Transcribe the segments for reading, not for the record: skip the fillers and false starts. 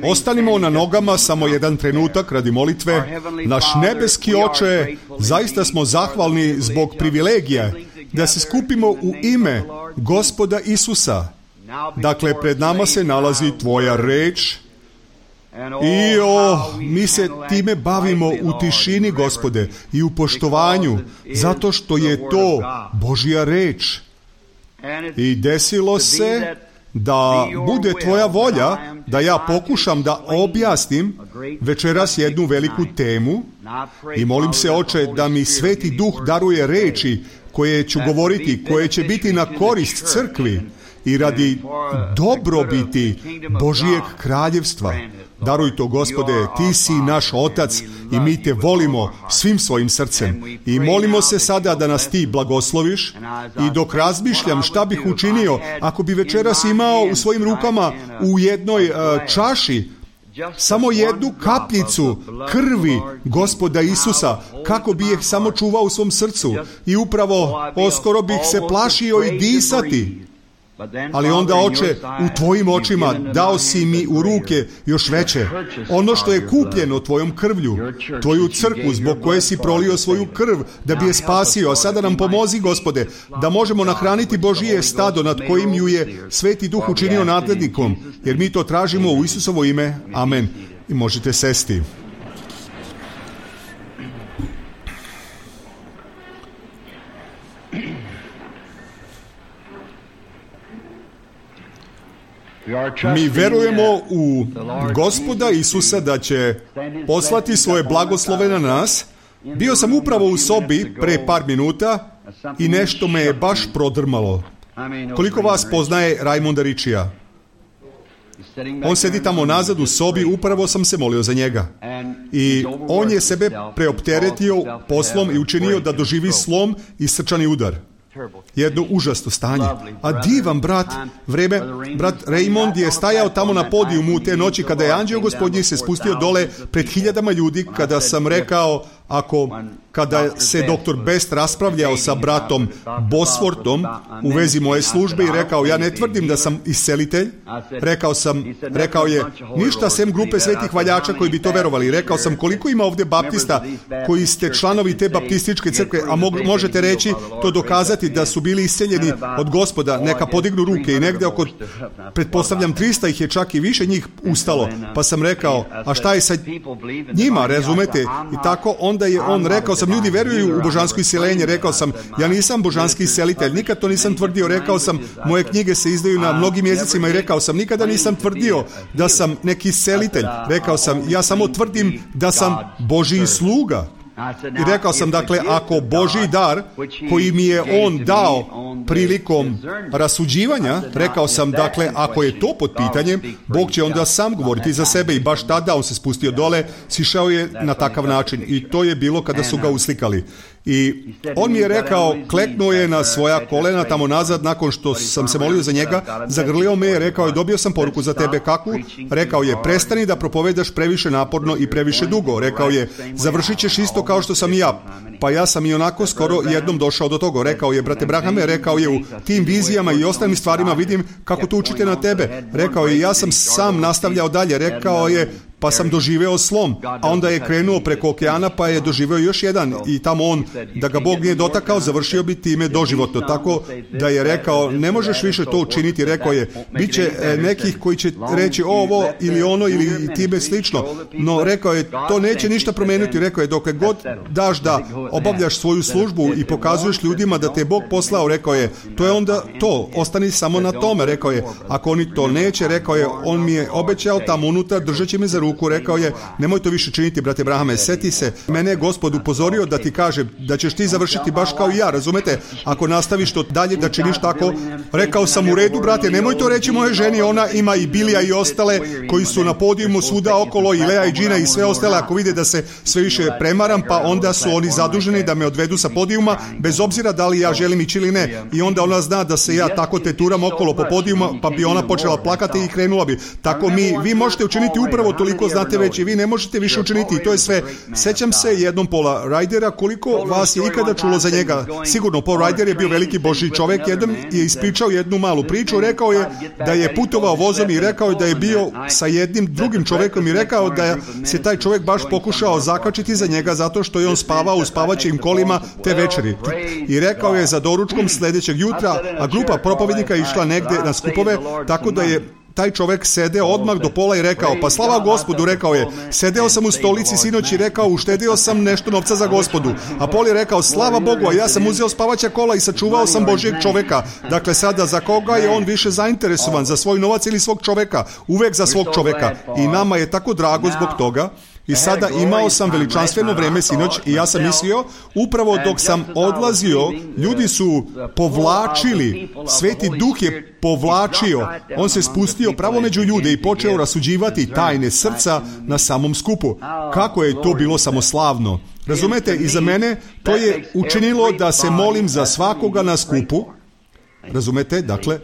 Ostanimo na nogama samo jedan trenutak radi molitve. Naš nebeski Oče, zaista smo zahvalni zbog privilegija da se skupimo u ime Gospoda Isusa. Dakle, pred nama se nalazi Tvoja reč i mi se time bavimo u tišini, Gospode, i u poštovanju, zato što je to Božja reč. I desilo se da bude Tvoja volja da ja pokušam da objasnim večeras jednu veliku temu i molim se, Oče, da mi Sveti Duh daruje reči koje ću govoriti, koje će biti na korist crkvi i radi dobrobiti Božijeg kraljevstva. Daruj to, Gospode, Ti si naš Otac i mi Te volimo svim svojim srcem. I molimo se sada da nas Ti blagosloviš i dok razmišljam šta bih učinio ako bi večeras imao u svojim rukama u jednoj čaši samo jednu kapljicu krvi Gospoda Isusa, kako bi je samo čuvao u svom srcu i upravo skoro bih se plašio i disati. Ali onda, Oče, u Tvojim očima dao si mi u ruke još veće, ono što je kupljeno Tvojom krvlju, Tvoju crkvu zbog koje si prolio svoju krv da bi je spasio. A sada nam pomozi, Gospode, da možemo nahraniti Božije stado nad kojim ju je Sveti Duh učinio nadglednikom, jer mi to tražimo u Isusovo ime. Amen. I možete sesti. Mi verujemo u Gospoda Isusa da će poslati svoje blagoslove na nas. Bio sam upravo u sobi pre par minuta i nešto me je baš prodrmalo. Koliko vas poznaje Raimonda Ričija? On sedi tamo nazad u sobi, upravo sam se molio za njega. I on je sebe preopteretio poslom i učinio da doživi slom i srčani udar. Jedno užasno stanje. A divan brat Raymond je stajao tamo na podijumu te noći kada je anđeo Gospodnji se spustio dole pred hiljadama ljudi, kada sam rekao, kada se doktor Best raspravljao sa bratom Bosworthom u vezi moje službe i rekao, ja ne tvrdim da sam iscelitelj. Rekao je, ništa sem grupe svetih valjača koji bi to verovali. Rekao sam, koliko ima ovdje baptista koji ste članovi te baptističke crkve, a možete reći, to dokazati da su bili isceljeni od Gospoda, neka podignu ruke i negdje oko, pretpostavljam, 300 ih je čak i više njih ustalo. Pa sam rekao, a šta je sa njima, razumete? I tako onda je on rekao sam, ljudi veruju u božansko isceljenje. Rekao sam, ja nisam božanski iscelitelj, nikad to nisam tvrdio. Rekao sam, moje knjige se izdaju na mnogim jezicima i rekao sam, nikada nisam tvrdio da sam neki iscelitelj. Rekao sam, ja samo tvrdim da sam Božji sluga. I rekao sam, dakle, ako Božji dar koji mi je on dao prilikom rasuđivanja, rekao sam, dakle, ako je to pod pitanjem, Bog će onda sam govoriti za sebe. I baš tada on se spustio dole, sišao je na takav način i to je bilo kada su ga uslikali. I on mi je rekao, kleknuo je na svoja kolena tamo nazad nakon što sam se molio za njega, zagrlio me je, rekao je, dobio sam poruku za tebe. Kakvu? Rekao je, prestani da propovedaš previše naporno i previše dugo. Rekao je, završit ćeš isto kao što sam i ja. Pa ja sam i onako skoro jednom došao do toga. Rekao je, brate Brahame, rekao je, u tim vizijama i ostalim stvarima vidim kako to učite na tebe. Rekao je, ja sam sam nastavljao dalje. Rekao je, pa sam doživeo slom, a onda je krenuo preko okeana pa je doživeo još jedan i tamo on, da ga Bog nije dotakao, završio bi time doživotno. Tako da je rekao, ne možeš više to učiniti. Rekao je, bit će nekih koji će reći ovo ili ono ili time slično, no rekao je, to neće ništa promeniti. Rekao je, dok god daš da obavljaš svoju službu i pokazuješ ljudima da te Bog poslao, rekao je, to je onda to, ostani samo na tome. Rekao je, ako oni to neće, rekao je, on mi je obećao tamo unutar, držat će me za ruku. Rekao je, nemoj to više činiti, brate Brahame, seti se, mene je Gospod upozorio da ti kaže da ćeš ti završiti baš kao i ja, razumete, ako nastaviš to dalje da činiš tako. Rekao sam, u redu, brate, nemoj to reći moje ženi, ona ima i Bilija i ostale koji su na podijumu svuda okolo, i Lea i Gina i sve ostale, ako vide da se sve više premaram, pa onda su oni zaduženi da me odvedu sa podijuma, bez obzira da li ja želim ići ili ne. I onda ona zna da se ja tako teturam okolo po podijuma, pa bi ona počela plakati i krenula bi. Tako vi možete učiniti upravo toliko koliko znate već i vi ne možete više učiniti i to je sve. Sećam se jednom Paula Rydera, koliko vas je ikada čulo za njega. Sigurno, Paul Ryder je bio veliki Božji čovjek, jednom je ispričao jednu malu priču, rekao je da je putovao vozom i rekao je da je bio sa jednim drugim čovjekom i rekao da se taj čovjek baš pokušao zakačiti za njega zato što je on spavao u spavaćim kolima te večeri. I rekao je za doručkom sljedećeg jutra, a grupa propovednika išla negdje na skupove, tako da je taj čovjek sedeo odmah do pola i rekao, pa slava Gospodu, rekao je, sedeo sam u stolici sinoć i rekao, uštedio sam nešto novca za Gospodu. A Paul je rekao, slava Bogu, a ja sam uzeo spavaća kola i sačuvao sam Božjeg čovjeka. Dakle, sada za koga je on više zainteresovan, za svoj novac ili svog čovjeka? Uvek za svog čovjeka. I nama je tako drago zbog toga. I sada imao sam veličanstveno vreme sinoć i ja sam mislio, upravo dok sam odlazio, ljudi su povlačili, Sveti Duh je povlačio, on se spustio pravo među ljude i počeo rasuđivati tajne srca na samom skupu. Kako je to bilo samoslavno. Razumete, i za mene to je učinilo da se molim za svakoga na skupu. Razumete, dakle,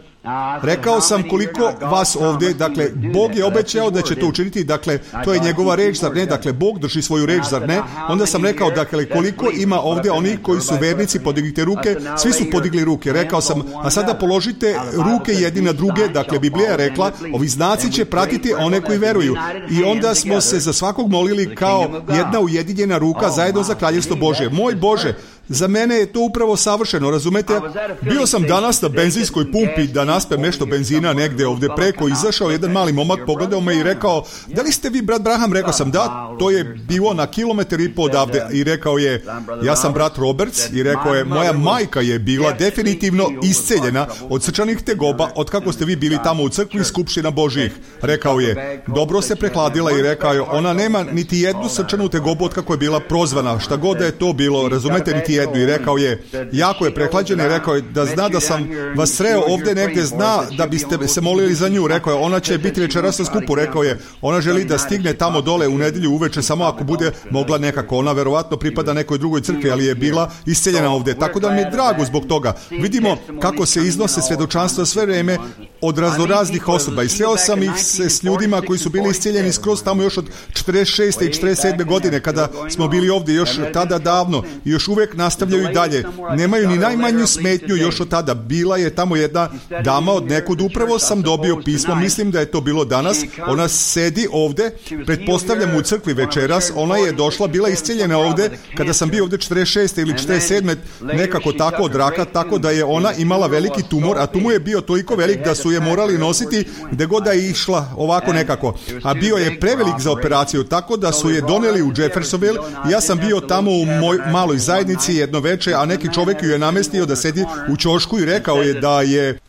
rekao sam koliko vas ovdje, dakle, Bog je obećao da će to učiniti, dakle, to je njegova reč, zar ne? Dakle, Bog drži svoju reč, zar ne? Onda sam rekao, dakle, koliko ima ovdje onih koji su vernici, podignite ruke, svi su podigli ruke. Rekao sam, a sada položite ruke jedni na druge, dakle, Biblija je rekla, ovi znaci će pratiti one koji veruju. I onda smo se za svakog molili kao jedna ujedinjena ruka zajedno za kraljevstvo Božje. Moj Bože, za mene je to upravo savršeno, razumete? Bio sam danas na benzinskoj pumpi da naspem nešto benzina negdje ovdje preko, izašao jedan mali momak, pogledao me i rekao, da li ste vi brat Branham? Rekao sam, da, to je bilo na 1,5 kilometra odavde. I rekao je, ja sam brat Roberts, i rekao je, moja majka je bila definitivno isceljena od srčanih tegoba od kako ste vi bili tamo u crkvi Skupština Božjih. Rekao je, dobro se prehladila i rekao je, ona nema niti jednu srčanu tegobu od kako je bila prozvana, šta god da je to bilo, razumete, niti jednu. I rekao je, jako je prehlađena i rekao je da zna da sam vas sreo ovdje negdje, zna da biste se molili za nju. Rekao je, ona će biti večeras na skupu. Rekao je, ona želi da stigne tamo dole u nedjelju uveče, samo ako bude mogla nekako. Ona verovatno pripada nekoj drugoj crkvi, ali je bila isceljena ovdje. Tako da mi je drago zbog toga. Vidimo kako se iznose svjedočanstva sve vrijeme od raznoraznih osoba. I sreo sam ih se s ljudima koji su bili isceljeni skroz tamo još od 46. i 47. godine kada smo bili ovdje još tada davno i još uvijek nastavljaju i dalje. Nemaju ni najmanju smetnju još od tada. Bila je tamo jedna dama od nekud, upravo sam dobio pismo, mislim da je to bilo danas. Ona sedi ovdje, pretpostavljam u crkvi večeras, ona je došla, bila isceljena ovdje kada sam bio ovdje 46. ili 47. nekako tako od raka, tako da je ona imala veliki tumor, a tumor je bio toliko velik da su je morali nositi gdje god da je išla ovako nekako. A bio je prevelik za operaciju, tako da su je doneli u Jeffersonville. Ja sam bio tamo u maloj zajednici jedno večer, a neki čovjek ju je namestio da sedi u ćošku i rekao je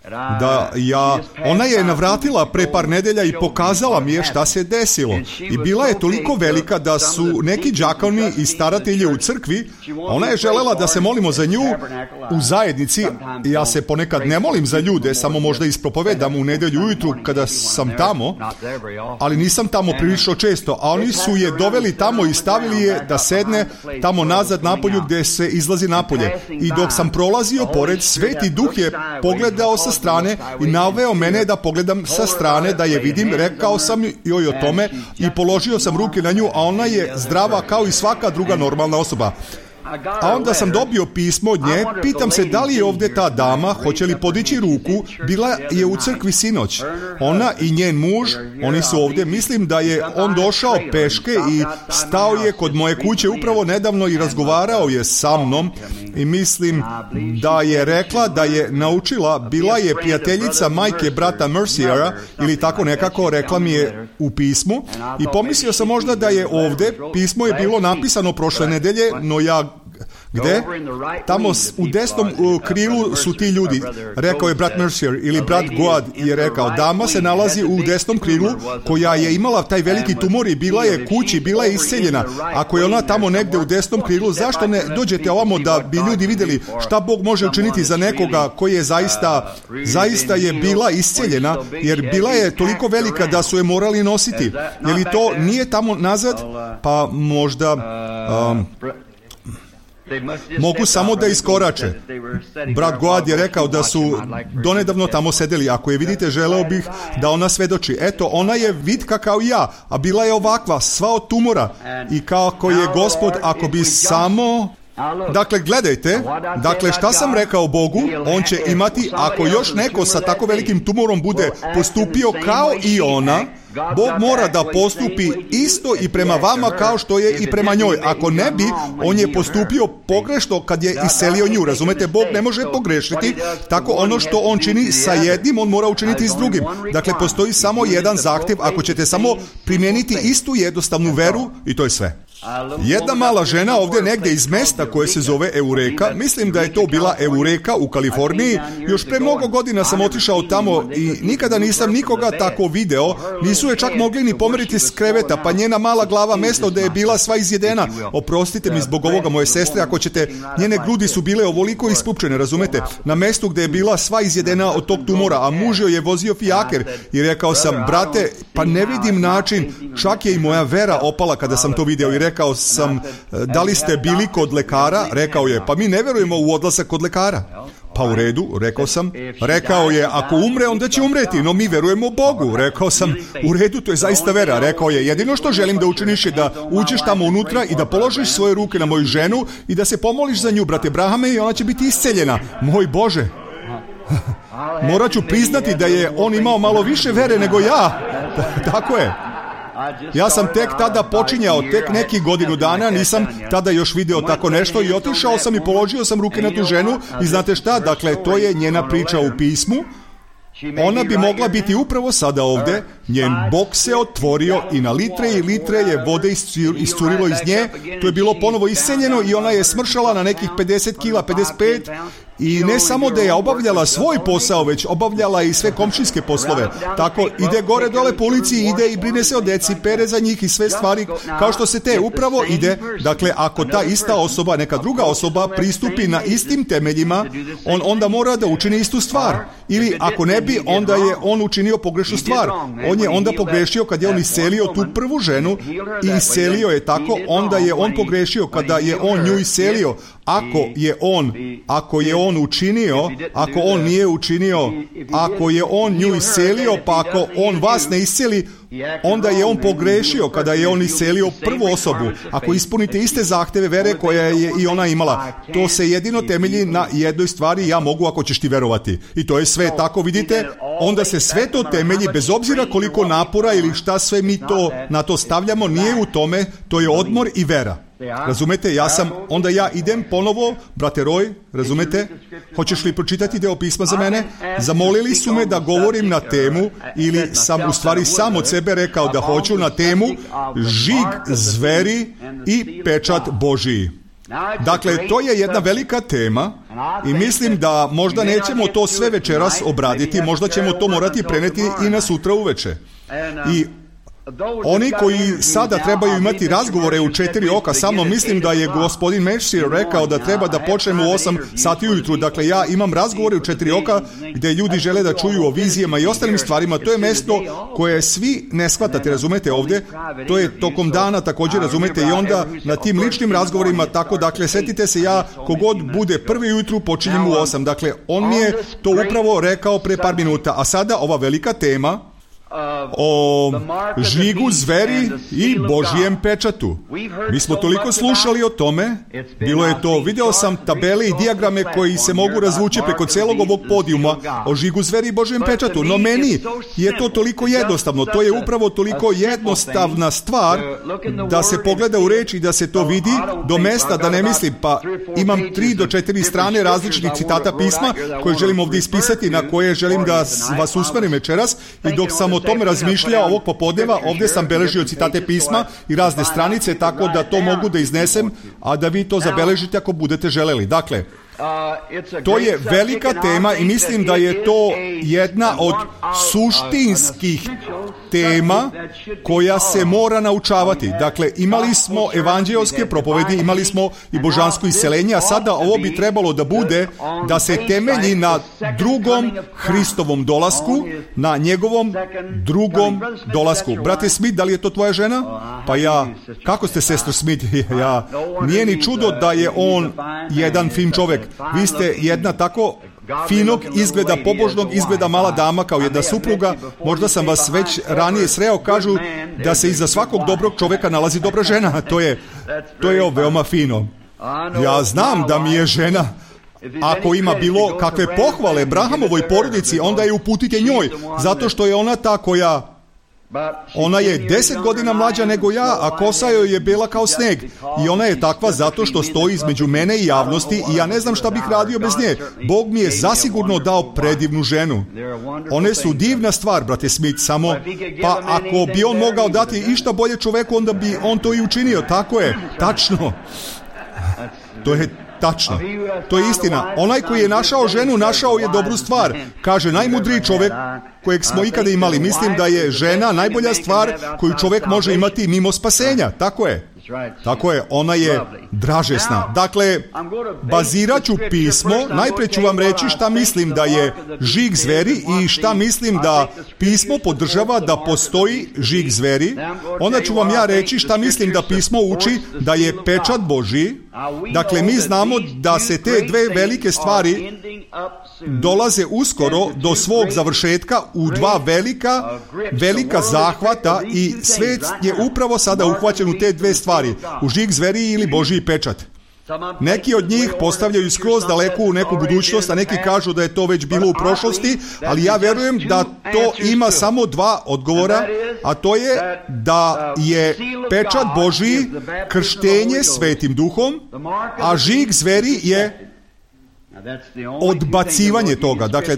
ona je navratila pre par nedelja i pokazala mi je šta se desilo. I bila je toliko velika da su neki đakoni i staratelji u crkvi, ona je želela da se molimo za nju u zajednici. Ja se ponekad ne molim za ljude, samo možda ispropovedam u nedjelju ujutru kada sam tamo, ali nisam tamo prilično često, a oni su je doveli tamo i stavili je da sedne tamo nazad napolju gdje se izlazi napolje. I dok sam prolazio pored, Sveti Duh je pogledao sa strane i naveo mene da pogledam sa strane, da je vidim. Rekao sam joj o tome i položio sam ruke na nju, a ona je zdrava kao i svaka druga normalna osoba. A onda sam dobio pismo od nje, pitam se da li je ovdje ta dama, hoće li podići ruku, bila je u crkvi sinoć. Ona i njen muž, oni su ovdje, mislim da je on došao peške i stao je kod moje kuće upravo nedavno i razgovarao je sa mnom i mislim da je rekla da je naučila, bila je prijateljica majke brata Merciera ili tako nekako, rekla mi je u pismu i pomislio sam možda da je ovdje, pismo je bilo napisano prošle nedelje, no ja gdje? Tamo u desnom krilu su ti ljudi. Rekao je brat Mercier ili brat Goad je rekao, dama se nalazi u desnom krilu koja je imala taj veliki tumor i bila je kući, bila je isceljena. Ako je ona tamo negdje u desnom krilu, zašto ne dođete ovamo da bi ljudi vidjeli šta Bog može učiniti za nekoga koji je zaista je bila isceljena, jer bila je toliko velika da su je morali nositi. Je li to nije tamo nazad? Pa možda... Mogu samo da iskorače. Brat Goad je rekao da su donedavno tamo sedeli. Ako je vidite, želeo bih da ona svedoči. Eto, ona je vitka kao ja, a bila je ovakva, sva od tumora. I kako je Gospod, ako bi samo... Dakle, gledajte, šta sam rekao Bogu, on će imati, ako još neko sa tako velikim tumorom bude postupio kao i ona, Bog mora da postupi isto i prema vama kao što je i prema njoj. Ako ne bi, on je postupio pogrešno kad je iselio nju. Razumete, Bog ne može pogrešiti, tako ono što on čini sa jednim, on mora učiniti s drugim. Dakle, postoji samo jedan zahtjev, ako ćete samo primijeniti istu jednostavnu veru i to je sve. Jedna mala žena ovdje negdje iz mesta koje se zove Eureka, mislim da je to bila Eureka u Kaliforniji, još pre mnogo godina sam otišao tamo i nikada nisam nikoga tako video, nisu je čak mogli ni pomeriti s kreveta, pa njena mala glava mesto da je bila sva izjedena. Oprostite mi zbog ovoga, moje sestre, ako ćete, njene grudi su bile ovoliko ispupčene, razumete, na mestu gdje je bila sva izjedena od tog tumora, a muž joj je vozio fijaker i rekao sam, brate, pa ne vidim način, čak je i moja vera opala kada sam to video i rekao sam, da li ste bili kod lekara? Rekao je, pa mi ne verujemo u odlazak kod lekara. Pa u redu, rekao sam. Rekao je, ako umre, onda će umreti, no mi verujemo u Bogu. Rekao sam, u redu, to je zaista vera. Rekao je, jedino što želim da učiniš je da uđeš tamo unutra i da položiš svoje ruke na moju ženu i da se pomoliš za nju, brate Brahame, i ona će biti isceljena. Moj Bože. Morat ću priznati da je on imao malo više vere nego ja. Tako je. Ja sam tek tada počinjao, tek nekih godinu dana, nisam tada još video tako nešto i otišao sam i položio sam ruke na tu ženu i znate šta, dakle, to je njena priča u pismu. Ona bi mogla biti upravo sada ovdje, njen bok se otvorio i na litre i litre je vode iscurilo iz nje, to je bilo ponovo isceljeno i ona je smršala na nekih 50 kila, 55, i ne samo da je obavljala svoj posao, već obavljala i sve komšijske poslove. Tako ide gore dole po ulici, ide i brine se o deci, pere za njih i sve stvari kao što se te upravo ide. Dakle, ako ta ista osoba, neka druga osoba pristupi na istim temeljima, on onda mora da učini istu stvar. Ili ako ne bi, onda je on učinio pogrešnu stvar. On je onda pogrešio kad je on iselio tu prvu ženu i iselio je tako, onda je on pogrešio kada je on nju iselio. Ako je on učinio, ako on nije učinio, ako je on nju iselio, pa ako on vas ne iseli, onda je on pogrešio kada je on iselio prvu osobu. Ako ispunite iste zahteve vere koje je i ona imala, to se jedino temelji na jednoj stvari, ja mogu ako ćeš ti verovati. I to je sve tako, vidite, onda se sve to temelji, bez obzira koliko napora ili šta sve mi to na to stavljamo, nije u tome, to je odmor i vera. Razumete, onda ja idem ponovo, brate Roy, razumete, hoćeš li pročitati deo pisma za mene? Zamolili su me da govorim na temu, ili sam u stvari sam od sebe rekao da hoću na temu žig zveri i pečat Božiji. Dakle, to je jedna velika tema i mislim da možda nećemo to sve večeras obraditi, možda ćemo to morati preneti i na sutra uveče. I oni koji sada trebaju imati razgovore u 4 oka sa mnom, mislim da je gospodin Mercier rekao da treba da počnemo u 8 sati ujutru. Dakle, ja imam razgovore u 4 oka gdje ljudi žele da čuju o vizijama i ostalim stvarima. To je mesto koje svi ne shvatate, razumete ovdje. To je tokom dana također, razumete, i onda na tim ličnim razgovorima tako, dakle, setite se, ja kogod bude prvi ujutru počinjem u 8. Dakle, on mi je to upravo rekao pre par minuta. A sada ova velika tema o žigu zveri i Božijem pečatu. Mi smo toliko slušali o tome, bilo je to, video sam tabele i dijagrame koji se mogu razvući preko celog ovog podijuma o žigu zveri i Božijem pečatu, no meni je to toliko jednostavno, to je upravo toliko jednostavna stvar da se pogleda u reč i da se to vidi do mesta, da ne mislim, pa imam 3 do 4 strane različitih citata pisma koje želim ovdje ispisati, na koje želim da vas usmerim večeras, i dok sam o tome razmišljao ovog popodneva, ovdje sam beležio citate pisma i razne stranice, tako da to mogu da iznesem, a da vi to zabeležite ako budete želeli. Dakle, To je velika tema i mislim da je to jedna od suštinskih tema koja se mora naučavati. Dakle, imali smo evanđeoske propovedi, imali smo i božansko isceljenje, a sada ovo bi trebalo da bude da se temelji na drugom Hristovom dolasku, na njegovom drugom dolasku. Brate Smith, da li je to tvoja žena? Pa kako ste, sestro Smith? Nije ni čudo da je on jedan fin čovek. Vi ste jedna tako finog izgleda, pobožnog izgleda mala dama kao jedna supruga. Možda sam vas već ranije sreo. Kažu da se iza svakog dobrog čoveka nalazi dobra žena. To je veoma fino. Ja znam da mi je žena, ako ima bilo kakve pohvale Brahamovoj porodici, onda je uputite njoj, zato što je ona ta koja... Ona je 10 godina mlađa nego ja, a kosa joj je bela kao sneg. I ona je takva zato što stoji između mene i javnosti i ja ne znam šta bih radio bez nje. Bog mi je zasigurno dao predivnu ženu. One su divna stvar, brate Smith, samo pa ako bi on mogao dati išta bolje čoveku, onda bi on to i učinio. Tako je, tačno. To je tačno. To je istina. Onaj koji je našao ženu, našao je dobru stvar. Kaže najmudriji čovek kojeg smo ikada imali. Mislim da je žena najbolja stvar koju čovek može imati mimo spasenja. Tako je. Tako je, ona je dražesna. Dakle, bazirat ću pismo, najpre ću vam reći šta mislim da je žig zveri i šta mislim da pismo podržava da postoji žig zveri. Onda ću vam ja reći šta mislim da pismo uči da je pečat Božji. Dakle, mi znamo da se te dve velike stvari dolaze uskoro do svog završetka u dva velika zahvata i svet je upravo sada uhvaćen u te dve stvari, u žig zveri ili Božji pečat. Neki od njih postavljaju skroz daleko u neku budućnost, a neki kažu da je to već bilo u prošlosti, ali ja verujem da to ima samo dva odgovora, a to je da je pečat Božji krštenje Svetim Duhom, a žig zveri je odbacivanje toga. Dakle,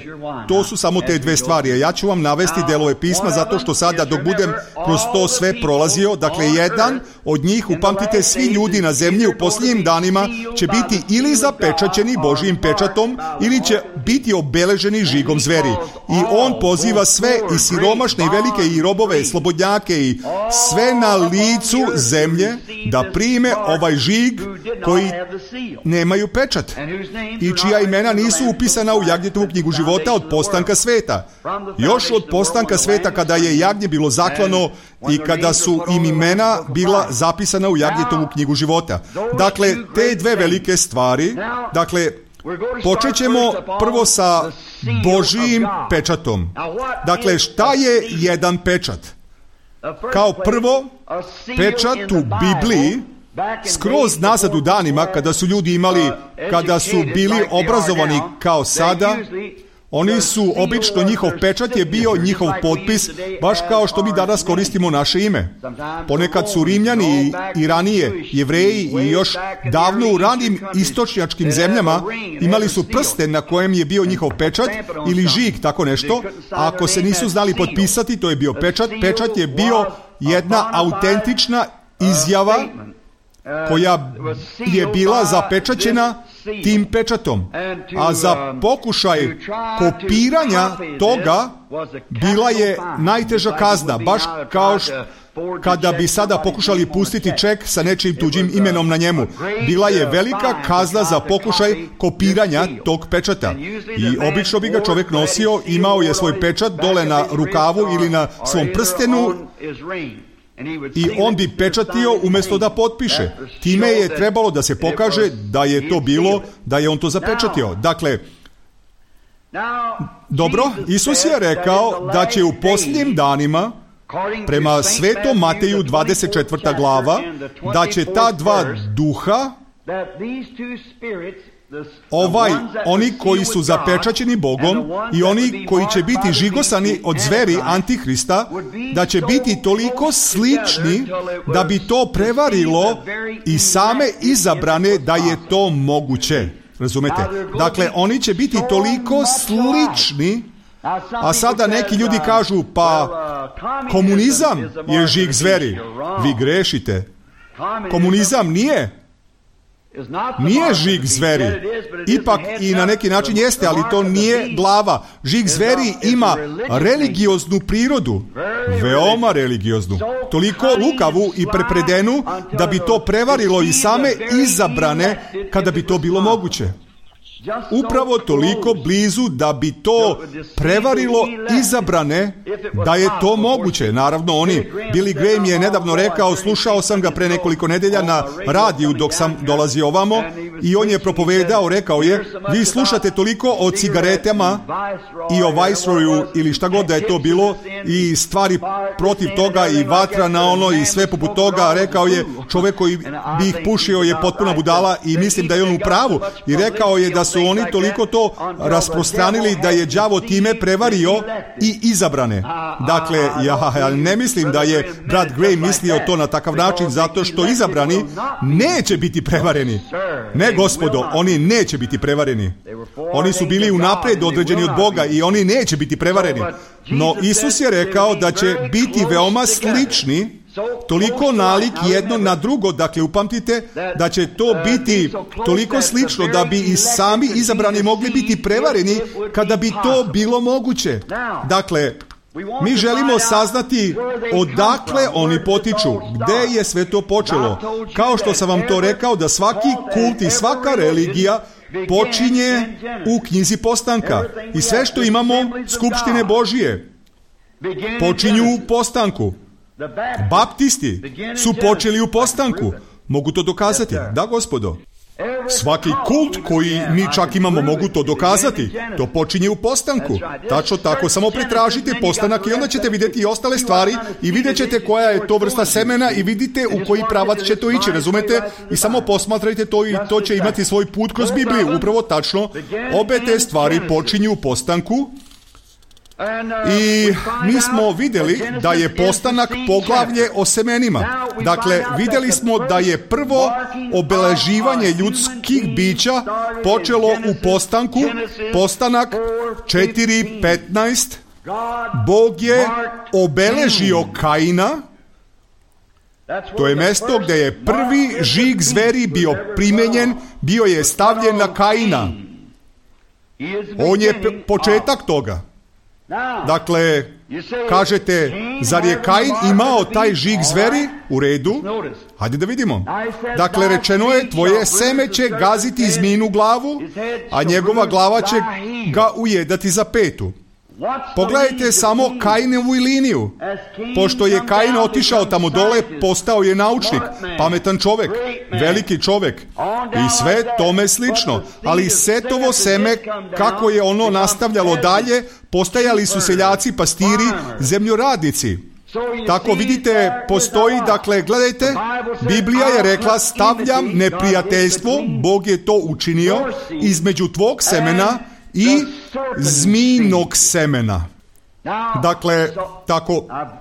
to su samo te dve stvari. Ja ću vam navesti delove pisma zato što sada dok budem kroz to sve prolazio, dakle jedan od njih, upamtite, svi ljudi na zemlji u posljednjim danima će biti ili zapečaćeni Božjim pečatom ili će biti obeleženi žigom zveri. I on poziva sve i siromašne i velike i robove, slobodnjake i sve na licu zemlje da prime ovaj žig koji nemaju pečat i čija imena nisu upisana u Jagnjetovu knjigu života od postanka sveta. Još od postanka sveta, kada je jagnje bilo zaklano i kada su im imena bila zapisana u Jagnjetovu knjigu života. Dakle, te dve velike stvari, dakle, počet ćemo prvo sa Božijim pečatom. Dakle, šta je jedan pečat? Kao prvo, pečat u Bibliji, skroz nazad u danima kada su bili obrazovani kao sada, oni su obično, njihov pečat je bio njihov potpis, baš kao što mi danas koristimo naše ime. Ponekad su Rimljani i ranije Jevreji i još davno u ranim istočnjačkim zemljama imali su prsten na kojem je bio njihov pečat ili žig, tako nešto. A ako se nisu znali potpisati, to je bio pečat. Pečat je bio jedna autentična izjava koja je bila zapečaćena tim pečatom. A za pokušaj kopiranja toga bila je najteža kazna, baš kao kada bi sada pokušali pustiti ček sa nečijim tuđim imenom na njemu. Bila je velika kazna za pokušaj kopiranja tog pečata. I obično bi ga čovjek nosio, imao je svoj pečat dole na rukavu ili na svom prstenu i on bi pečatio umjesto da potpiše. Time je trebalo da se pokaže da je to bilo, da je on to zapečatio. Dakle, dobro, Isus je rekao da će u posljednjim danima, prema Svetom Mateju 24. glava, da će ta dva duha, oni koji su zapečaćeni Bogom i oni koji će biti žigosani od zveri Antihrista, da će biti toliko slični da bi to prevarilo i same izabrane da je to moguće. Razumete? Dakle, oni će biti toliko slični, a sada neki ljudi kažu, pa komunizam je žig zveri. Vi grešite. Komunizam nije. Nije žig zveri. Ipak i na neki način jeste, ali to nije glava. Žig zveri ima religioznu prirodu. Veoma religioznu. Toliko lukavu i prepredenu da bi to prevarilo i same izabrane kada bi to bilo moguće. Upravo toliko blizu da bi to prevarilo izabrane, da je to moguće. Naravno, Billy Graham je nedavno rekao, slušao sam ga pre nekoliko nedelja na radiju dok sam dolazio ovamo, i on je propovedao, rekao je, vi slušate toliko o cigaretama i o Viceroyu ili šta god da je to bilo i stvari protiv toga i vatra na ono i sve poput toga. Rekao je, čovjek koji bi ih pušio je potpuna budala, i mislim da je on u pravu, i rekao je da su oni toliko to rasprostranili da je đavo time prevario i izabrane. Dakle, ja ne mislim da je brat Graham mislio to na takav način, zato što izabrani neće biti prevareni. Ne, gospodo, oni neće biti prevareni. Oni su bili unaprijed određeni od Boga i oni neće biti prevareni. No Isus je rekao da će biti veoma slični, toliko nalik jedno na drugo, dakle upamtite da će to biti toliko slično da bi i sami izabrani mogli biti prevareni kada bi to bilo moguće. Dakle, mi želimo saznati odakle oni potiču, gde je sve to počelo. Kao što sam vam to rekao, da svaki kult i svaka religija počinje u knjizi Postanka. I sve što imamo, skupštine Božije, počinju u Postanku. Baptisti su počeli u Postanku. Mogu to dokazati? Da, gospodo. Svaki kult koji mi čak imamo mogu to dokazati. To počinje u Postanku. Tačno tako, samo pretražite Postanak i onda ćete vidjeti i ostale stvari i vidjet ćete koja je to vrsta semena i vidite u koji pravac će to ići, razumete? I samo posmatrajte to i to će imati svoj put kroz Bibliju. Upravo tačno, obe te stvari počinju u Postanku. I mi smo vidjeli da je Postanak poglavlje o semenima. Dakle, vidjeli smo da je prvo obeleživanje ljudskih bića počelo u Postanku. Postanak 4:15. Bog je obeležio Kaina. To je mjesto gdje je prvi žig zveri bio primenjen, bio je stavljen na Kaina. On je početak toga. Dakle, kažete, zar je Kain imao taj žig zveri? U redu. Hajde da vidimo. Dakle, rečeno je, tvoje seme će gaziti zmijinu glavu, a njegova glava će ga ujedati za petu. Pogledajte samo Kainovu liniju. Pošto je Kain otišao tamo dole, postao je naučnik, pametan čovjek, veliki čovjek i sve tome slično. Ali Setovo seme, kako je ono nastavljalo dalje, postajali su seljaci, pastiri, zemljoradnici. Tako vidite, postoji, dakle, gledajte, Biblija je rekla, stavljam neprijateljstvo, Bog je to učinio, između tvog semena i zmijinog semena.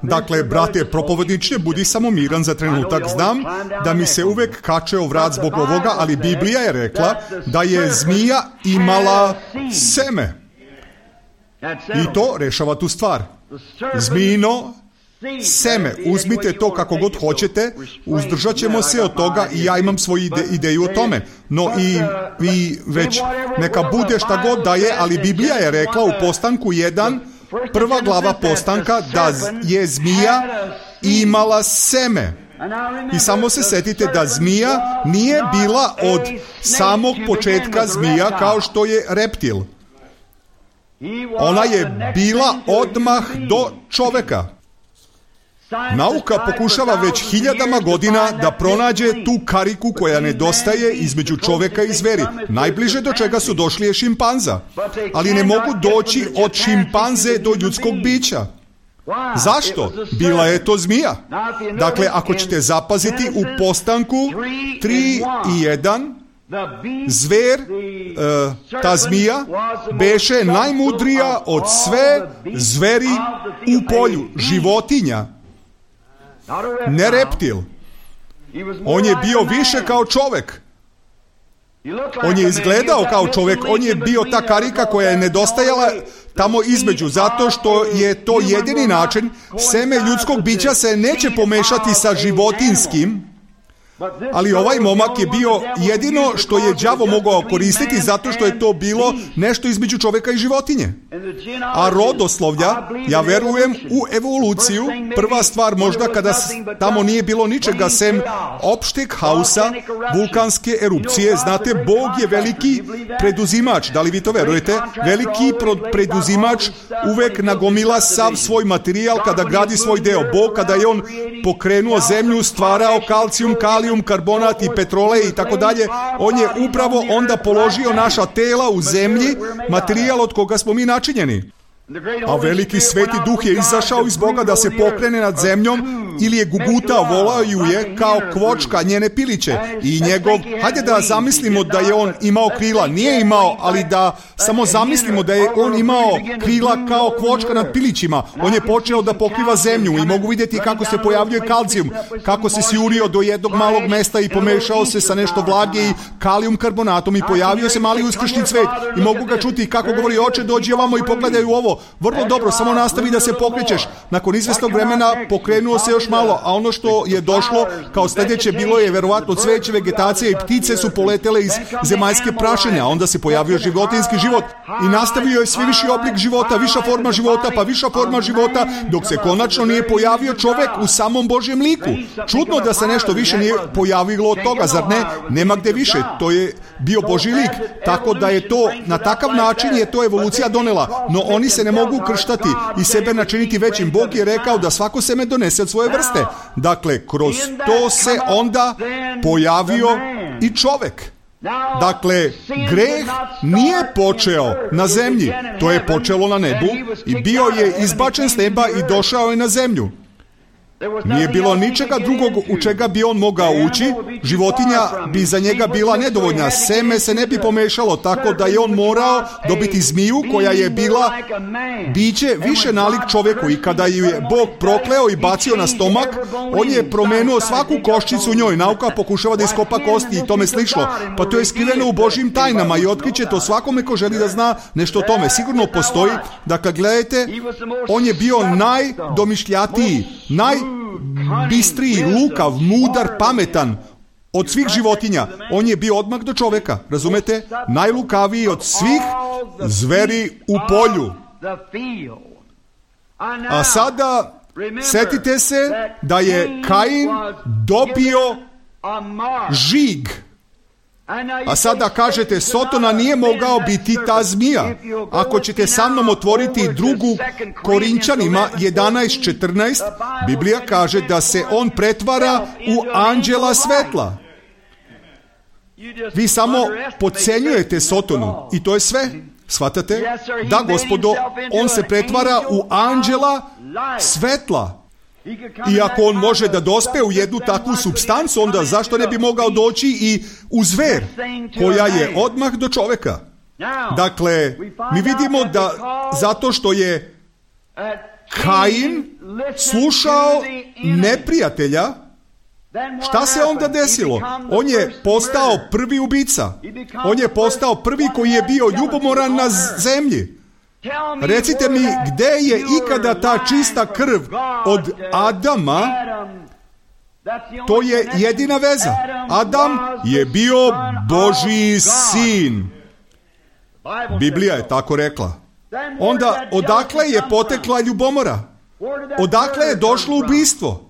Dakle, brate propovedniče, budi samo miran za trenutak. Znam da mi se uvek kače o vrat zbog ovoga, ali Biblija je rekla da je zmija imala seme. I to rešava tu stvar. Zmijino seme, uzmite to kako god hoćete, uzdržat ćemo se od toga i ja imam svoju ideju o tome. No i već neka bude šta god da je, ali Biblija je rekla u Postanku 1, prva glava Postanka, da je zmija imala seme. I samo se setite da zmija nije bila od samog početka zmija kao što je reptil. Ona je bila odmah do čoveka. Nauka pokušava već hiljadama godina da pronađe tu kariku koja nedostaje između čoveka i zveri. Najbliže do čega su došli je šimpanza. Ali ne mogu doći od šimpanze do ljudskog bića. Zašto? Bila je to zmija. Dakle, ako ćete zapaziti u Postanku 3:1, zver, ta zmija, beše najmudrija od sve zveri u polju, životinja. Ne reptil. On je bio više kao čovjek. On je izgledao kao čovjek. On je bio ta karika koja je nedostajala tamo između, zato što je to jedini način. Seme ljudskog bića se neće pomešati sa životinskim, Ali ovaj momak je bio jedino što je đavo mogao koristiti, zato što je to bilo nešto između čovjeka i životinje. A rodoslovlja, ja verujem u evoluciju, prva stvar možda kada tamo nije bilo ničega sem opšteg haosa, vulkanske erupcije. Znate, Bog je veliki preduzimač, da li vi to verujete? Veliki preduzimač uvek nagomila sav svoj materijal kada gradi svoj deo. Bog, kada je on pokrenuo zemlju, stvarao kalcijum, kalijum, karbonat i petrole i tako dalje, on je upravo onda položio naša tela u zemlji, materijal od koga smo mi načinjeni. A veliki sveti duh je izašao iz Boga da se pokrene nad zemljom ili je gugutao, volao ju je kao kvočka njene piliće. I njegov, hajde da zamislimo da je on imao krila, nije imao, ali da samo zamislimo da je on imao krila kao kvočka nad pilićima. On je počeo da pokriva zemlju i mogu vidjeti kako se pojavljuje kalcijum, kako se sjurio do jednog malog mesta i pomešao se sa nešto vlage i kalijum karbonatom i pojavio se mali uskršnji cvet. I mogu ga čuti kako govori: oče, dođi ovamo i pogledaj u ovo. Vrlo dobro, samo nastavi da se pokrećeš. Nakon izvesnog vremena pokrenuo se još malo, a ono što je došlo kao sljedeće bilo je verovatno cveće, vegetacija i ptice su poletele iz zemaljske prašine, a onda se pojavio životinjski život i nastavio je sve viši oblik života, viša forma života, pa viša forma života, dok se konačno nije pojavio čovek u samom Božjem liku. Čudno da se nešto više nije pojavilo od toga, zar ne? Nema gde više, to je bio Božji lik, tako da je to, na takav način je to evolucija donela, no oni se ne mogu krštati i sebe načiniti većim. Bog je rekao da svako seme donese od svoje vrste. Dakle, kroz to se onda pojavio i čovek. Dakle, greh nije počeo na zemlji, to je počelo na nebu i bio je izbačen s neba i došao je na zemlju. Nije bilo ničega drugog u čega bi on mogao ući, životinja bi za njega bila nedovoljna, seme se ne bi pomešalo, tako da je on morao dobiti zmiju koja je bila biće više nalik čovjeku i kada ju je Bog prokleo i bacio na stomak, on je promenuo svaku koščicu u njoj. Nauka pokušava da iskopa kosti i tome slično, pa to je skriveno u Božjim tajnama i otkriće to svakome ko želi da zna nešto o tome. Sigurno postoji. Dakle, gledajte, on je bio najdomišljatiji, najbistriji, lukav, mudar, pametan od svih životinja. On je bio odmah do čoveka, razumete? Najlukaviji od svih zveri u polju. A sada setite se da je Kain dobio žig. A sada kažete, Sotona nije mogao biti ta zmija. Ako ćete sa mnom otvoriti 2. Korinčanima 11:14, Biblija kaže da se on pretvara u anđela svetla. Vi samo podcenjujete Sotonu i to je sve. Shvatate? Da, gospodo, on se pretvara u anđela svetla. I ako on može da dospe u jednu takvu supstancu, onda zašto ne bi mogao doći i u zver koja je odmah do čoveka? Dakle, mi vidimo da zato što je Kain slušao neprijatelja, šta se onda desilo? On je postao prvi ubica. On je postao prvi koji je bio ljubomoran na zemlji. Recite mi, gde je ikada ta čista krv od Adama? To je jedina veza. Adam je bio Božji sin. Biblija je tako rekla. Onda, odakle je potekla ljubomora? Odakle je došlo ubistvo?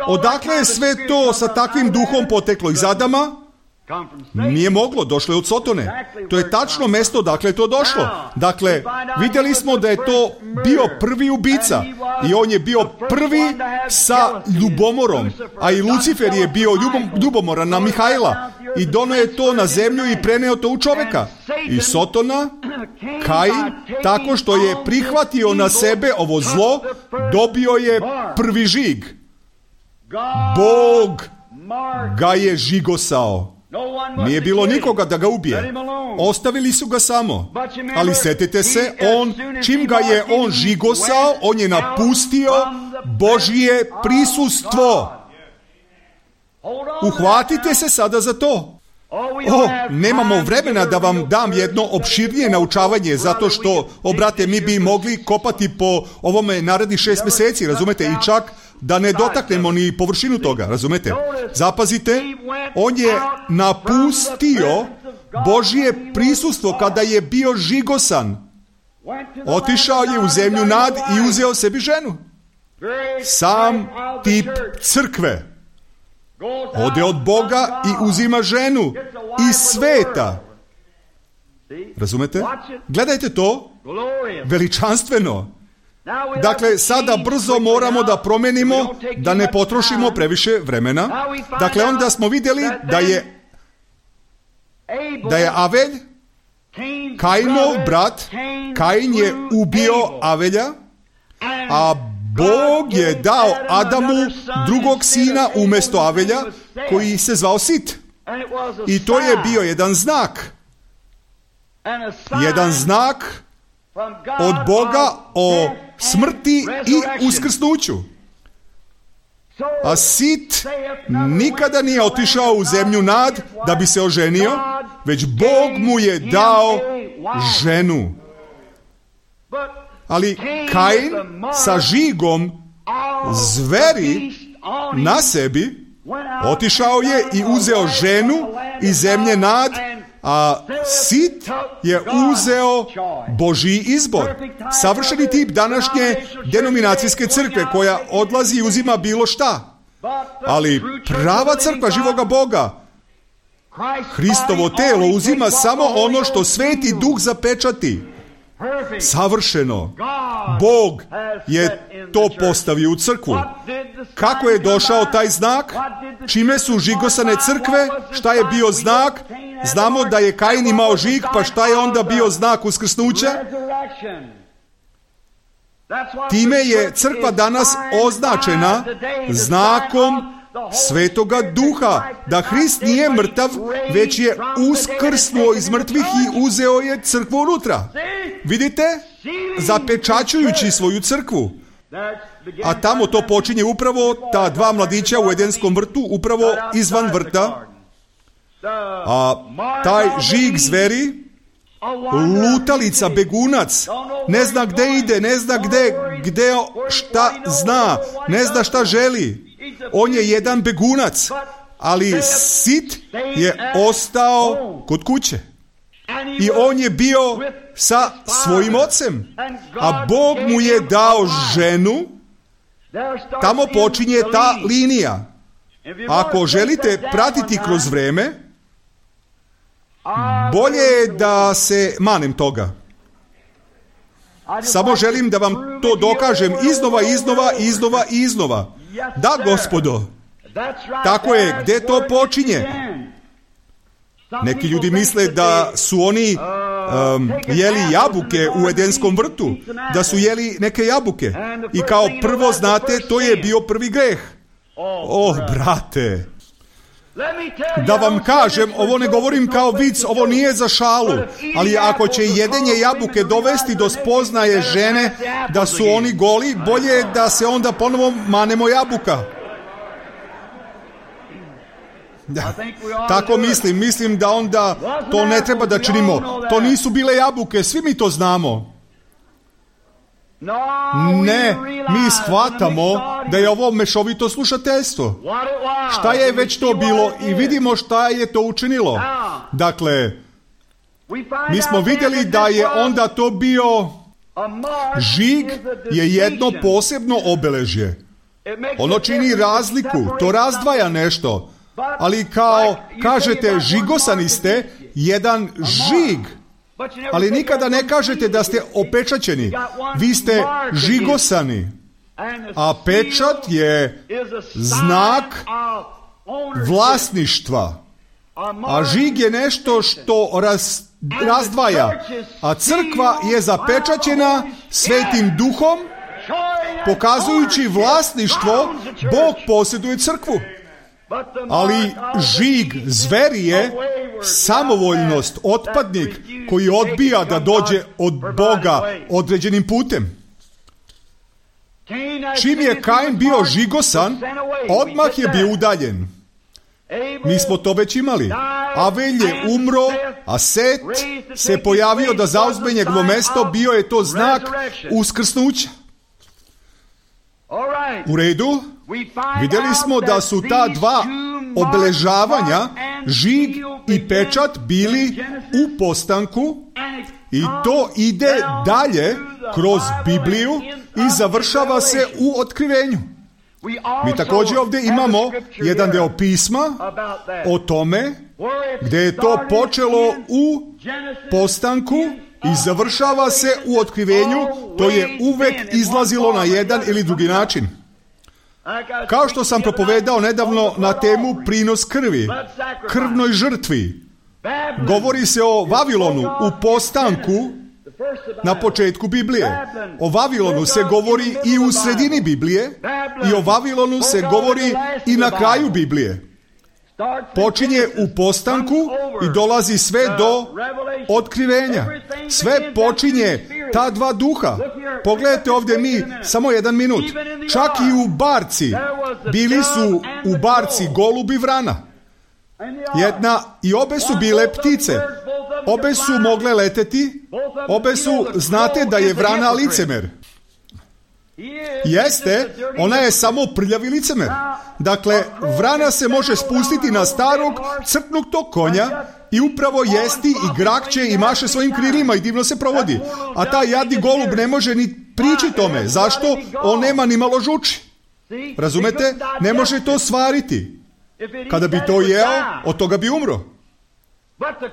Odakle je sve to sa takvim duhom poteklo? Iz Adama? Nije moglo, došlo je od Sotone. To je tačno mesto odakle je to došlo. Dakle, vidjeli smo da je to bio prvi ubica i on je bio prvi sa ljubomorom, a i Lucifer je bio ljubomoran na Mihajla i doneo je to na zemlju i preneo to u čoveka. I Sotona, Kain, tako što je prihvatio na sebe ovo zlo, dobio je prvi žig. Bog ga je žigosao. Nije bilo nikoga da ga ubije. Ostavili su ga samo. Ali setite se, čim ga je on žigosao, on je napustio Božje prisustvo. Uhvatite se sada za to. Nemamo vremena da vam dam jedno opširnije naučavanje, zato što, brate, mi bi mogli kopati po ovome narednih 6 mjeseci, razumete? I čak da ne dotaknemo ni površinu toga, razumete? Zapazite, on je napustio Božje prisustvo kada je bio žigosan. Otišao je u zemlju nad i uzeo sebi ženu. Sam tip crkve ode od Boga i uzima ženu iz sveta. Razumete? Gledajte to, veličanstveno. Dakle, sada brzo moramo da promenimo, da ne potrošimo previše vremena. Dakle, onda smo vidjeli da je Avelj, Kainov brat, Kain je ubio Avelja, a Bog je dao Adamu drugog sina umjesto Avelja, koji se zvao Sit. I to je bio jedan znak. Jedan znak od Boga o smrti i uskrsnuću. A Sit nikada nije otišao u zemlju nad da bi se oženio, već Bog mu je dao ženu. Ali Kain sa žigom zveri na sebi otišao je i uzeo ženu iz zemlje nad, a Sit je uzeo Božji izbor. Savršeni tip današnje denominacijske crkve koja odlazi i uzima bilo šta. Ali prava crkva živoga Boga, Hristovo telo, uzima samo ono što Sveti Duh zapečati. Savršeno. Bog je to postavio u crkvu. Kako je došao taj znak? Čime su žigosane crkve? Šta je bio znak? Znamo da je Kain imao žig, pa šta je onda bio znak uskrsnuća? Time je crkva danas označena znakom Svetoga Duha, da Hrist nije mrtav, već je uskrsnuo iz mrtvih i uzeo je crkvu unutra. Vidite? Zapečaćujući svoju crkvu. A tamo to počinje upravo ta dva mladića u Edenskom vrtu, upravo izvan vrta. A taj žig zveri, lutalica, begunac, ne zna gde ide, ne zna gde šta zna, ne zna šta želi. On je jedan begunac, ali Sit je ostao kod kuće. I on je bio sa svojim ocem. A Bog mu je dao ženu. Tamo počinje ta linija. Ako želite pratiti kroz vreme, bolje je da se manem toga. Samo želim da vam to dokažem iznova. Da, Gospodo, tako je, gdje to počinje? Neki ljudi misle da su oni jeli jabuke u Edenskom vrtu, da su jeli neke jabuke. I kao prvo, znate, to je bio prvi greh. Brate, da vam kažem, ovo ne govorim kao vic, ovo nije za šalu, ali ako će jedenje jabuke dovesti do spoznaje žene da su oni goli, bolje je da se onda ponovo manemo jabuka. Da. Tako mislim da onda to ne treba da činimo. To nisu bile jabuke, svi mi to znamo. Ne, mi shvatamo da je ovo mešovito slušateljstvo. Šta je već to bilo i vidimo šta je to učinilo. Dakle, mi smo vidjeli da je onda to bio žig je jedno posebno obeležje. Ono čini razliku, to razdvaja nešto. Ali kao kažete žigosani ste, jedan žig. Ali nikada ne kažete da ste opečaćeni. Vi ste žigosani. A pečat je znak vlasništva. A žig je nešto što razdvaja. A crkva je zapečaćena Svetim Duhom, pokazujući vlasništvo. Bog posjeduje crkvu. Ali žig zveri je samovoljnost, otpadnik koji odbija da dođe od Boga određenim putem. Čim je Kain bio žigosan, odmah je bio udaljen. Mi smo to već imali. Avelj je umro, a Set se pojavio da zauzme njegovo mesto, bio je to znak uskrsnuća. U redu, vidjeli smo da su ta dva obeležavanja, žig i pečat, bili u postanku i to ide dalje kroz Bibliju i završava se u otkrivenju. Mi također ovdje imamo jedan deo pisma o tome gdje je to počelo u postanku i završava se u otkrivenju. To je uvek izlazilo na jedan ili drugi način. Kao što sam propovedao nedavno na temu prinos krvi, krvnoj žrtvi. Govori se o Vavilonu u postanku na početku Biblije. O Vavilonu se govori i u sredini Biblije i o Vavilonu se govori i na kraju Biblije. Počinje u postanku i dolazi sve do otkrivenja. Sve počinje ta dva duha. Pogledajte ovdje mi samo jedan minut. Čak i u barci. Bili su u barci golub i vrana. Jedna i obe su bile ptice. Obe su mogle leteti. Obe su, znate da je vrana licemer. Jeste, ona je samo prljavi licemer. Dakle, vrana se može spustiti na starog crknutog konja i upravo jesti i grakće i maše svojim krilima i divno se provodi. A taj jadni golub ne može ni prići tome. Zašto? On nema ni malo žuči. Razumete? Ne može to svariti. Kada bi to jeo, od toga bi umro.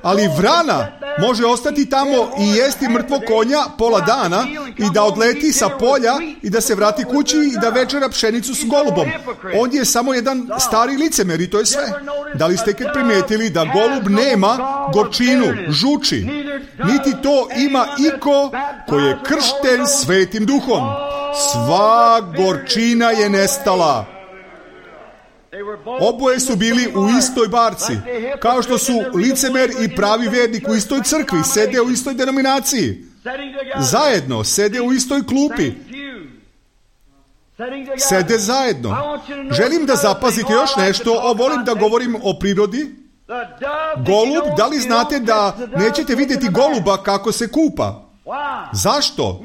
Ali vrana može ostati tamo i jesti mrtvog konja pola dana i da odleti sa polja i da se vrati kući i da večera pšenicu s golubom. On je samo jedan stari licemer i to je sve. Da li ste kad primijetili da golub nema gorčinu, žuči, niti to ima iko koji je kršten Svetim Duhom. Sva gorčina je nestala. Oboje su bili u istoj barci, kao što su licemer i pravi vernik u istoj crkvi, sede u istoj denominaciji, zajedno, sede u istoj klupi, sede zajedno. Želim da zapazite još nešto, volim da govorim o prirodi. Golub, da li znate da nećete vidjeti goluba kako se kupa? Zašto?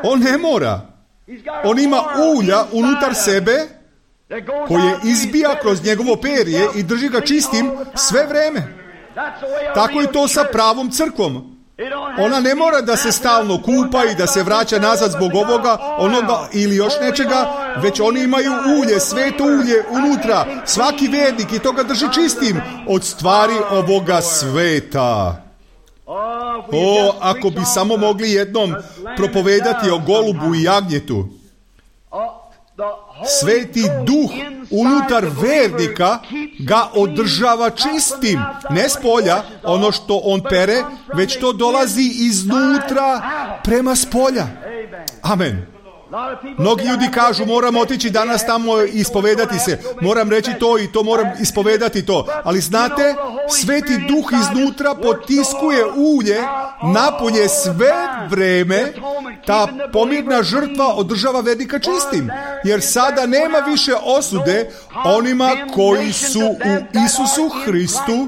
On ne mora. On ima ulja unutar sebe koje izbija kroz njegovo perje i drži ga čistim sve vreme. Tako je to sa pravom crkvom. Ona ne mora da se stalno kupa i da se vraća nazad zbog ovoga, onoga ili još nečega, već oni imaju ulje, sveto ulje unutra. Svaki vernik i to ga drži čistim od stvari ovoga sveta. O, ako bi samo mogli jednom propovedati o golubu i jagnjetu. Sveti duh unutar vernika ga održava čistim, ne s polja, ono što on pere, već to dolazi iznutra prema spolja. Amen. Mnogi ljudi kažu, moram otići danas tamo i ispovedati se, moram reći to i to, moram ispovedati to. Ali znate, Sveti Duh iznutra potiskuje ulje, napolje sve vreme, ta pomirna žrtva održava vernika čistim. Jer sada nema više osude onima koji su u Isusu Hristu,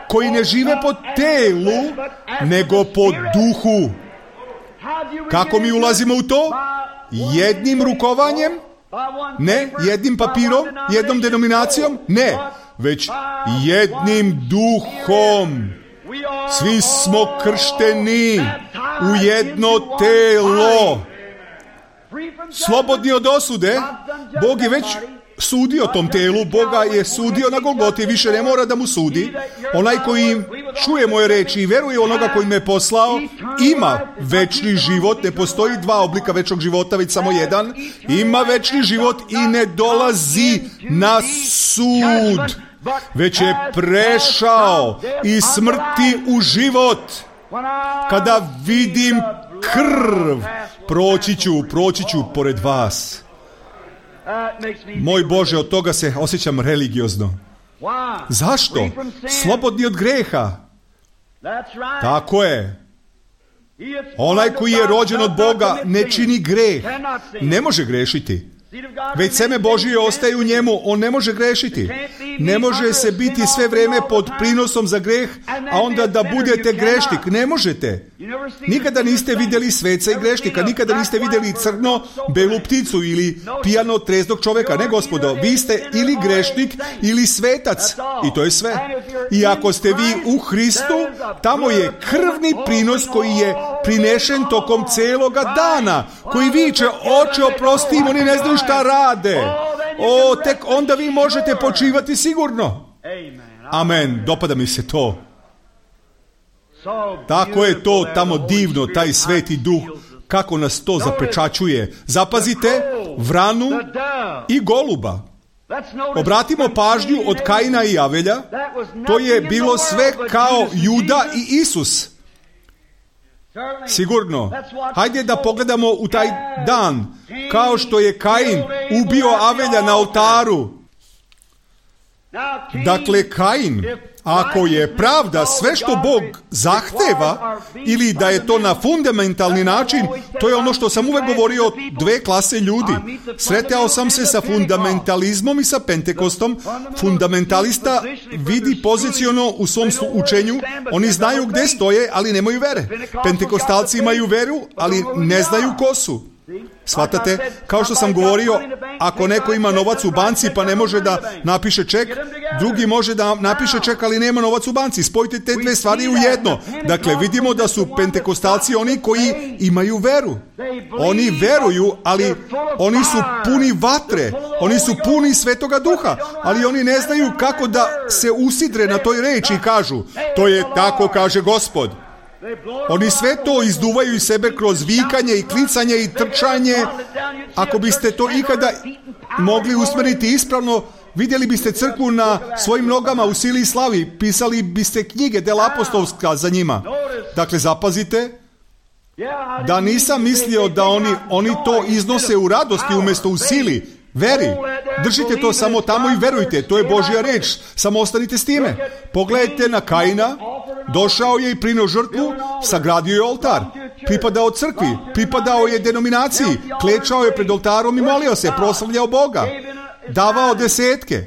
koji ne žive po telu, nego po duhu. Kako mi ulazimo u to? Jednim rukovanjem? Ne. Jednim papirom? Jednom denominacijom? Ne. Već jednim duhom. Svi smo kršteni u jedno telo. Slobodni od osude. Bog je već sudio tom telu, Boga je sudio na Golgoti, više ne mora da mu sudi. Onaj koji čuje moje reči i veruje onoga koji me poslao, ima večni život. Ne postoji dva oblika večnog života, već samo jedan. Ima večni život i ne dolazi na sud, već je prešao iz smrti u život. Kada vidim krv, proći ću pored vas. Moj Bože, od toga se osjećam religiozno. Zašto? Slobodni od greha. Tako je. Onaj koji je rođen od Boga ne čini greh. Ne može grešiti. Već seme Božije ostaje u njemu, on ne može grešiti. Ne može se biti sve vrijeme pod prinosom za greh, a onda da budete grešnik. Ne možete. Nikada niste vidjeli sveca i grešnika, nikada niste vidjeli crno, belu pticu ili pijano treznog čovjeka. Ne, gospodo, vi ste ili grešnik ili svetac. I to je sve. I ako ste vi u Hristu, tamo je krvni prinos koji je prinešen tokom celoga dana, koji viče, oče oprosti im, oni ne znaju šta rade. Tek onda vi možete počivati sigurno. Amen, dopada mi se to. Tako je to tamo divno, taj sveti duh, kako nas to zapečaćuje. Zapazite, vranu i goluba. Obratimo pažnju od Kaina i Avelja, to je bilo sve kao Juda i Isus. Sigurno. Hajde da pogledamo u taj dan, kao što je Kain ubio Avelja na oltaru. Dakle, Kain, ako je pravda sve što Bog zahteva, ili da je to na fundamentalni način, to je ono što sam uvek govorio o dve klase ljudi. Sretao sam se sa fundamentalizmom i sa Pentekostom. Fundamentalista vidi poziciono u svom učenju, oni znaju gde stoje, ali nemaju vere. Pentekostalci imaju veru, ali ne znaju ko su. Shvatate? Kao što sam govorio, ako neko ima novac u banci pa ne može da napiše ček, drugi može da napiše ček, ali nema novac u banci. Spojite te dve stvari u jedno. Dakle, vidimo da su pentekostalci oni koji imaju veru. Oni veruju, ali oni su puni vatre, oni su puni Svetoga Duha, ali oni ne znaju kako da se usidre na toj reči i kažu, to je tako kaže Gospod. Oni sve to izduvaju iz sebe kroz vikanje i klicanje i trčanje. Ako biste to ikada mogli usmeriti ispravno, vidjeli biste crkvu na svojim nogama u sili i slavi, pisali biste knjige dela apostolska za njima. Dakle, zapazite da nisam mislio da oni to iznose u radosti umjesto u sili. Veri. Držite to samo tamo i verujte. To je Božja reč. Samo ostanite s time. Pogledajte na Kaina. Došao je i prinio žrtvu, sagradio je oltar. Pripadao crkvi, pripadao je denominaciji. Klečao je pred oltarom i molio se, proslavljao Boga. Davao desetke.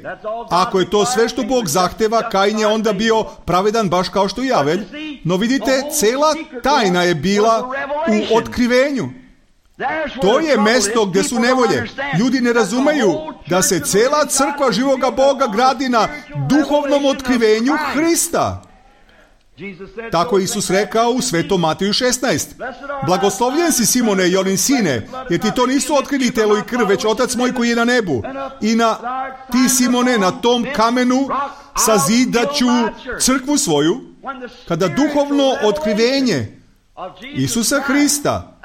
Ako je to sve što Bog zahteva, Kain je onda bio pravedan baš kao što i Avelj. No vidite, cela tajna je bila u otkrivenju. To je mesto gdje su nevolje. Ljudi ne razumeju da se cela crkva živoga Boga gradi na duhovnom otkrivenju Hrista. Tako je Isus rekao u Svetom Mateju 16. Blagoslovljen si, Simone, Jonin sine, jer ti to nisu otkrili telo i krv, već Otac moj koji je na nebu. I ti, Simone, na tom kamenu sazidaću crkvu svoju, kada duhovno otkrivenje Isusa Hrista,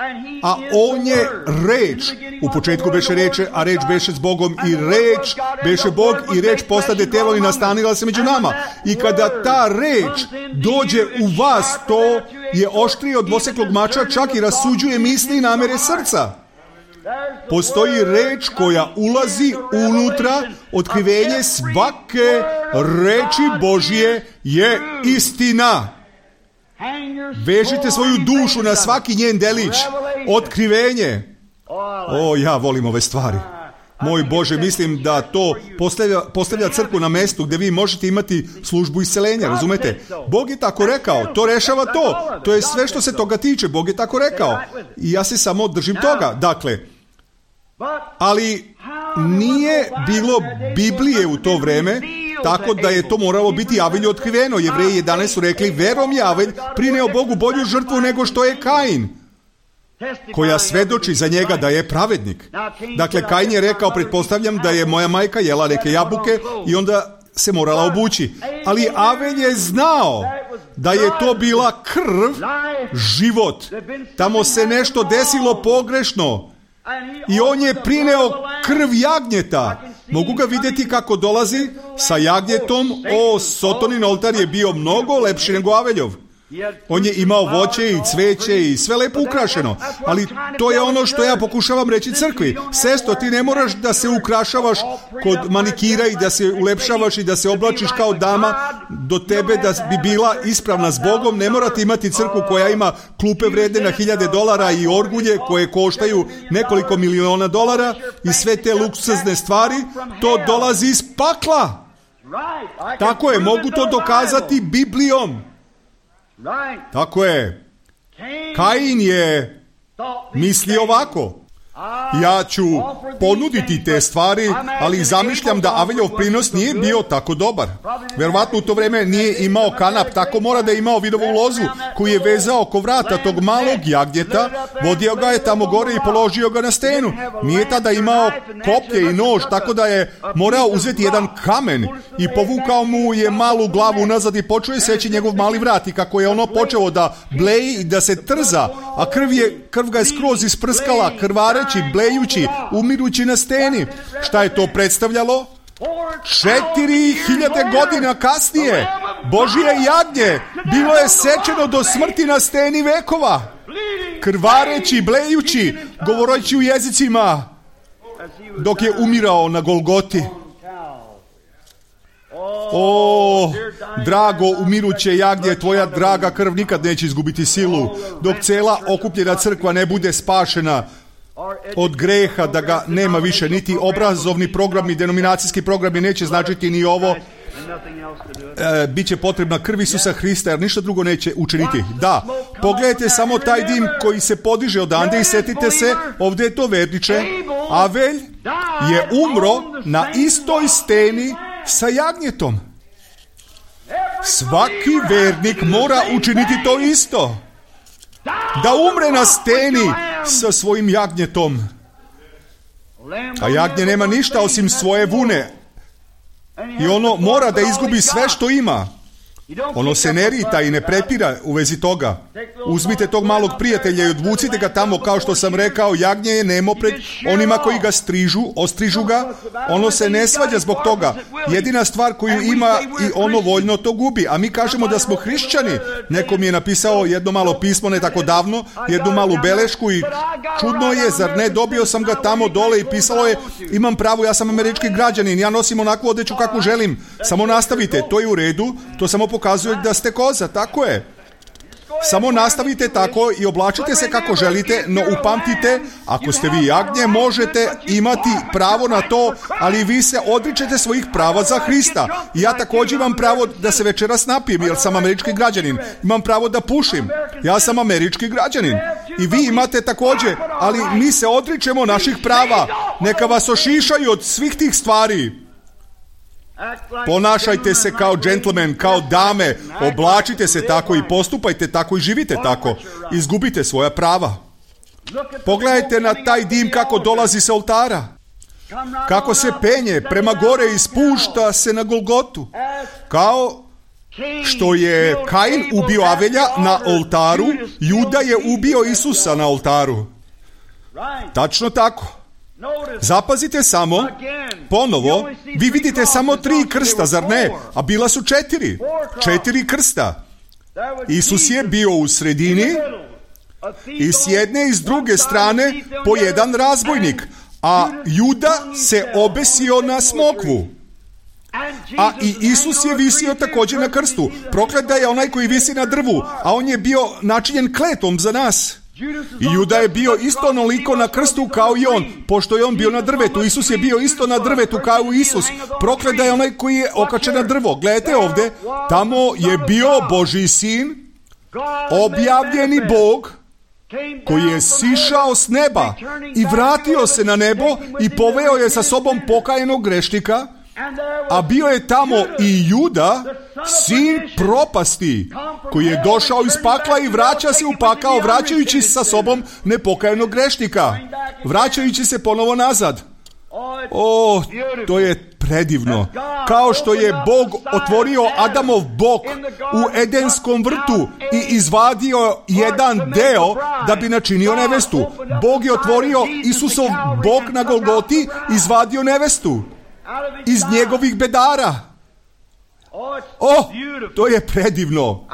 a on je reč. U početku beše reče, a reč beše s Bogom i reč beše Bog i reč postade telo i nastanila se među nama. I kada ta reč dođe u vas, to je oštrije od dvoseklog mača, čak i rasuđuje misli i namere srca. Postoji reč koja ulazi unutra, otkrivenje svake reči Božje je istina. Vežite svoju dušu na svaki njen delić. Otkrivenje. Ja volim ove stvari. Moj Bože, mislim da to postavlja crkvu na mestu gdje vi možete imati službu isceljenja, razumete? Bog je tako rekao, to rešava to. To je sve što se toga tiče, Bog je tako rekao. I ja se samo držim toga. Dakle, ali nije bilo Biblije u to vreme, tako da je to moralo biti Avelju otkriveno. Jevreji 11 su rekli, verom je Avelj prineo Bogu bolju žrtvu nego što je Kain, koja svedoči za njega da je pravednik. Dakle, Kain je rekao, pretpostavljam da je moja majka jela neke jabuke i onda se morala obući. Ali Avelj je znao da je to bila krv, život. Tamo se nešto desilo pogrešno. I on je prineo krv jagnjeta. Mogu ga vidjeti kako dolazi sa jagnjetom. Sotonin oltar je bio mnogo lepši nego Aveljov. On je imao voće i cveće i sve lepo ukrašeno. Ali to je ono što ja pokušavam reći crkvi. Sestro, ti ne moraš da se ukrašavaš kod manikira i da se ulepšavaš i da se oblačiš kao dama. Do tebe da bi bila ispravna s Bogom, ne morate imati crkvu koja ima klupe vredne na $1000 i orgulje koje koštaju nekoliko miliona dolara i sve te luksuzne stvari. To dolazi iz pakla. Tako je, mogu to dokazati Biblijom. Tako je. Kain je mislio ovako. Ja ću ponuditi te stvari, ali zamišljam da Aveljev prinos nije bio tako dobar. Verovatno u to vreme nije imao kanap, tako mora da je imao vidovu lozu koju je vezao oko vrata tog malog jagnjeta, vodio ga je tamo gore i položio ga na stenu. Nije tada imao koplje i nož, tako da je morao uzeti jedan kamen i povukao mu je malu glavu nazad i počeo je seći njegov mali vrat i kako je ono počeo da bleji i da se trza, a krv ga je skroz isprskala, krvareći, blejući, umirući na steni. Šta je to predstavljalo? 4000 godina kasnije Božje jagnje bilo je sečeno do smrti na steni vekova, krvareći, blejući, govoreći u jezicima dok je umirao na Golgoti. O, drago umiruće jagnje, tvoja draga krv nikad neće izgubiti silu, dok cela okupljena crkva ne bude spašena od greha, da ga nema više, niti obrazovni programi, denominacijski programi neće značiti ni ovo. Biće potrebna krv Isusa Hrista, jer ništa drugo neće učiniti. Da, pogledajte samo taj dim koji se podiže odande i setite se, ovdje je to verniče. Avelj je umro na istoj steni sa jagnjetom. Svaki vernik mora učiniti to isto. Da umre na steni sa svojim jagnjetom. A jagnje nema ništa osim svoje vune. I ono mora da izgubi sve što ima. Ono se ne rita i ne prepira u vezi toga. Uzmite tog malog prijatelja i odvucite ga tamo, kao što sam rekao, jagnje je nemo pred onima koji ga ostrižu ga. Ono se ne svađa zbog toga. Jedina stvar koju ima i ono voljno to gubi. A mi kažemo da smo hrišćani. Neko mi je napisao jedno malo pismo ne tako davno, jednu malu belešku i čudno je, zar ne, dobio sam ga tamo dole i pisalo je, imam pravo, ja sam američki građanin, ja nosim onakvu odeću kako želim. Samo nastavite, to je u redu, to samo pokazuje da ste koza, tako je. Samo nastavite tako i oblačite se kako želite, no upamtite, ako ste vi jagnje, možete imati pravo na to, ali vi se odričete svojih prava za Hrista. I ja također imam pravo da se večeras napijem, jer sam američki građanin. Imam pravo da pušim. Ja sam američki građanin. I vi imate također, ali mi se odričemo naših prava. Neka vas ošišaju od svih tih stvari. Ponašajte se kao džentlmen, kao dame, oblačite se tako i postupajte tako i živite tako. Izgubite svoja prava. Pogledajte na taj dim kako dolazi sa oltara. Kako se penje prema gore i spušta se na Golgotu. Kao što je Kain ubio Avelja na oltaru, Juda je ubio Isusa na oltaru. Tačno tako. Zapazite samo, ponovo, vi vidite samo 3 krsta, zar ne? A bila su 4. 4 krsta. Isus je bio u sredini i s jedne i s druge strane po jedan razbojnik, a Juda se obesio na smokvu. A i Isus je visio također na krstu. Proklet da je onaj koji visi na drvu, a on je bio načinjen kletom za nas. I Juda je bio isto onoliko na krstu kao i on, pošto je on bio na drvetu. Isus je bio isto na drvetu kao i Isus. Proklet da je onaj koji je okačen na drvo. Gledajte ovdje, tamo je bio Božji sin, objavljeni Bog, koji je sišao s neba i vratio se na nebo i poveo je sa sobom pokajenog grešnika, a bio je tamo i Juda, sin propasti, koji je došao iz pakla i vraća se u pakao, vraćajući sa sobom nepokajanog grešnika, vraćajući se ponovo nazad. O, to je predivno. Kao što je Bog otvorio Adamov bok u Edenskom vrtu i izvadio jedan deo da bi načinio nevestu. Bog je otvorio Isusov bok na Golgoti, izvadio nevestu iz njegovih bedara. To je predivno.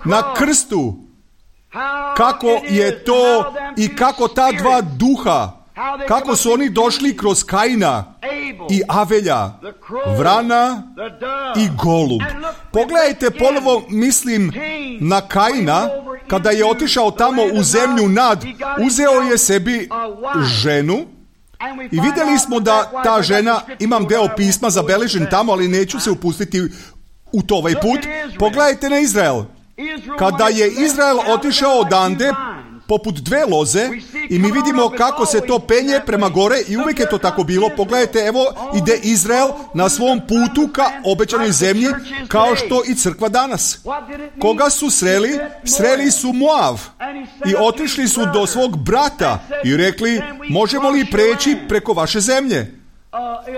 Na krstu. Kako je to i kako ta dva duha, kako su oni došli kroz Kaina i Avelja, vrana i golub. Pogledajte ponovo, mislim na Kaina, kada je otišao tamo u zemlju Nad, uzeo je sebi ženu i vidjeli smo da ta žena, imam deo pisma zabeležen tamo, ali neću se upustiti u to ovaj put. Pogledajte na Izrael. Kada je Izrael otišao odande poput dve loze i mi vidimo kako se to penje prema gore i uvijek je to tako bilo. Pogledajte, evo ide Izrael na svom putu ka obećanoj zemlji, kao što i crkva danas. Koga su sreli? Sreli su Moav i otišli su do svog brata i rekli, možemo li preći preko vaše zemlje?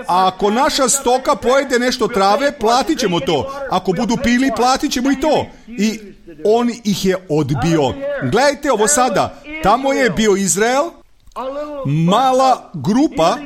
A ako naša stoka pojede nešto trave, platit ćemo to. Ako budu pili, platit ćemo i to. I on ih je odbio. Gledajte ovo sada. Tamo je bio Izrael, mala grupa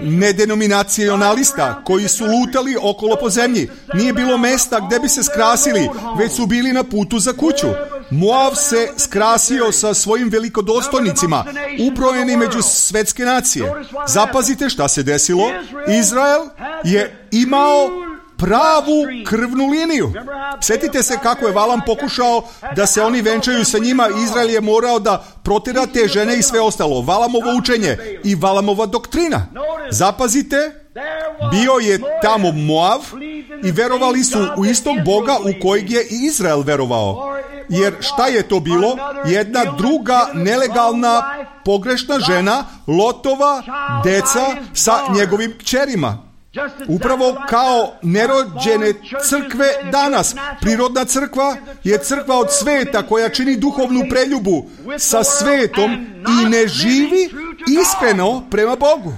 nedenominacionalista koji su lutali okolo po zemlji. Nije bilo mesta gdje bi se skrasili, već su bili na putu za kuću. Moav se skrasio sa svojim velikodostojnicima, ubrojeni među svetske nacije. Zapazite šta se desilo. Izrael je imao pravu krvnu liniju. Sjetite se kako je Valam pokušao da se oni venčaju sa njima. Izrael je morao da protjera te žene i sve ostalo. Valamovo učenje i Valamova doktrina. Zapazite, bio je tamo Moav i verovali su u istog Boga u kojeg je i Izrael verovao. Jer šta je to bilo? Jedna druga nelegalna pogrešna žena, Lotova deca sa njegovim kćerima. Upravo kao nerođene crkve danas. Prirodna crkva je crkva od sveta koja čini duhovnu preljubu sa svetom i ne živi iskreno prema Bogu.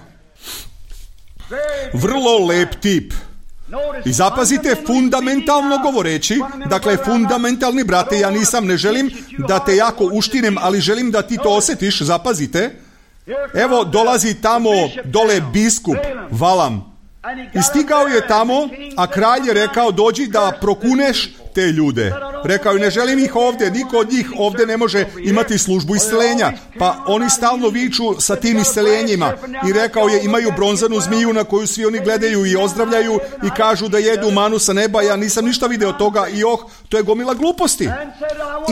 Vrlo lep tip. I zapazite, fundamentalno govoreći, dakle fundamentalni brate, ja ne želim da te jako uštinem, ali želim da ti to osjetiš, zapazite. Evo dolazi tamo dole biskup Valam. I stigao je tamo, a kralj je rekao, dođi da prokuneš te ljude. Rekao je, ne želim ih ovdje, niko od njih ovdje ne može imati službu isceljenja. Pa oni stalno viču sa tim isceljenjima. I rekao je, imaju bronzanu zmiju na koju svi oni gledaju i ozdravljaju i kažu da jedu manu sa neba. Ja nisam ništa video toga i to je gomila gluposti.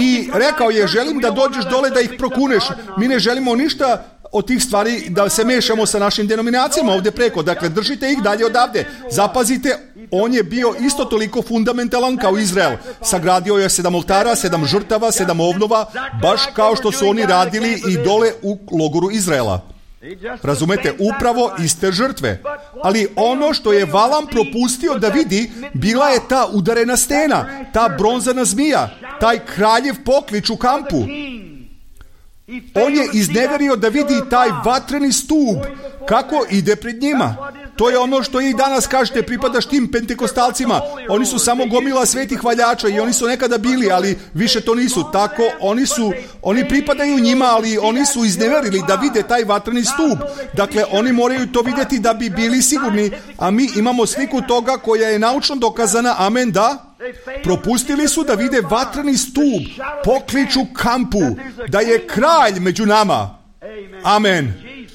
I rekao je, želim da dođeš dole da ih prokuneš. Mi ne želimo ništa od tih stvari da se mešamo sa našim denominacijama ovdje preko. Dakle, držite ih dalje odavde. Zapazite, on je bio isto toliko fundamentalan kao Izrael. Sagradio je 7 oltara, 7 žrtava, 7 ovnova, baš kao što su oni radili i dole u logoru Izraela. Razumete, upravo iste žrtve. Ali ono što je Valam propustio da vidi, bila je ta udarena stena, ta bronzana zmija, taj kraljev poklič u kampu. On je izneverio da vidi taj vatreni stup, kako ide pred njima. To je ono što i danas kažete, pripadaš tim pentekostalcima. Oni su samo gomila svetih hvaljača i oni su nekada bili, ali više to nisu. Tako, oni pripadaju njima, ali oni su izneverili da vide taj vatreni stup. Dakle, oni moraju to vidjeti da bi bili sigurni, a mi imamo sliku toga koja je naučno dokazana, amen, da. Propustili su da vide vatreni stup, pokliču kampu, da je kralj među nama. Amen.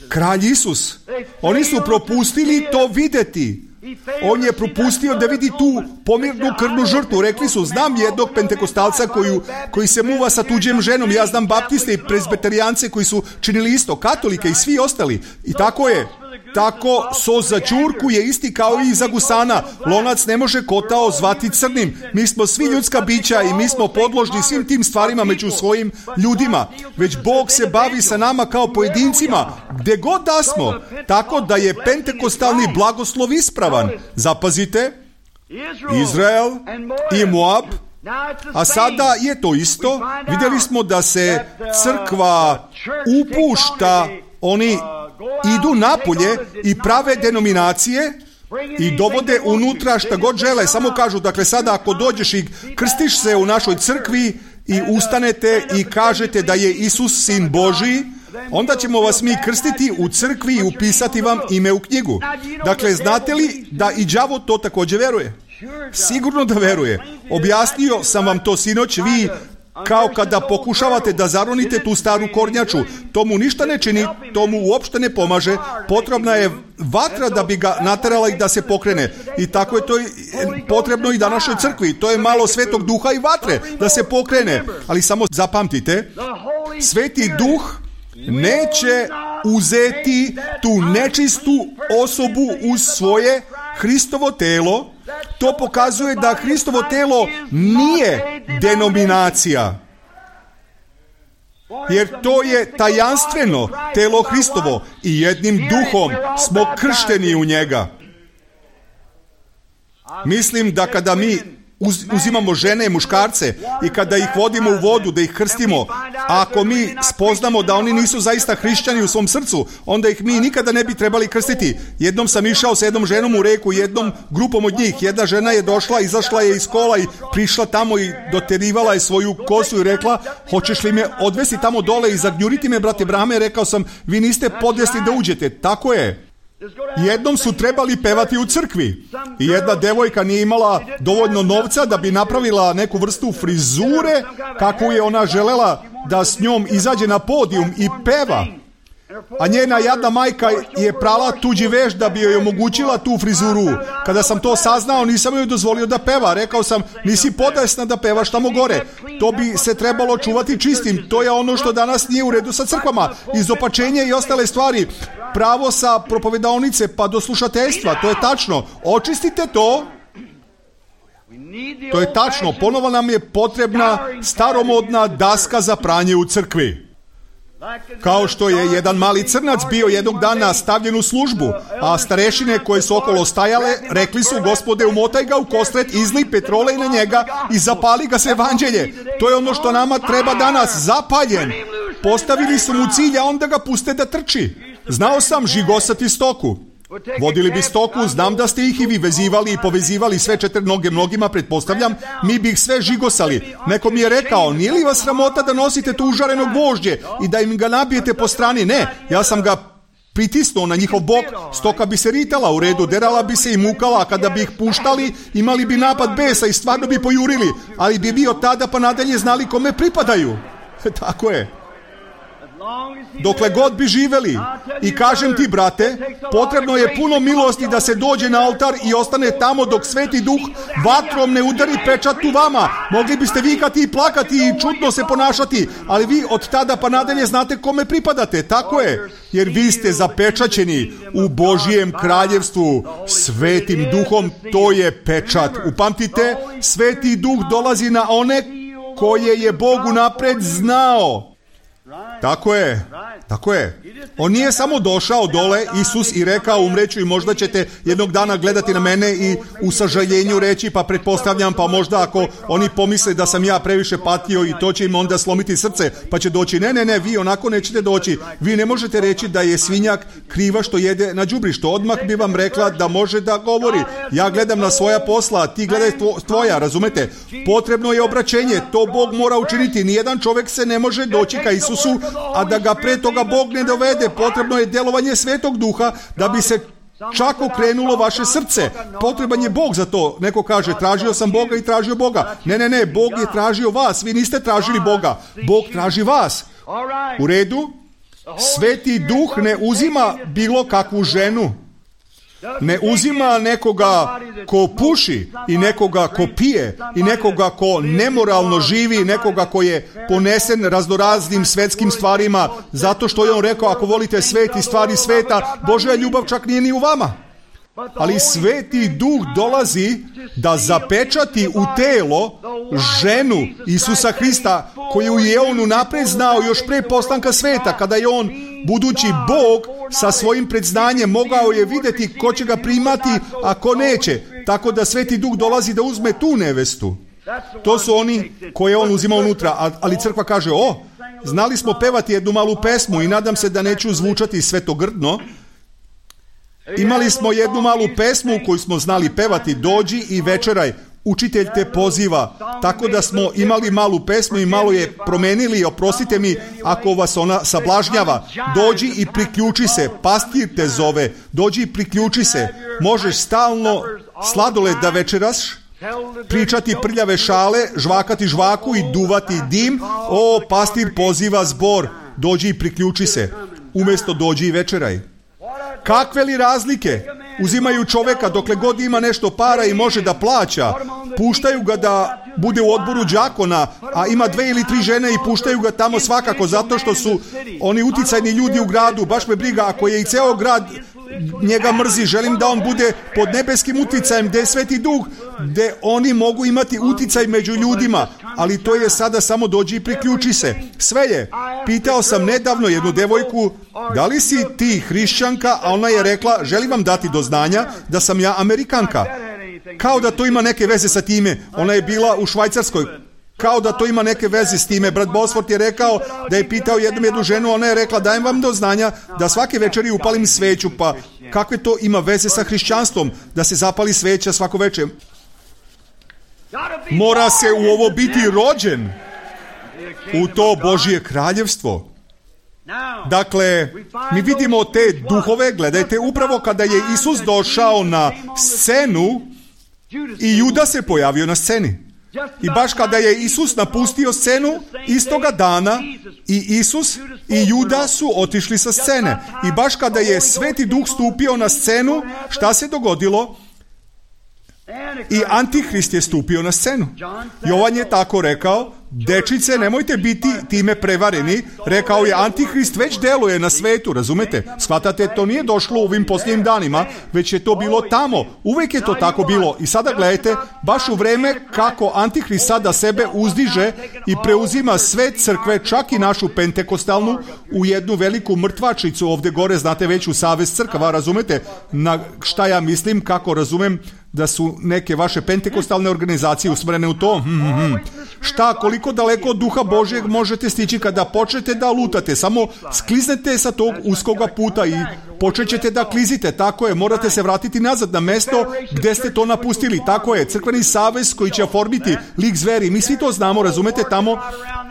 Kralj Isus. Oni su propustili to vidjeti. On je propustio da vidi tu pomirnu krvnu žrtvu. Rekli su, znam jednog pentekostalca koji se muva sa tuđem ženom. Ja znam baptiste i prezbiterijance koji su činili isto, katolike i svi ostali. I tako je. Tako sos za ćurku je isti kao i za gusana. Lonac ne može kotao zvati crnim. Mi smo svi ljudska bića i mi smo podložni svim tim stvarima među svojim ljudima. Već Bog se bavi sa nama kao pojedincima, gdje god da smo. Tako da je pentekostalni blagoslov ispravan. Zapazite, Izrael i Moab. A sada je to isto. Vidjeli smo da se crkva upušta, oni idu napolje i prave denominacije i dovode unutra šta god žele. Samo kažu, dakle sada ako dođeš i krstiš se u našoj crkvi i ustanete i kažete da je Isus sin Božji, onda ćemo vas mi krstiti u crkvi i upisati vam ime u knjigu. Dakle, znate li da i đavo to također veruje? Sigurno da veruje. Objasnio sam vam to sinoć, vi kao kada pokušavate da zaronite tu staru kornjaču. To mu ništa ne čini, to mu uopšte ne pomaže. Potrebna je vatra da bi ga naterala i da se pokrene. I tako je to potrebno i današnjoj crkvi. To je malo Svetog Duha i vatre da se pokrene. Ali samo zapamtite, Sveti Duh neće uzeti tu nečistu osobu uz svoje Hristovo telo. To pokazuje da Hristovo telo nije denominacija. Jer to je tajanstveno telo Hristovo i jednim duhom smo kršteni u njega. Mislim da kada mi uzimamo žene i muškarce i kada ih vodimo u vodu, da ih krstimo, a ako mi spoznamo da oni nisu zaista hrišćani u svom srcu, onda ih mi nikada ne bi trebali krstiti. Jednom sam išao sa jednom ženom u reku, jednom grupom od njih. Jedna žena je došla, izašla je iz kola i prišla tamo i doterivala je svoju kosu i rekla: hoćeš li me odvesti tamo dole i zagnjuriti me, brate Brame? Rekao sam: vi niste podesni da uđete. Tako je. Jednom su trebali pevati u crkvi i jedna devojka nije imala dovoljno novca da bi napravila neku vrstu frizure kakvu je ona želela da s njom izađe na podijum i peva. A njena jadna majka je prala tuđi veš da bi joj omogućila tu frizuru. Kada sam to saznao, nisam joj dozvolio da peva. Rekao sam: nisi podesna da pevaš tamo gore. To bi se trebalo čuvati čistim. To je ono što danas nije u redu sa crkvama. Izopačenje i ostale stvari. Pravo sa propovedaonice pa do slušateljstva. To je tačno. Očistite to. To je tačno. Ponovo nam je potrebna staromodna daska za pranje u crkvi. Kao što je jedan mali crnac bio jednog dana stavljen u službu, a starešine koje su okolo stajale rekli su: Gospode, umotaj ga u kostret, izlij petrole na njega i zapali ga se evanđelje. To je ono što nama treba danas, zapaljen. Postavili su mu cilj, a onda ga puste da trči. Znao sam žigosati stoku. Vodili bi stoku, znam da ste ih i vi vezivali i povezivali sve četiri noge mnogima, pretpostavljam, mi bi ih sve žigosali. Neko mi je rekao: nije li vas sramota da nosite tu užarenog gvožđe i da im ga nabijete po strani? Ne, ja sam ga pritisnuo na njihov bok, stoka bi se ritala u redu, derala bi se i mukala, a kada bi ih puštali, imali bi napad besa i stvarno bi pojurili, ali bi bio tada pa nadalje znali kome pripadaju. Tako je. Dokle god bi živeli. I kažem ti, brate, potrebno je puno milosti da se dođe na oltar i ostane tamo dok Sveti Duh vatrom ne udari pečat u vama. Mogli biste vikati i plakati i čudno se ponašati, ali vi od tada pa nadalje znate kome pripadate. Tako je, jer vi ste zapečaćeni u Božijem kraljevstvu Svetim Duhom. To je pečat. Upamtite, Sveti Duh dolazi na one koje je Bog unapred znao. Tako je, tako je. On nije samo došao dole, Isus, i rekao: umreću i možda ćete jednog dana gledati na mene i u sažaljenju reći: pa pretpostavljam, pa možda ako oni pomisle da sam ja previše patio i to će im onda slomiti srce, pa će doći. Ne, vi onako nećete doći. Vi ne možete reći da je svinjak kriva što jede na đubrištu. Odmah bi vam rekla da može da govori: ja gledam na svoja posla, ti gledaj tvoja, razumete? Potrebno je obraćenje, to Bog mora učiniti. Nijedan čovjek se ne može doći ka Isusu, a da ga pre toga Bog ne dovede. Potrebno je djelovanje Svetog Duha da bi se čak okrenulo vaše srce. Potreban je Bog za to. Neko kaže: tražio sam Boga i tražio Boga. Ne, Bog je tražio vas. Vi niste tražili Boga. Bog traži vas. U redu? Sveti Duh ne uzima bilo kakvu ženu. Ne uzima nekoga ko puši i nekoga ko pije i nekoga ko nemoralno živi, nekoga ko je ponesen raznoraznim svetskim stvarima, zato što je on rekao: ako volite svet i stvari sveta, Božja ljubav čak nije ni u vama. Ali Sveti Duh dolazi da zapečati u telo ženu Isusa Hrista, koju je on unapred znao još pre postanka sveta, kada je on, budući Bog, sa svojim predznanjem mogao je vidjeti ko će ga primati, a ko neće. Tako da Sveti Duh dolazi da uzme tu nevestu. To su oni koje on uzima unutra. Ali crkva kaže: znali smo pevati jednu malu pesmu i nadam se da neću zvučati svetogrdno. Imali smo jednu malu pesmu koju smo znali pevati: dođi i večeraj. učitelj te poziva, tako da smo imali malu pesmu i malo je promenili, oprostite mi ako vas ona sablažnjava. Dođi i priključi se, pastir te zove, dođi i priključi se. Možeš stalno sladoled da večeraš, pričati prljave šale, žvakati žvaku i duvati dim. O, pastir poziva zbor, dođi i priključi se, umjesto dođi i večeraj. Kakve li razlike? Uzimaju čoveka dokle god ima nešto para i može da plaća. Puštaju ga da bude u odboru đakona, a ima 2 ili 3 žene i puštaju ga tamo svakako zato što su oni uticajni ljudi u gradu. Baš me briga, ako je i ceo grad njega mrzi, želim da on bude pod nebeskim uticajem, gde je Sveti Duh, gde oni mogu imati uticaj među ljudima, ali to je sada samo dođi i priključi se. Sve je. Pitao sam nedavno jednu devojku, da li si ti hrišćanka, a ona je rekla, želim vam dati do znanja da sam ja Amerikanka. Kao da to ima neke veze sa time. Ona je bila u Švajcarskoj. Kao da to ima neke veze s time. Brat Bosford je rekao da je pitao jednu ženu, ona je rekla, dajem vam do znanja da svake večeri upalim sveću, pa kakve to ima veze sa hrišćanstvom, da se zapali sveća svako večer? Mora se u ovo biti rođen, u to Božje kraljevstvo. Dakle, mi vidimo te duhove, gledajte, upravo kada je Isus došao na scenu i Juda se pojavio na sceni. I baš kada je Isus napustio scenu, istoga dana i Isus i Juda su otišli sa scene. I baš kada je Sveti Duh stupio na scenu, šta se dogodilo? I Antihrist je stupio na scenu. Jovan je tako rekao, dečice, nemojte biti time prevareni. Rekao je, Antihrist već deluje na svetu, razumete? Shvatate, to nije došlo u ovim posljednjim danima, već je to bilo tamo. Uvijek je to tako bilo. I sada gledajte, baš u vreme kako Antihrist sada sebe uzdiže i preuzima sve crkve, čak i našu pentekostalnu, u jednu veliku mrtvačnicu ovdje gore, znate već u Savez crkava, razumete? Na šta ja mislim, kako razumem da su neke vaše pentekostalne organizacije usmjerene u to? Šta, koliko daleko od Duha Božjeg možete stići kada počnete da lutate? Samo skliznete sa tog uskoga puta i počećete da klizite. Tako je, morate se vratiti nazad na mesto gdje ste to napustili. Tako je, crkveni savez koji će oformiti lik zveri. Mi svi to znamo, razumete, tamo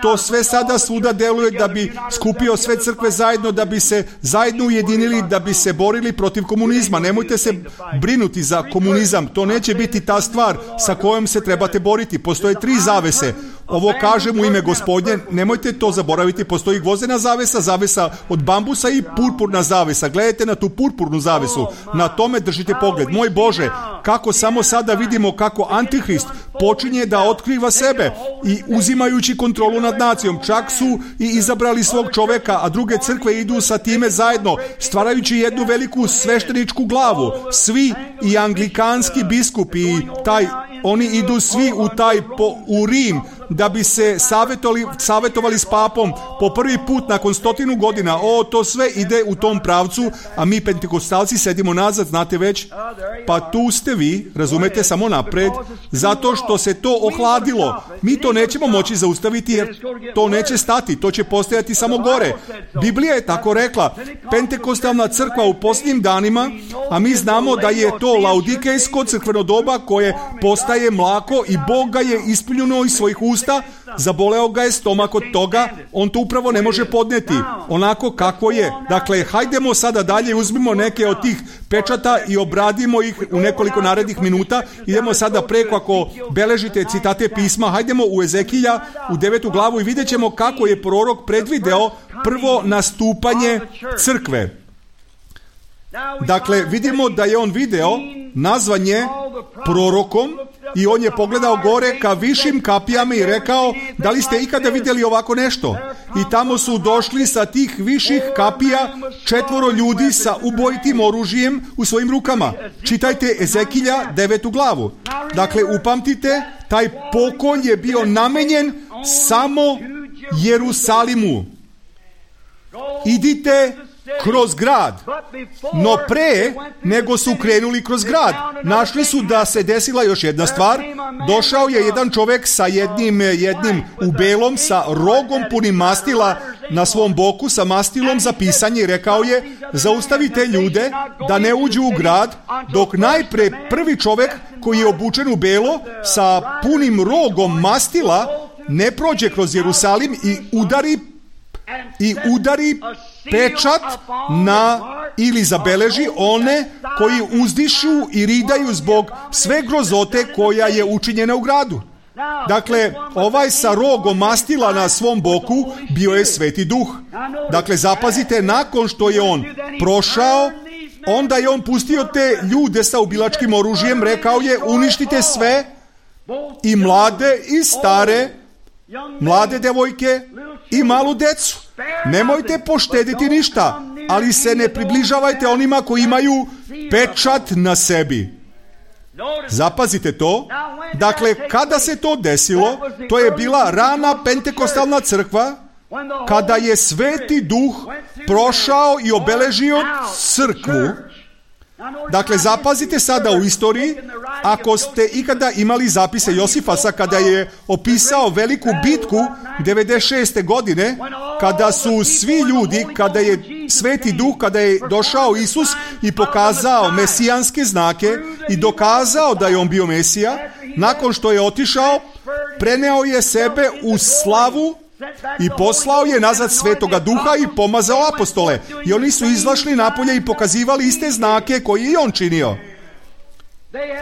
to sve sada svuda deluje da bi skupio sve crkve zajedno, da bi se zajedno ujedinili, da bi se borili protiv komunizma. Nemojte se brinuti za komunizam. To neće biti ta stvar sa kojom se trebate boriti. Postoje 3 zavese. Ovo kažem u ime Gospodnje, nemojte to zaboraviti, postoji gvozdena zavesa, zavesa od bambusa i purpurna zavesa. Gledajte na tu purpurnu zavesu, na tome držite pogled. Moj Bože, kako samo sada vidimo kako Antihrist počinje da otkriva sebe i uzimajući kontrolu nad nacijom. Čak su i izabrali svog čoveka, a druge crkve idu sa time zajedno, stvarajući jednu veliku svešteničku glavu. Svi i anglikanski biskupi i oni idu svi u Rim da bi se savjetovali s papom po prvi put nakon 100 godina. To sve ide u tom pravcu, a mi pentekostalci sedimo nazad, znate već. Pa tu ste vi, razumete, samo napred, zato što se to ohladilo. Mi to nećemo moći zaustaviti jer to neće stati, to će postojati samo gore. Biblija je tako rekla, pentekostalna crkva u posljednjim danima, a mi znamo da je to laudikejsko crkveno doba koje postaje mlako i Bog ga je ispunjeno iz svojih usta, zaboleo ga je stomak od toga, on to upravo ne može podneti, onako kako je. Dakle, hajdemo sada dalje, uzmimo neke od tih pečata i obradimo ih u nekoliko narednih minuta. Idemo sada preko, ako beležite citate pisma, hajdemo u Ezekija, u 9. glavu i vidjet ćemo kako je prorok predvideo prvo nastupanje crkve. Dakle, vidimo da je on video nazvanje prorokom i on je pogledao gore ka višim kapijama i rekao, da li ste ikada vidjeli ovako nešto? I tamo su došli sa tih viših kapija 4 ljudi sa ubojitim oružjem u svojim rukama. Čitajte Ezekilja 9. glavu. Dakle, upamtite, taj pokolj je bio namenjen samo Jerusalimu. Idite kroz grad. No pre nego su krenuli kroz grad, našli su da se desila još jedna stvar. Došao je jedan čovjek sa jednim u belom, sa rogom punim mastila na svom boku, sa mastilom za pisanje, i rekao je: zaustavite ljude da ne uđu u grad, dok najpre prvi čovjek koji je obučen u belo sa punim rogom mastila ne prođe kroz Jerusalim i udari pečat na, ili zabeleži one koji uzdišu i ridaju zbog sve grozote koja je učinjena u gradu. Dakle, ovaj sa rogom mastila na svom boku bio je Sveti Duh. Dakle, zapazite, nakon što je on prošao, onda je on pustio te ljude sa ubilačkim oružjem, rekao je: uništite sve, i mlade i stare, mlade devojke i malu decu. Nemojte poštediti ništa, ali se ne približavajte onima koji imaju pečat na sebi. Zapazite to. Dakle, kada se to desilo, to je bila rana pentekostalna crkva, kada je Sveti Duh prošao i obeležio crkvu. Dakle, zapazite sada u istoriji, ako ste ikada imali zapise Josifasa kada je opisao veliku bitku 96. godine, kada su svi ljudi, kada je Sveti Duh, kada je došao Isus i pokazao mesijanske znake i dokazao da je on bio Mesija, nakon što je otišao, preneo je sebe u slavu i poslao je nazad Svetoga Duha i pomazao apostole. I oni su izašli napolje i pokazivali iste znake koje i on činio.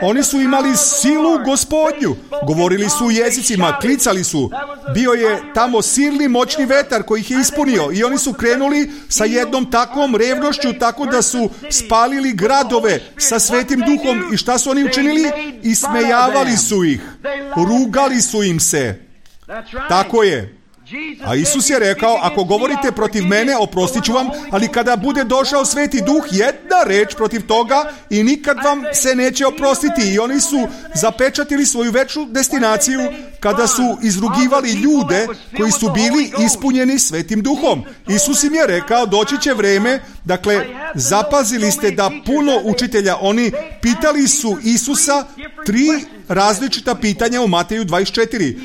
Oni su imali silu Gospodnju, govorili su u jezicima, klicali su. Bio je tamo silni moćni vetar koji ih je ispunio i oni su krenuli sa jednom takvom revnošću, tako da su spalili gradove sa Svetim Duhom. I šta su oni učinili? Ismejavali su ih, rugali su im se. Tako je. A Isus je rekao: ako govorite protiv mene, oprostit ću vam, ali kada bude došao Sveti Duh, jedna reč protiv toga i nikad vam se neće oprostiti. I oni su zapečatili svoju večnu destinaciju kada su izrugivali ljude koji su bili ispunjeni Svetim Duhom. Isus im je rekao: doći će vreme. Dakle, zapazili ste da puno učitelja, oni pitali su Isusa 3 različita pitanja u Mateju 24.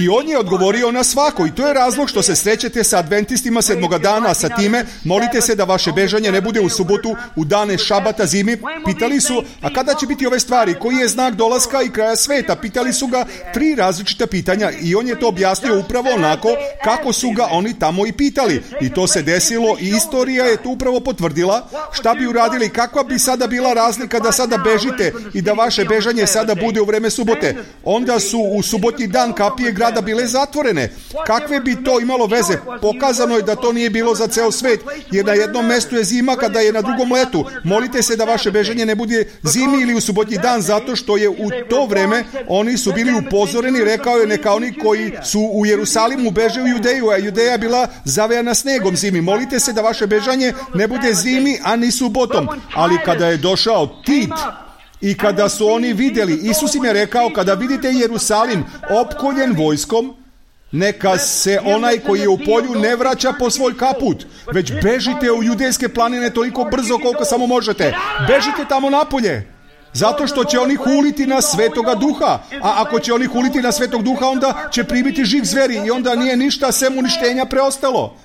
I on je odgovorio na svako. I to je razlog što se srećete sa adventistima 7. dana, sa time molite se da vaše bežanje ne bude u subotu, u dane šabata, zimi. Pitali su: a kada će biti ove stvari? Koji je znak dolaska i kraja sveta? Pitali su ga 3 različita pitanja i on je to objasnio upravo onako kako su ga oni tamo i pitali. I to se desilo i istorija je to upravo potvrdila. Šta bi uradili? Kakva bi sada bila razlika da sada bežite i da vaše bežanje sada bude u vreme subote? Onda su u subotnji dan kapije grada bile zatvorene. Kakve bi to imalo veze? Pokazano je da to nije bilo za ceo svet, jer na jednom mestu je zima kada je na drugom letu. Molite se da vaše bežanje ne bude zimi ili u subotnji dan, zato što je u to vreme oni su bili upozoreni. Rekao je: neka oni koji su u Jerusalimu beže u Judeju, a Judeja bila zavejana snegom zimi. Molite se da vaše bežanje ne bude zimi, a ni subotom. Ali kada je došao Tit i kada su oni vidjeli, Isus im je rekao: kada vidite Jerusalim opkoljen vojskom, neka se onaj koji je u polju ne vraća po svoj kaput, već bežite u judejske planine toliko brzo koliko samo možete. Bežite tamo napolje, zato što će oni huliti na Svetoga Duha. A ako će oni huliti na Svetog Duha, onda će primiti žig zveri i onda nije ništa sem uništenja preostalo.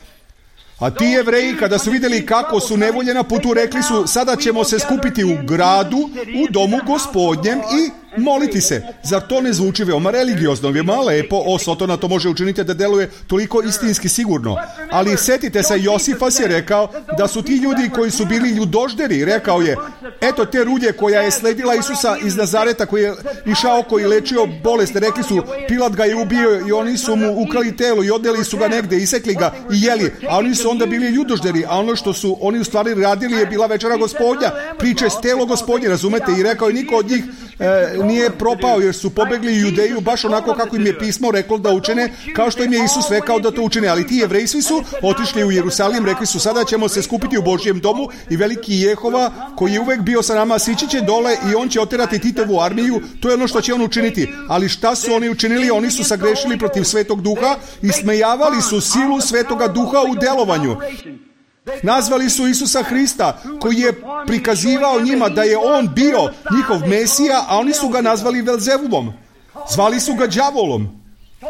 A ti Jevreji, kada su vidjeli kako su nevolje na putu, rekli su: sada ćemo se skupiti u gradu, u domu Gospodnjem i moliti se. Zar to ne zvuči veoma religiozno, veoma lepo? Sotona to može učiniti da deluje toliko istinski sigurno. Ali setite se, Josifas je rekao da su ti ljudi koji su bili ljudožderi. Rekao je: eto te rulje koja je sledila Isusa iz Nazareta, koji je išao, koji je lečio bolest. Rekli su: Pilat ga je ubio i oni su mu ukrali telo i odneli su ga negde, isekli ga i jeli. A oni su onda bili ljudožderi, a ono što su oni u stvari radili je bila večera Gospodnja, priče telo Gospodnje, razumete? I rekao je: niko od njih nije propao, jer su pobegli u Judeju baš onako kako im je pismo reklo da učine, kao što im je Isus rekao da to učine. Ali ti Jevreji svi su otišli u Jerusalim, rekli su: sada ćemo se skupiti u Božjem domu i veliki Jehova, koji je uvek bio sa nama, sići će dole i on će oterati Titovu armiju. To je ono što će on učiniti. Ali šta su oni učinili? Oni su sagrešili protiv Svetog Duha i smejavali su silu Svetoga Duha u delovanju. Nazvali su Isusa Hrista, koji je prikazivao njima da je on bio njihov Mesija, a oni su ga nazvali Velzebulom. Zvali su ga đavolom.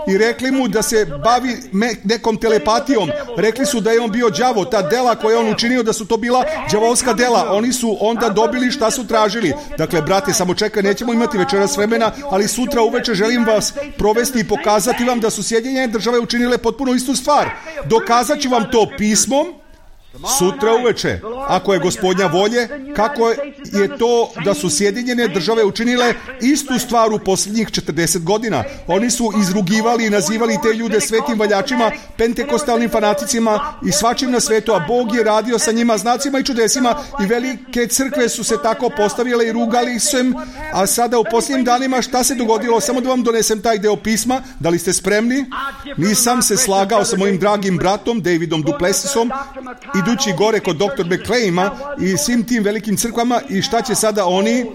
I rekli mu da se bavi nekom telepatijom. Rekli su da je on bio đavo. Ta dela koje je on učinio, da su to bila đavolska dela. Oni su onda dobili šta su tražili. Dakle, brate, samo čekaj, nećemo imati večeras vremena, ali sutra uveče želim vas provesti i pokazati vam da su Sjedinjene Države učinile potpuno istu stvar. Dokazat ću vam to pismom sutra uveče, ako je Gospodnja volje, kako je to da su Sjedinjene Države učinile istu stvar u posljednjih 40 godina. Oni su izrugivali i nazivali te ljude svetim valjačima, pentekostalnim fanaticima i svačim na svetu, a Bog je radio sa njima znacima i čudesima i velike crkve su se tako postavile i rugali se. A sada u posljednjim danima šta se dogodilo? Samo da vam donesem taj deo pisma. Da li ste spremni? Nisam se slagao sa mojim dragim bratom Davidom Duplessisom idući gore kod dr. McClaima i svim tim velikim crkvama. I šta će sada oni?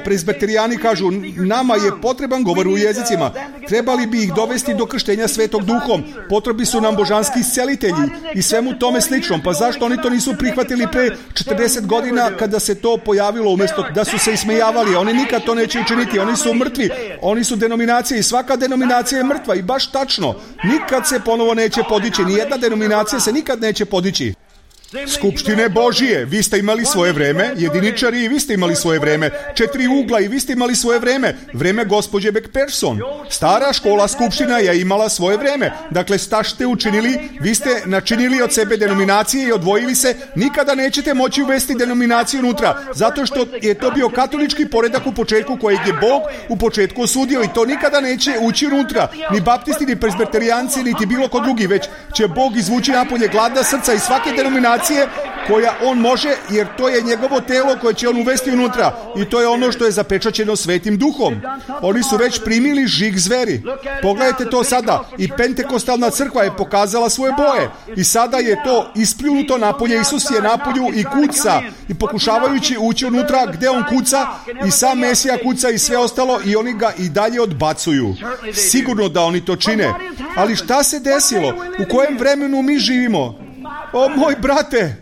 Presbiterijani kažu, nama je potreban govor u jezicima. Trebali bi ih dovesti do krštenja Svetog Duhom. Potrebi su nam božanski iscelitelji i svemu tome sličnom. Pa zašto oni to nisu prihvatili pre 40 godina kada se to pojavilo, umjesto da su se ismejavali? Oni nikad to neće učiniti. Oni su mrtvi. Oni su denominacije i svaka denominacija je mrtva. I baš tačno. Nikad se ponovo neće podići. Nijedna denominacija se nikad neće podići. Skupštine Božije, vi ste imali svoje vreme, jediničari, i vi ste imali svoje vreme, 4 ugla, i vi ste imali svoje vreme, vreme gospođe McPherson. Stara škola skupština je imala svoje vreme. Dakle, šta ste učinili? Vi ste načinili od sebe denominacije i odvojili se. Nikada nećete moći uvesti denominaciju unutra, zato što je to bio katolički poredak u početku kojeg je Bog u početku osudio, i to nikada neće ući unutra. Ni baptisti, ni presbiterijanci, niti bilo ko drugi, već će Bog izvući napolje gladna srca iz svake denominacije koja on može, jer to je njegovo telo koje će on uvesti unutra, i to je ono što je zapečaćeno Svetim Duhom. Oni su već primili žig zveri. Pogledajte to sada. I pentekostalna crkva je pokazala svoje boje i sada je to ispljunuto napolje. Isus je napolju i kuca, i pokušavajući ući unutra gde on kuca, i sam Mesija kuca i sve ostalo, i oni ga i dalje odbacuju. Sigurno da oni to čine. Ali šta se desilo? U kojem vremenu mi živimo? O moj brate,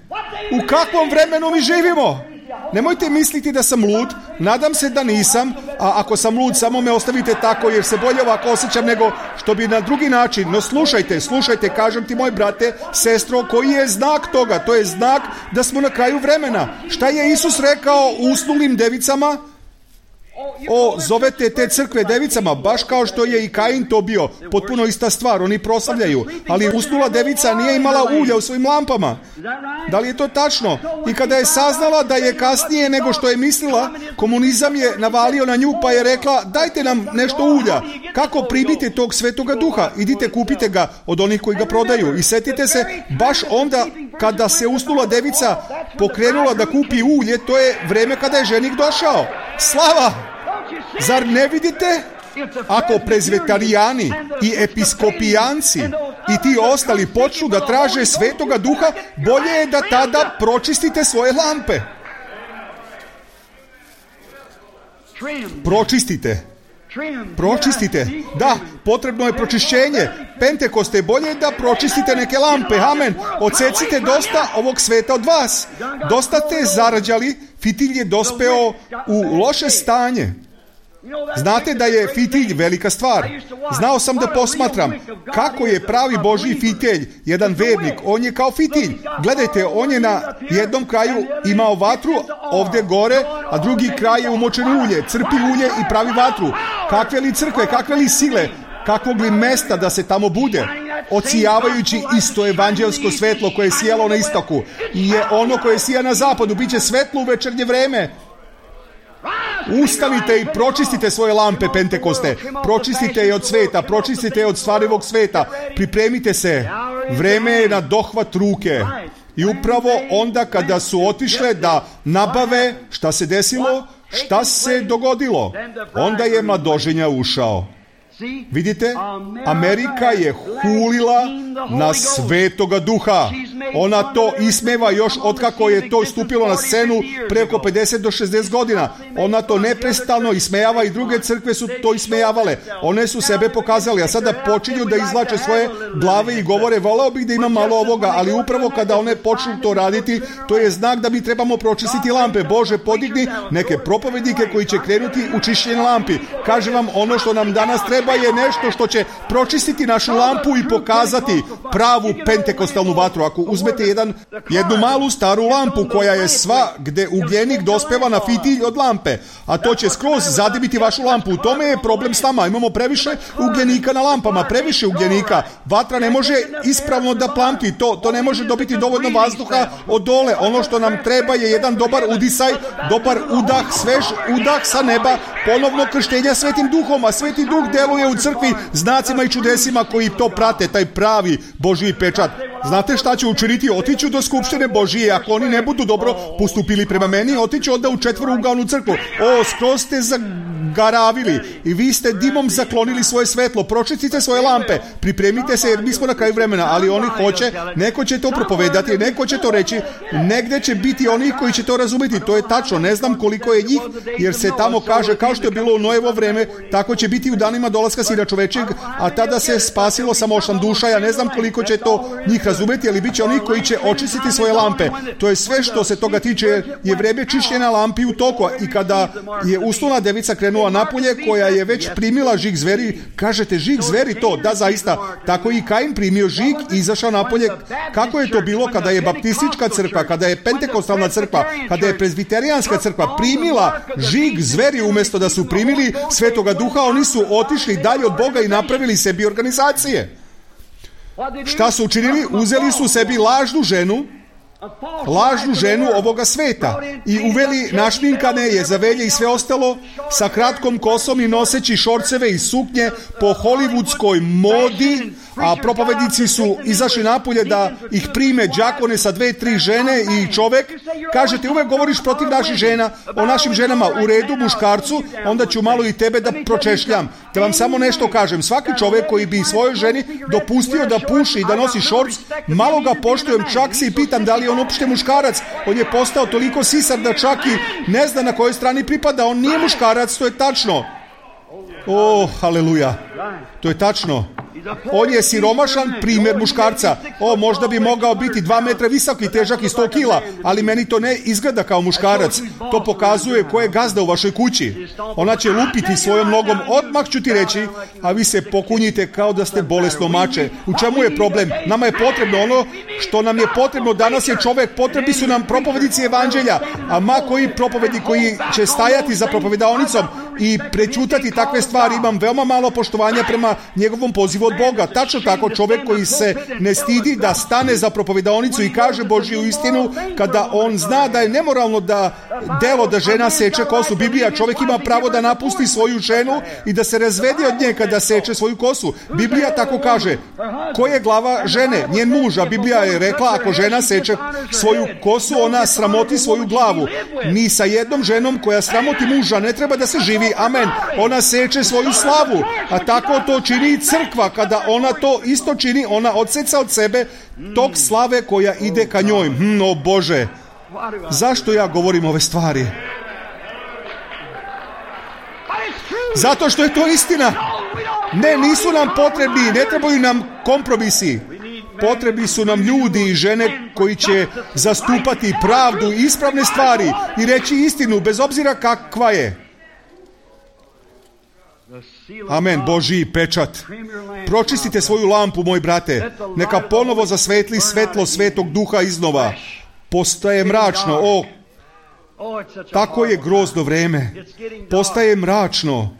u kakvom vremenu mi živimo? Nemojte misliti da sam lud, nadam se da nisam, a ako sam lud, samo me ostavite tako, jer se bolje ovako osjećam nego što bi na drugi način. No slušajte, kažem ti, moj brate, sestro, koji je znak toga? To je znak da smo na kraju vremena. Šta je Isus rekao usnulim devicama? Zovete te crkve devicama, baš kao što je i Kain to bio. Potpuno ista stvar, oni proslavljaju. Ali usnula devica nije imala ulja u svojim lampama. Da li je to tačno? I kada je saznala da je kasnije nego što je mislila, komunizam je navalio na nju, pa je rekla, dajte nam nešto ulja. Kako primite tog Svetoga Duha? Idite, kupite ga od onih koji ga prodaju. I setite se, baš onda kada se usnula devica pokrenula da kupi ulje, to je vreme kada je ženik došao. Slava! Zar ne vidite? Ako prezbitarijani i episkopijanci i ti ostali počnu da traže Svetoga Duha, bolje je da tada pročistite svoje lampe. Pročistite. Da, potrebno je pročišćenje. Pentekoste, bolje da pročistite neke lampe. Amen. Odsecite dosta ovog sveta od vas. Dosta ste zarađali, fitilj je dospeo u loše stanje. Znate da je fitilj velika stvar. Znao sam da posmatram kako je pravi Božji fitilj, jedan vernik. On je kao fitilj. Gledajte, on je na jednom kraju imao vatru ovdje gore, a drugi kraj je umočen ulje. Crpi ulje i pravi vatru. Kakve li crkve, kakve li sile, kakvog li mesta da se tamo bude? Ocijavajući isto evanđelsko svetlo koje je sijalo na istoku i je ono koje sija na zapadu. Biće svetlo u večernje vreme. Ustanite i pročistite svoje lampe, Pentekoste. Pročistite je od sveta, pročistite je od stvarivog sveta. Pripremite se. Vreme je na dohvat ruke. I upravo onda kada su otišle da nabave, šta se desilo? Šta se dogodilo? Onda je mladoženja ušao. Vidite, Amerika je hulila na Svetoga Duha. Ona to ismeva još otkako je to stupilo na scenu preko 50 do 60 godina. Ona to neprestano ismejava i druge crkve su to ismejavale. One su sebe pokazali, a sada počinju da izvlače svoje glave i govore, voleo bih da imam malo ovoga, ali upravo kada one počnu to raditi, to je znak da mi trebamo pročistiti lampe. Bože, podigni neke propovednike koji će krenuti u čišćenje lampi. Kažem vam, ono što nam danas treba je nešto što će pročistiti našu lampu i pokazati pravu pentekostalnu vatru. Ako uzmete jednu malu staru lampu koja je sva gde ugljenik dospeva na fitilj od lampe, a to će skroz zadimiti vašu lampu. U tome je problem s nama. Imamo previše ugljenika na lampama, previše ugljenika. Vatra ne može ispravno da plamti. To ne može dobiti dovoljno vazduha od dole. Ono što nam treba je jedan dobar udisaj, dobar udah, svež udah sa neba, ponovno krštenja Svetim Duhom, a Sveti Duh deluje u crkvi znacima i čudesima koji to prate, taj pravi Božji pečat. Znate šta ću učiniti? Otiću do skupštine Božije, ako oni ne budu dobro postupili prema meni, otiću onda u četvorougaonu crkvu. skroz ste zagaravili i vi ste dimom zaklonili svoje svetlo. Pročistite svoje lampe, pripremite se jer mi smo na kraju vremena, ali oni hoće, neko će to propovedati, neko će to reći, negde će biti oni koji će to razumjeti. To je tačno, ne znam koliko je njih, jer se tamo kaže, kao što je bilo u Noevo vreme, tako će biti u danima dolaska Sina čovečeg, a tada se spasilo samo 8 duša. Ja ne znam koliko će to njih razumjeti, ali bit će oni koji će očistiti svoje lampe. To je sve što se toga tiče, je vreme čišćenja lampi u toku. I kada je usnula devica krenula napolje, koja je već primila žig zveri, kažete žig zveri to? Da, zaista. Tako i Kain primio žig i izašao napolje. Kako je to bilo kada je baptistička crkva, kada je pentekostalna crkva, kada je prezbiterijanska crkva primila žig zveri umjesto da su primili Svetoga Duha, oni su otišli dalje od Boga i napravili sebi organizacije. Šta su učinili? Uzeli su sebi lažnu ženu ovoga sveta i uveli našminkane Jezavelje i sve ostalo sa kratkom kosom i noseći šorceve i suknje po hollywoodskoj modi, a propovednici su izašli napolje da ih prime đakone sa 2-3 žene i čovek. Kažete, uvek govoriš protiv naših žena, o našim ženama, u redu, muškarcu, onda ću malo i tebe da pročešljam. Da vam samo nešto kažem, svaki čovek koji bi svojoj ženi dopustio da puši i da nosi šorc, malo ga poštujem, čak se i pitam da li je on uopšte muškarac. On je postao toliko sisar da čak i ne zna na kojoj strani pripada. On nije muškarac, to je tačno. Haleluja, to je tačno. On je siromašan primjer muškarca. Možda bi mogao biti 2 metra visok i težak i 100 kila, ali meni to ne izgleda kao muškarac. To pokazuje ko je gazda u vašoj kući. Ona će lupiti svojom nogom, odmah ću ti reći, a vi se pokunjite kao da ste bolesno mače. U čemu je problem? Nama je potrebno ono što nam je potrebno. Danas je čovek, potrebni su nam propovednici evanđelja, a ma koji propovednik koji će stajati za propovedaonicom i prećutati takve stvari, imam veoma malo poštovanja prema njegovom pozivu od Boga. Tačno tako, čovjek koji se ne stidi da stane za propovedaonicu i kaže Božju istinu, kada on zna da je nemoralno da žena seče kosu. Biblija, čovjek ima pravo da napusti svoju ženu i da se razvede od nje kada seče svoju kosu. Biblija tako kaže. Ko je glava žene? Njen muž. A Biblija je rekla, ako žena seče svoju kosu, ona sramoti svoju glavu. Ni sa jednom ženom koja sramoti muža ne treba da se živi. Amen. Ona seče svoju slavu, a tako to čini i crkva. Kada ona to isto čini, ona odseca od sebe tog slave koja ide ka njoj. O Bože, zašto ja govorim ove stvari? Zato što je to istina. Ne, nisu nam potrebni, ne trebaju nam kompromisi. Potrebni su nam ljudi i žene koji će zastupati pravdu i ispravne stvari i reći istinu bez obzira kakva je. Amen, Božji pečat. Pročistite svoju lampu, moj brate. Neka ponovo zasvetli svetlo Svetog Duha iznova. Postaje mračno. Tako je grozno vreme. Postaje mračno.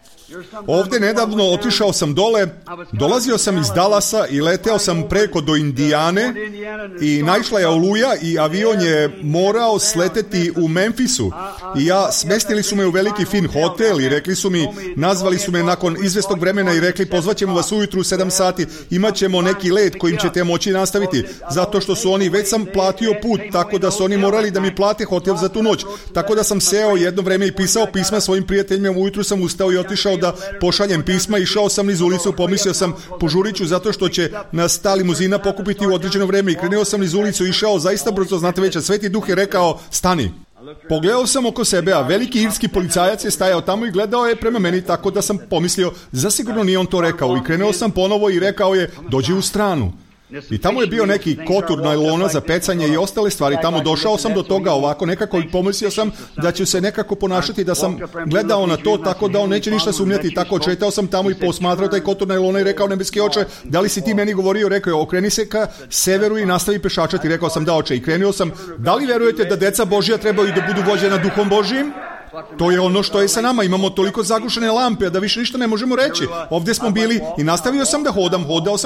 Ovdje nedavno otišao sam dole, dolazio sam iz Dallasa i leteo sam preko do Indijane i naišla je oluja i avion je morao sleteti u Memphisu i smestili su me u veliki fin hotel i rekli su mi, nazvali su me nakon izvestog vremena i rekli pozvaćemo vas ujutru u 7 sati, imat ćemo neki let kojim ćete moći nastaviti, zato što su oni, već sam platio put, tako da su oni morali da mi plate hotel za tu noć, tako da sam seo jedno vreme i pisao pisma svojim prijateljima, ujutru sam ustao i otišao da da pošaljem pisma, išao sam niz ulicu, pomislio sam požurit ću zato što će nas ta limuzina pokupiti u određeno vreme i krenuo sam niz ulicu, išao zaista brzo, znate već, a Sveti Duh je rekao stani. Pogledao sam oko sebe, a veliki irski policajac je stajao tamo i gledao je prema meni, tako da sam pomislio, zasigurno nije on to rekao, i krenuo sam ponovo i rekao je, dođi u stranu. I tamo je bio neki kotur najlona za pecanje i ostale stvari. Tamo došao sam do toga ovako nekako i pomislio sam da ću se nekako ponašati, da sam gledao na to tako da on neće ništa sumnjati. Tako četao sam tamo i posmatrao taj kotur najlona i rekao, nebeski oče, da li si ti meni govorio? Rekao je, okreni se ka severu i nastavi pešačati. Rekao sam, da oče, i krenuo sam. Da li verujete da deca Božja trebaju da budu vođena Duhom Božjim? To je ono što je sa nama, imamo toliko zagušene lampe da više ništa ne možemo reći. Ovdje smo bili i nastavio sam da hodam, hodao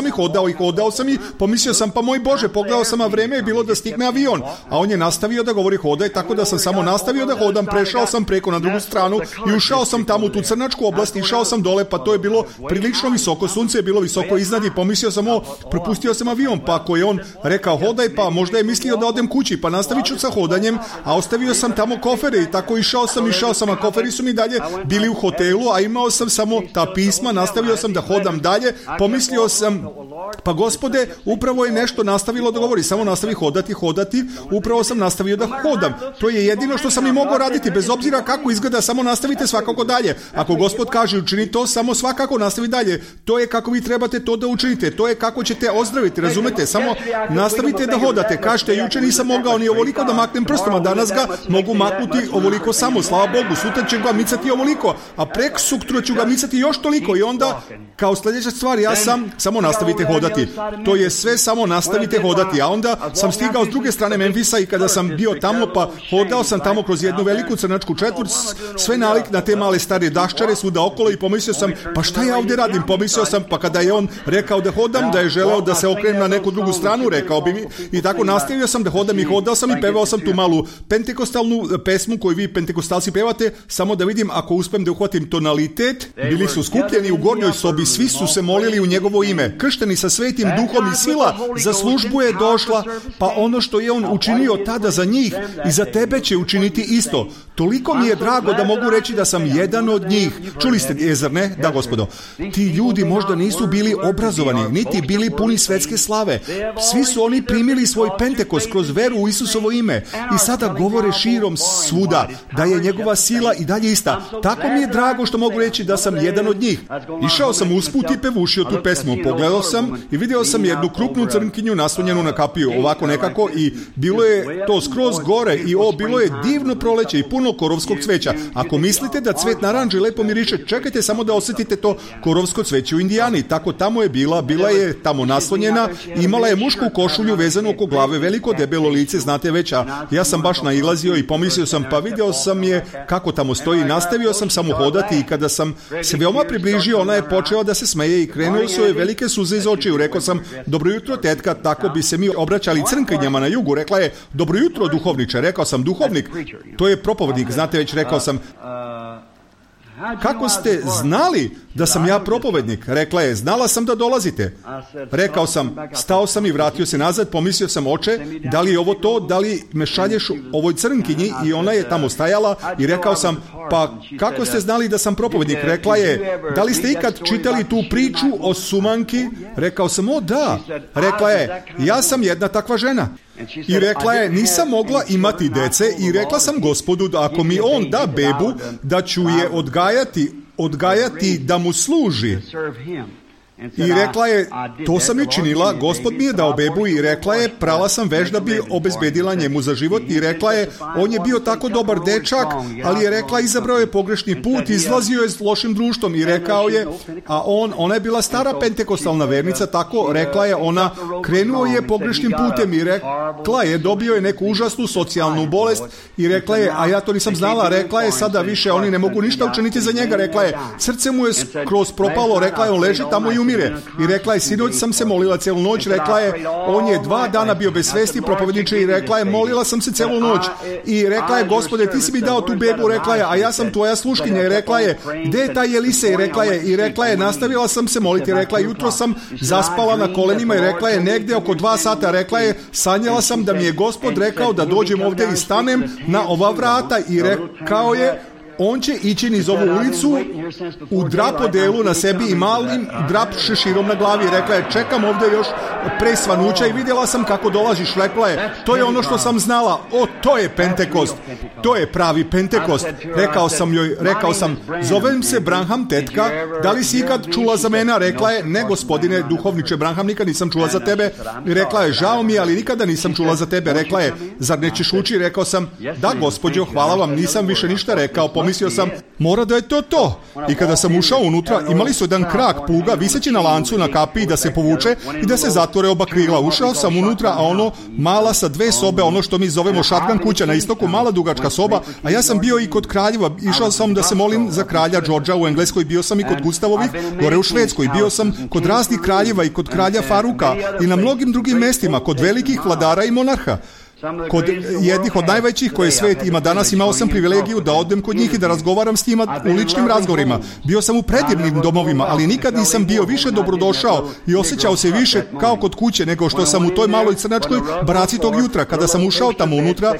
sam i pomislio sam, pa moj Bože, pogledao sam, a vreme je bilo da stigne avion, a on je nastavio da govori hodaj, tako da sam samo nastavio da hodam, prešao sam preko na drugu stranu i ušao sam tamo u tu crnačku oblast, išao sam dole, pa to je bilo prilično visoko, sunce je bilo visoko iznad i pomislio sam, propustio sam avion, pa ako je on rekao hodaj, pa možda je mislio da odem kući, pa nastavit ću sa hodanjem, a ostavio sam tamo kofere i tako išao sam, a koferi su mi dalje bili u hotelu, a imao sam samo ta pisma, nastavio sam da hodam dalje, pomislio sam, pa Gospode, upravo je nešto nastavilo da govori, samo nastavi hodati, upravo sam nastavio da hodam. To je jedino što sam i mogao raditi, bez obzira kako izgleda, samo nastavite svakako dalje. Ako Gospod kaže učini to, samo svakako nastavi dalje. To je kako vi trebate to da učinite, to je kako ćete ozdraviti, razumete? Samo nastavite da hodate. Kažete, juče nisam mogao ni ovoliko da maknem prstom, a danas ga mogu maknuti ovoliko samo, slava Bogu. Sutra ću ga micati ovoliko, a prek sutra ću ga micati još toliko i onda kao sljedeća stvar samo nastavite hodati. To je sve, samo nastavite hodati. A onda sam stigao s druge strane Memfisa i kada sam bio tamo, pa hodao sam tamo kroz jednu veliku crnačku četvrt, sve nalik na te male stare daščare svuda okolo i pomislio sam, pa šta ja ovdje radim? Pomislio sam, pa kada je on rekao da hodam, da je želeo da se okrenem na neku drugu stranu, rekao bi mi, i tako nastavio sam da hodam i hodao sam i pevao sam tu malu pentekostalnu pesmu koju vi pentekostalci pevate, samo da vidim ako uspem da uhvatim tonalitet. Bili su skupljeni u gornjoj sobi, svi su se molili u njegovo ime, kršteni sa Svetim Duhom i sila za službu je došla, pa ono što je on učinio tada za njih i za tebe će učiniti isto. Toliko mi je drago da mogu reći da sam jedan od njih. Čuli ste, zar ne? Da, Gospodo. Ti ljudi možda nisu bili obrazovani, niti bili puni svetske slave. Svi su oni primili svoj Pentekost kroz veru u Isusovo ime i sada govore širom svuda da je njegova sila i dalje ista. Tako mi je drago što mogu reći da sam jedan od njih. Išao sam usput i pevušio tu pesmu. Pogledao sam i vidio sam jednu krupnu crnkinju naslonjenu na kapiju, ovako nekako, i bilo je to skroz gore i bilo je divno proleće i puno korovskog cveća. Ako mislite da cvet naranđe lepo miriše, čekajte samo da osjetite to korovsko cveće u Indijani. Tako tamo je bila je tamo naslonjena, imala je mušku košulju vezanu oko glave, veliko debelo lice, znate već, a ja sam baš nailazio i pomislio sam, pa video sam je kako tamo stoji, nastavio sam samo hodati i kada sam se veoma približio, ona je počela da se smeje i krenuo su joj velike suze iz očiju. Rekao sam, dobro jutro tetka, tako bi se mi obraćali crnkinjama na jugu. Rekla je, dobro jutro duhovniče. Rekao sam, duhovnik, to je propovednik, znate već, rekao sam, kako ste znali da sam ja propovednik? Rekla je, znala sam da dolazite. Rekao sam, stao sam i vratio se nazad, pomislio sam, oče, da li je ovo to, da li me šalješ ovoj crnkinji? I ona je tamo stajala i rekao sam, pa kako ste znali da sam propovednik? Rekla je, da li ste ikad čitali tu priču o sumanki? Rekao sam, o da. Rekla je, ja sam jedna takva žena. I rekla je, nisam mogla imati dece i rekla sam Gospodu da ako mi on da bebu, da ću je odgajati da mu služi. I rekla je, to sam i činila, Gospod mi je dao bebu i rekla je, prala sam veš da bi obezbedila njemu za život i rekla je, on je bio tako dobar dečak, ali je rekla, izabrao je pogrešni put, izlazio je s lošim društvom i rekao je, a ona je bila stara pentekostalna vernica, tako rekla je, ona krenuo je pogrešnim putem i rekla je, dobio je neku užasnu socijalnu bolest i rekla je, a ja to nisam znala, rekla je, sada više oni ne mogu ništa učiniti za njega, rekla je, srce mu je skroz propalo, rekla je, on leži tamo i umire. I rekla je, sinoć sam se molila celu noć, rekla je, on je 2 dana bio bez svesti, propovedniče, i rekla je, molila sam se celu noć. I rekla je, Gospode, ti si mi dao tu bebu, rekla je, a ja sam tvoja sluškinja. I rekla je, gde je taj Elise? I rekla je, nastavila sam se moliti, rekla je, jutro sam zaspala na kolenima i rekla je, negde oko 2 sata, rekla je, sanjala sam da mi je Gospod rekao da dođem ovdje i stanem na ova vrata i rekao je, on će ići niz ovu ulicu u drapodelu na sebi i malim drap šeširom na glavi. Rekla je, čekam ovdje još pre svanuća i vidjela sam kako dolaziš. Rekla je, to je ono što sam znala. O, to je Pentekost. To je pravi Pentekost. Rekao sam, zovem se Branham, tetka, da li si ikad čula za mene? Rekla je, ne gospodine duhovniče Branham, nikad nisam čula za tebe. Rekla je, žao mi, ali nikada nisam čula za tebe. Rekla je, zar nećeš ući? Rekao sam, da gospođo, hvala vam, nisam više ništa rekao. Pomislio sam, mora da je to. I kada sam ušao unutra, imali su jedan krak puga viseći na lancu na kapiji da se povuče i da se zatvore oba krila. Ušao sam unutra, a ono mala sa 2 sobe, ono što mi zovemo šatkan kuća na istoku, mala dugačka soba, a ja sam bio i kod kraljeva. Išao sam da se molim za kralja Đorđa u Engleskoj, bio sam i kod Gustavovih, gore u Švedskoj, bio sam kod raznih kraljeva i kod kralja Faruka i na mnogim drugim mestima, kod velikih vladara i monarha. Kod jednih od najvećih koje svet ima danas, imao sam privilegiju da odem kod njih i da razgovaram s njima u ličnim razgovorima. Bio sam u predivnim domovima, ali nikad nisam bio više dobrodošao i osjećao se više kao kod kuće nego što sam u toj maloj crnačkoj baraci tog jutra. Kada sam ušao tamo unutra,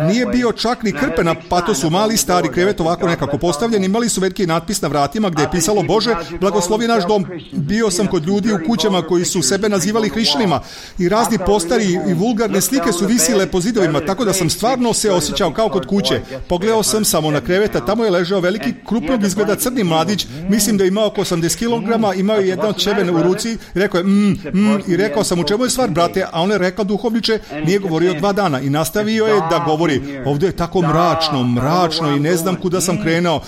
nije bio čak ni krpe na patosu, mali stari krevet ovako nekako postavljen, imali su veliki natpis na vratima gdje je pisalo Bože, blagoslovi naš dom. Bio sam kod ljudi u kućama koji su sebe nazivali hrišćanima i razni postari i vulgarne slike su visile po zidovima, tako da sam stvarno se osjećao kao kod kuće. Pogledao sam samo na kreveta, tamo je ležao veliki, krupnog izgleda crni mladić, mislim da je imao oko 80 kg, imao je jedno ćebe u ruci i rekao je i rekao sam, u čemu je stvar, brate? A on je rekao, duhovniče, nije govorio 2 dana i nastavio je da govori, ovdje je tako mračno i ne znam kuda sam krenuo.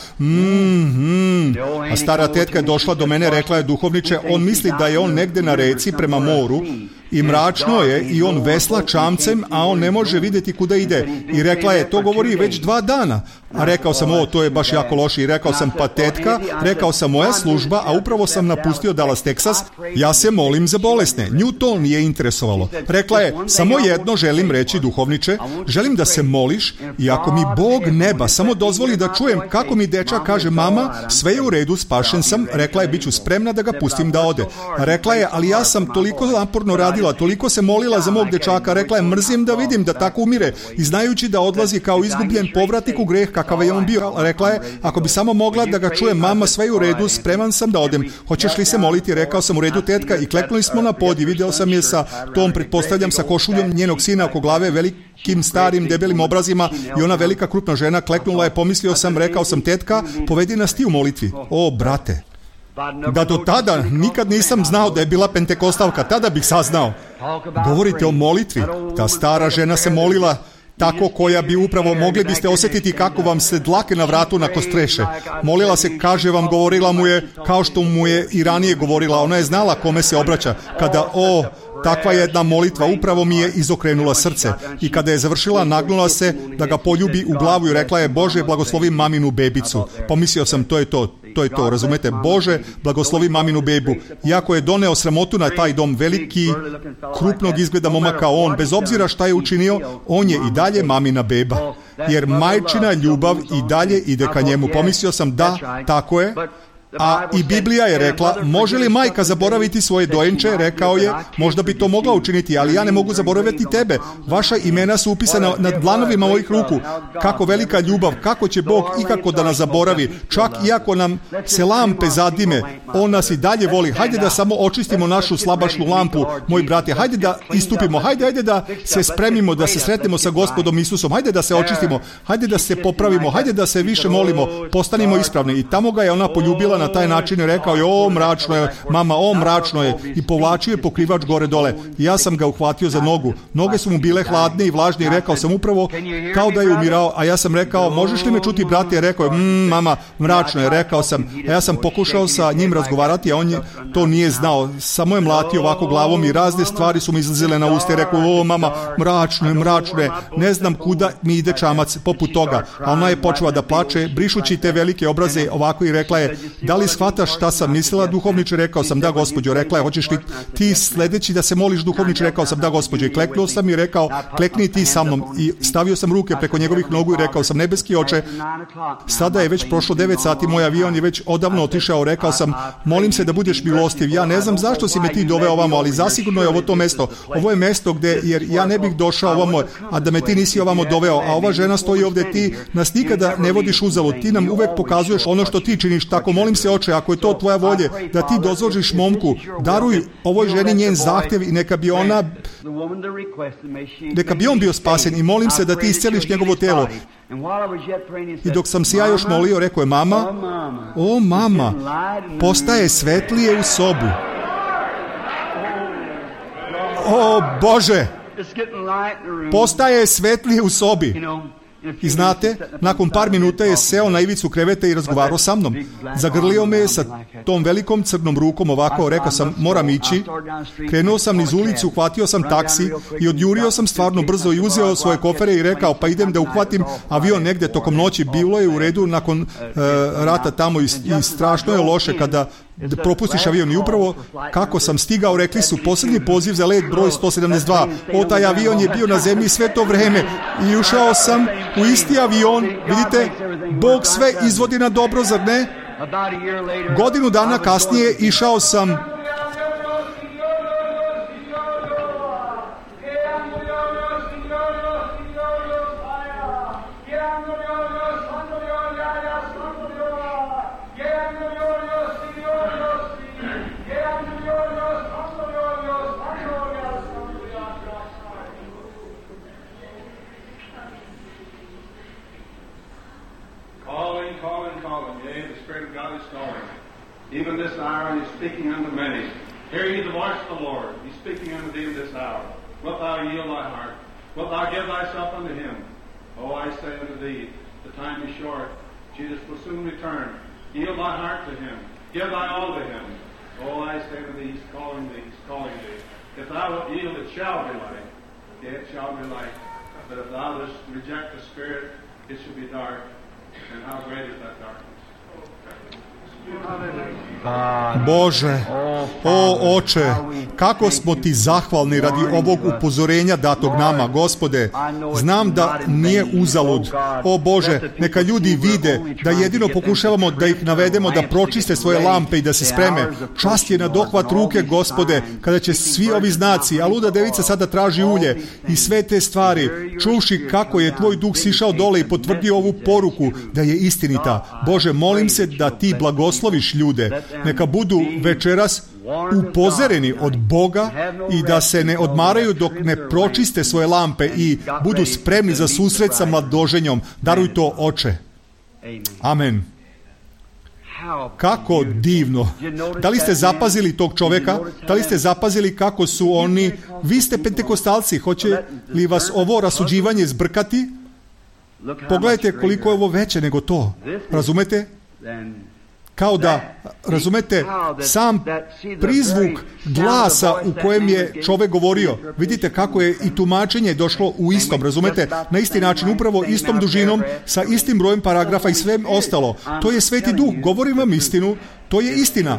A stara tetka je došla do mene, rekla je, duhovniče, on misli da je on negdje na reci prema moru i mračno je i on vesla čamcem, a on ne može vidjeti kuda ide. I rekla je, to govori već 2 dana. A rekao sam, to je baš jako loše. I rekao sam, pa tetka, rekao sam, moja služba, a upravo sam napustio Dallas, Texas, ja se molim za bolesne. Nju to nije interesovalo. Rekla je, samo jedno želim reći, duhovniče, želim da se moliš i ako mi Bog neba samo dozvoli da čujem kako mi dečak kaže, mama, sve je u redu, spašen sam, rekla je, bit ću spremna da ga pustim da ode. Rekla je, ali ja sam toliko naporno radila, toliko se molila za mog dečaka, rekla je, mrzim da vidim da tako umire i znajući da odlazi kao izgubljen povratnik u greh kakav je on bio. Rekla je, ako bi samo mogla da ga čuje, mama, sve je u redu, spreman sam da odem, hoćeš li se moliti? Rekao sam, u redu, tetka, i kleknuli smo na pod i video sam je sa tom, pretpostavljam, sa košuljom njenog sina oko glave, velikim, starim, debelim obrazima i ona velika krupna žena kleknula je, pomislio sam, rekao sam, tetka, povedi nas ti u molitvi. O, brate, da do tada nikad nisam znao da je bila pentekostalka, tada bih saznao. Govorite o molitvi, ta stara žena se molila tako, koja bi upravo, mogli biste osjetiti kako vam se dlake na vratu nakostreše. Molila se, kaže vam, govorila mu je kao što mu je i ranije govorila, ona je znala kome se obraća. Kada, takva jedna molitva upravo mi je izokrenula srce. I kada je završila, nagnula se da ga poljubi u glavu i rekla je, Bože, blagoslovi maminu bebicu. Pomislio sam, to je to, razumete? Bože, blagoslovi maminu bebu. Iako je doneo sramotu na taj dom, veliki, krupnog izgleda momak kao on, bez obzira šta je učinio, on je i dalje mamina beba. Jer majčina ljubav i dalje ide ka njemu. Pomislio sam, da, tako je. A i Biblija je rekla, može li majka zaboraviti svoje dojenče? Rekao je, možda bi to mogla učiniti, ali ja ne mogu zaboraviti tebe. Vaša imena su upisana na dlanovima mojih ruku. Kako velika ljubav, kako će Bog ikako da nas zaboravi, čak iako nam se lampe zadime, on nas i dalje voli. Hajde da samo očistimo našu slabašnu lampu, moji brate, hajde da istupimo, hajde da se spremimo, da se sretnemo sa Gospodom Isusom, hajde da se očistimo, hajde da se popravimo, hajde da se više molimo, postanimo ispravni. I tamo ga je ona poljubila na taj način i rekao je, mračno je, mama, mračno je, i povlačio je pokrivač gore dole. Ja sam ga uhvatio za nogu. Noge su mu bile hladne i vlažne i rekao sam upravo kao da je umirao, a ja sam rekao, možeš li me čuti, brate? Rekao je, mama, mračno je, rekao sam, a ja sam pokušao sa njim razgovarati, a on to nije znao, samo je mlatio ovako glavom i razne stvari su mi izlazile na usta i rekao, mama, mračno je, ne znam kuda mi ide čamac poput toga. A ona je počela da plače, brišući te velike obraze ovako i rekla je, da da li shvataš šta sam mislila, duhovniče? Rekao sam, da, gospođo. Rekla je, hoćeš li ti sledeći da se moliš, duhovniče? Rekao sam, da, gospođo. I kleknuo sam i rekao, klekni ti sa mnom. I stavio sam ruke preko njegovih nogu i rekao sam, nebeski oče, sada je već prošlo 9 sati, moj avion je već odavno otišao. Rekao sam, molim se da budeš milostiv. Ja ne znam zašto si me ti doveo ovamo, ali zasigurno je ovo to mesto. Ovo je mesto gde, jer ja ne bih došao ovamo, a da me ti nisi ovamo doveo. A ova žena stoji ovde, ti nas nikada ne vodiš uzalud. Ti nam uvek pokazuješ ono što ti činiš. Tako molim se, oče, ako je to tvoja volja, da ti dozvoliš momku, daruj ovoj ženi njen zahtev i neka bi on bio spasen, i molim se da ti isceliš njegovo telo. I dok sam se ja još molio, rekao je, mama, o mama, postaje svetlije u sobi. O Bože, postaje svetlije u sobi. I znate, nakon par minuta je seo na ivicu kreveta i razgovarao sa mnom. Zagrlio me sa tom velikom crnom rukom ovako, rekao sam, moram ići. Krenuo sam niz ulicu, uhvatio sam taksi i odjurio sam stvarno brzo i uzeo svoje kofere i rekao, pa idem da uhvatim avion negde tokom noći. Bilo je u redu nakon rata tamo i strašno je loše kada propustiš avion. I upravo kako sam stigao, rekli su, posljednji poziv za let broj 172. Taj avion je bio na zemlji sve to vreme i ušao sam u isti avion. Vidite, Bog sve izvodi na dobro, zar ne? Godinu dana kasnije išao sam even this hour, He's speaking unto many. Hear ye the voice of the Lord. He's speaking unto thee in this hour. Wilt thou yield thy heart? Wilt thou give thyself unto Him? Oh, I say unto thee, the time is short. Jesus will soon return. Yield thy heart to Him. Give thy all to Him. Oh, I say unto thee, He's calling thee. He's calling thee. If thou wilt yield, it shall be light. Yea, it shall be light. But if thou dost reject the Spirit, it shall be dark. And how great is that darkness? Bože, o Oče, kako smo ti zahvalni radi ovog upozorenja datog nama, Gospode. Znam da nije uzalud. O Bože, neka ljudi vide da jedino pokušavamo da ih navedemo da pročiste svoje lampe i da se spreme. Čast je na dohvat ruke, Gospode, kada će svi ovi znaci, a luda devica sada traži ulje i sve te stvari, čuvši kako je tvoj duh sišao dole i potvrdio ovu poruku da je istinita. Bože, molim se da ti blagosloviš ljude, neka budu večeras upozoreni od Boga i da se ne odmaraju dok ne pročiste svoje lampe i budu spremni za susret sa mladoženjom. Daruj to, Oče. Amen. Kako divno. Da li ste zapazili tog čoveka? Da li ste zapazili kako su oni? Vi ste pentekostalci, hoće li vas ovo rasuđivanje zbrkati? Pogledajte koliko je ovo veće nego to. Razumete? Kao da, razumete, sam prizvuk glasa u kojem je čovek govorio. Vidite kako je i tumačenje došlo u istom, razumete, na isti način, upravo istom dužinom, sa istim brojem paragrafa i sve ostalo. To je Sveti Duh, govorim vam istinu, to je istina.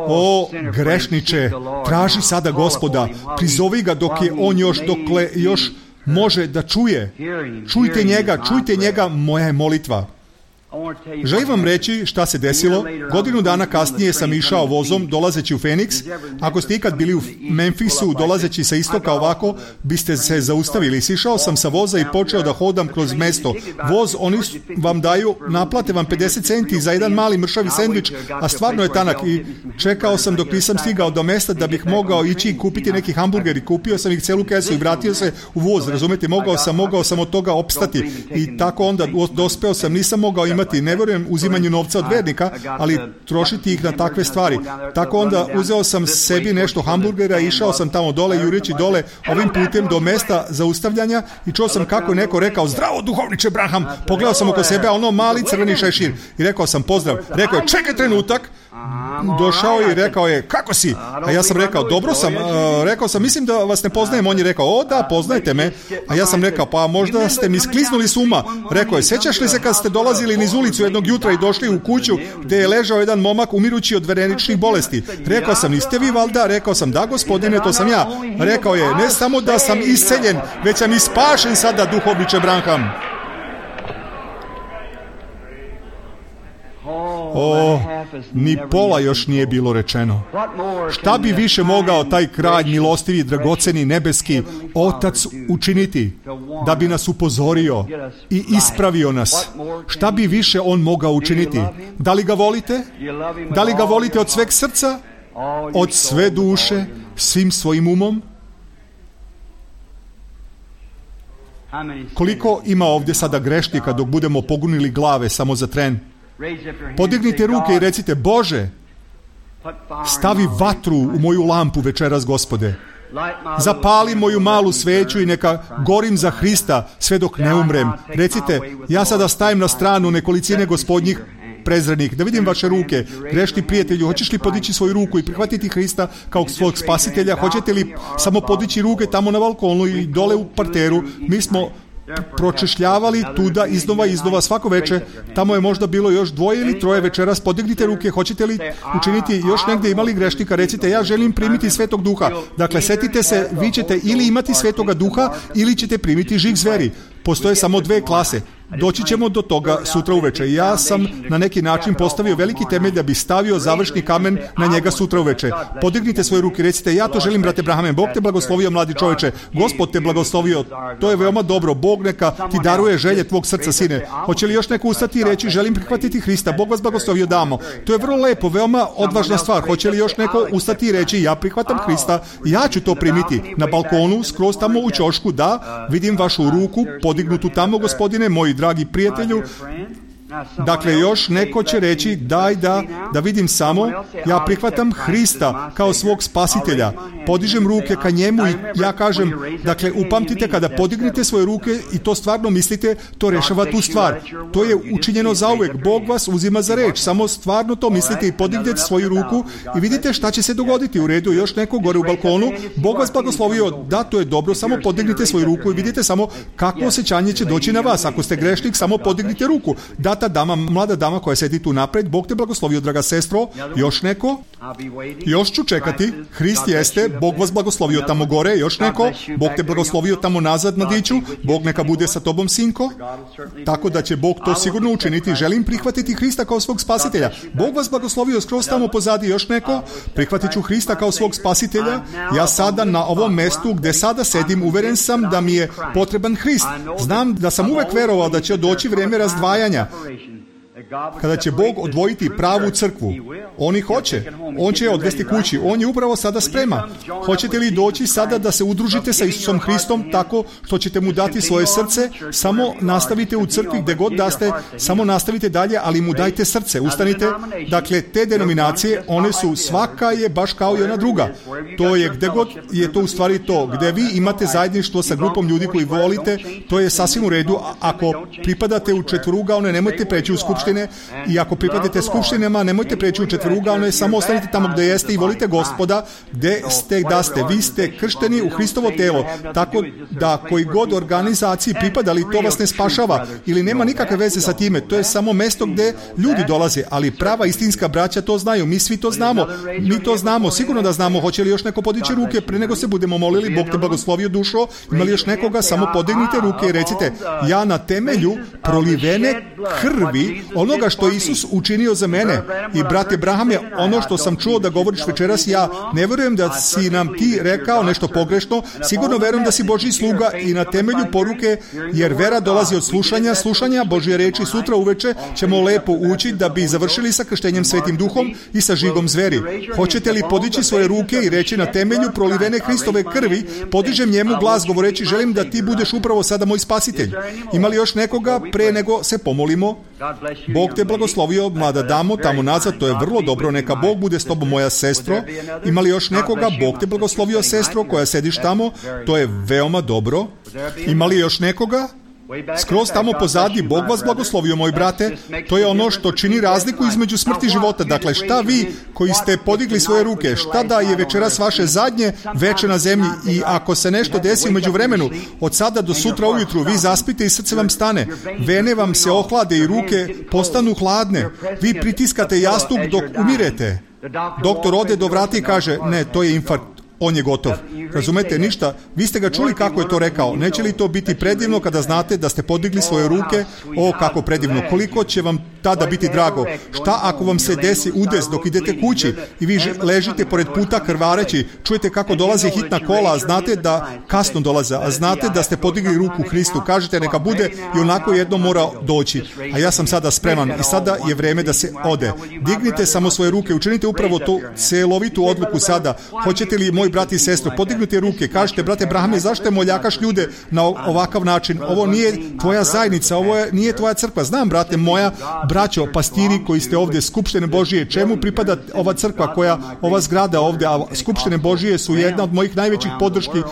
O, grešniče, traži sada Gospoda, prizovi ga dok je on dokle još može da čuje. Čujte njega, moja je molitva. Želim vam reći šta se desilo. Godinu dana kasnije sam išao vozom dolazeći u Phoenix. Ako ste ikad bili u Memphisu dolazeći sa istoka ovako, biste se zaustavili. Sišao sam sa voza i počeo da hodam kroz mesto. Voz, oni vam daju, naplate vam 50 centi za jedan mali mršavi sendvič, a stvarno je tanak. I čekao sam dok nisam stigao do mesta da bih mogao ići i kupiti neki hamburger i kupio sam ih celu kesu i vratio se u voz. Razumete, mogao sam od toga opstati. I tako onda dospeo sam, nisam mogao imati, ne vjerujem uzimanju novca od vernika, ali trošiti ih na takve stvari. Tako onda uzeo sam sebi nešto hamburgera, išao sam tamo dole, jureći dole ovim putem do mesta zaustavljanja i čuo sam kako je neko rekao, zdravo duhovniče Branham, pogledao sam oko sebe, a ono mali crveni šešir i rekao sam pozdrav. Rekao je, čekaj trenutak, došao i rekao je, kako si? A ja sam rekao, dobro sam. Rekao sam, mislim da vas ne poznajem. On je rekao, o da, poznajte me. A ja sam rekao, pa možda ste mi skliznuli s uma. Rekao je, sjećaš li se kad ste dolazili niz ulicu jednog jutra i došli u kuću gdje je ležao jedan momak umirući od veneričnih bolesti? Rekao sam, niste vi valda? Rekao sam, da gospodine, to sam ja. Rekao je, ne samo da sam isceljen, već sam i spašen sada, duhovniče Branham. O, ni pola još nije bilo rečeno. Šta bi više mogao taj kralj milostivi, dragoceni, nebeski Otac učiniti da bi nas upozorio i ispravio nas? Šta bi više on mogao učiniti? Da li ga volite? Da li ga volite od sveg srca? Od sve duše? Svim svojim umom? Koliko ima ovdje sada grešnika dok budemo pogunili glave samo za tren? Podignite ruke i recite, Bože, stavi vatru u moju lampu večeras, Gospode. Zapali moju malu sveću i neka gorim za Hrista sve dok ne umrem. Recite, ja sada stajem na stranu nekolicine gospodnjih prezrenih. Da vidim vaše ruke. Grešni prijatelju, hoćeš li podići svoju ruku i prihvatiti Hrista kao svog spasitelja? Hoćete li samo podići ruke tamo na balkonu i dole u parteru? Mi smo pročešljavali tuda iznova svako večer. Tamo je možda bilo još 2 ili 3 večeras. Podignite ruke, hoćete li učiniti još negdje, imali grešnika? Recite, ja želim primiti Svetog Duha. Dakle, setite se, vi ćete ili imati Svetoga Duha ili ćete primiti žig zveri. Postoje samo 2 klase. Doći ćemo do toga sutra uveče. Ja sam na neki način postavio veliki temelj da bi stavio završni kamen na njega sutra uveče. Podignite svoje ruke, recite, ja to želim, brate Brahame. Bog te blagoslovio, mladi čovječe. Gospod te blagoslovio. To je veoma dobro. Bog neka ti daruje želje tvog srca, sine. Hoće li još neko ustati i reći, želim prihvatiti Hrista? Bog vas blagoslovio, damo. To je vrlo lepo, veoma odvažna stvar. Hoće li još neko ustati i reći, ja prihvatam Hrista, ja ću to primiti na balkonu, skroz tamo u ćošku, da, vidim vašu ruku podignutu tamo, gospodine, moji dragi prijatelju. Dakle, još neko će reći, daj da vidim samo, ja prihvatam Hrista kao svog spasitelja. Podižem ruke ka njemu i ja kažem, dakle, upamtite, kada podignete svoje ruke i to stvarno mislite, to rešava tu stvar. To je učinjeno zauvek. Bog vas uzima za reč. Samo stvarno to mislite i podignete svoju ruku i vidite šta će se dogoditi. U redu, još neko gore u balkonu. Bog vas blagoslovio. Da, to je dobro. Samo podignite svoju ruku i vidite samo kakvo osjećanje će doći na vas. Ako ste grešnik, samo podignite ruku. Da, ta dama, mlada dama koja sedi tu napred, Bog te blagoslovio, draga sestro. Još neko? Još ću čekati. Hrist jeste. Bog vas blagoslovio tamo gore. Još neko? Bog te blagoslovio tamo nazad, mladiću. Bog neka bude sa tobom, sinko. Tako da će Bog to sigurno učiniti. Želim prihvatiti Hrista kao svog spasitelja. Bog vas blagoslovio skroz tamo pozadi. Još neko? Prihvatit ću Hrista kao svog spasitelja. Ja sada na ovom mestu gdje sada sedim, uveren sam da mi je potreban Hrist. Znam da sam uvek verovao da će doći vrijeme razdvajanja, kada će Bog odvojiti pravu crkvu. On ih hoće. On će je odvesti kući. On je upravo sada sprema. Hoćete li doći sada da se udružite sa Isusom Hristom tako što ćete mu dati svoje srce? Samo nastavite u crkvi gdje god da ste, samo nastavite dalje, ali mu dajte srce. Ustanite. Dakle, te denominacije, one su, svaka je baš kao i ona druga. To je gdje god je to u stvari to. Gdje vi imate zajedništvo sa grupom ljudi koji volite, to je sasvim u redu. Ako pripadate u četvorugaone, nemojte preći u skupštine. I ako pripadate skupštinama, nemojte preći u četvorugaone, samo ostanite tamo gdje jeste i volite Gospoda gdje ste da ste. Vi ste kršteni u Hristovo telo, tako da koji god organizaciji pripadali, to vas ne spašava ili nema nikakve veze sa time. To je samo mjesto gdje ljudi dolaze, ali prava istinska braća to znaju. Mi svi to znamo. Mi to znamo, sigurno da znamo. Hoće li još neko podići ruke pre nego se budemo molili? Bog te blagoslovio, dušo. Ima li još nekoga? Samo podignite ruke i recite, ja na temelju prolivene krvi onoga što je Isus učinio za mene. I brate Brahame, ono što sam čuo da govoriš večeras, ja ne vjerujem da si nam ti rekao nešto pogrešno, sigurno vjerujem da si Božji sluga i na temelju poruke, jer vera dolazi od slušanja Božje reči. Sutra uveče ćemo lepo ući da bi završili sa krštenjem Svetim Duhom i sa žigom zveri. Hoćete li podići svoje ruke i reći, na temelju prolivene Hristove krvi podižem njemu glas govoreći, želim da ti budeš upravo sada moj spasitelj. Ima li još nekoga pre nego se pomolimo? Bog te blagoslovio, mlada damo, tamo nazad, to je vrlo dobro, neka Bog bude s tobom, moja sestro. Ima li još nekoga? Bog te blagoslovio, sestro, koja sediš tamo, to je veoma dobro. Ima li još nekoga? Skroz tamo pozadi, Bog vas blagoslovio, moj brate, to je ono što čini razliku između smrti i života. Dakle, šta vi koji ste podigli svoje ruke, šta da je večeras vaše zadnje veče na zemlji i ako se nešto desi u međuvremenu, od sada do sutra ujutru, vi zaspite i srce vam stane, vene vam se ohlade i ruke postanu hladne, vi pritiskate jastuk dok umirete. Doktor ode do vrata i kaže, ne, to je infarkt. On je gotov. Razumete, ništa. Vi ste ga čuli kako je to rekao. Neće li to biti predivno kada znate da ste podigli svoje ruke? O, kako predivno. Koliko će vam tada biti drago? Šta ako vam se desi udes dok idete kući i vi ležite pored puta krvareći, čujete kako dolazi hitna kola, a znate da kasno dolaze, a znate da ste podigli ruku Hristu. Kažete neka bude i onako jedno mora doći. A ja sam sada spreman i sada je vreme da se ode. Dignite samo svoje ruke, učinite upravo tu celovitu odluku sada. Hoćete li, moj brat i sestro, podignite ruke, kažete, brate Brahame, zašto moljakaš ljude na ovakav način? Ovo nije tvoja zajednica, ovo nije tvoja crkva. Znam, brate moja, braćo, pastiri koji ste ovdje, skupštine Božije, čemu pripada ova crkva, ova zgrada ovdje, a skupštine Božije su jedna od mojih najvećih podrški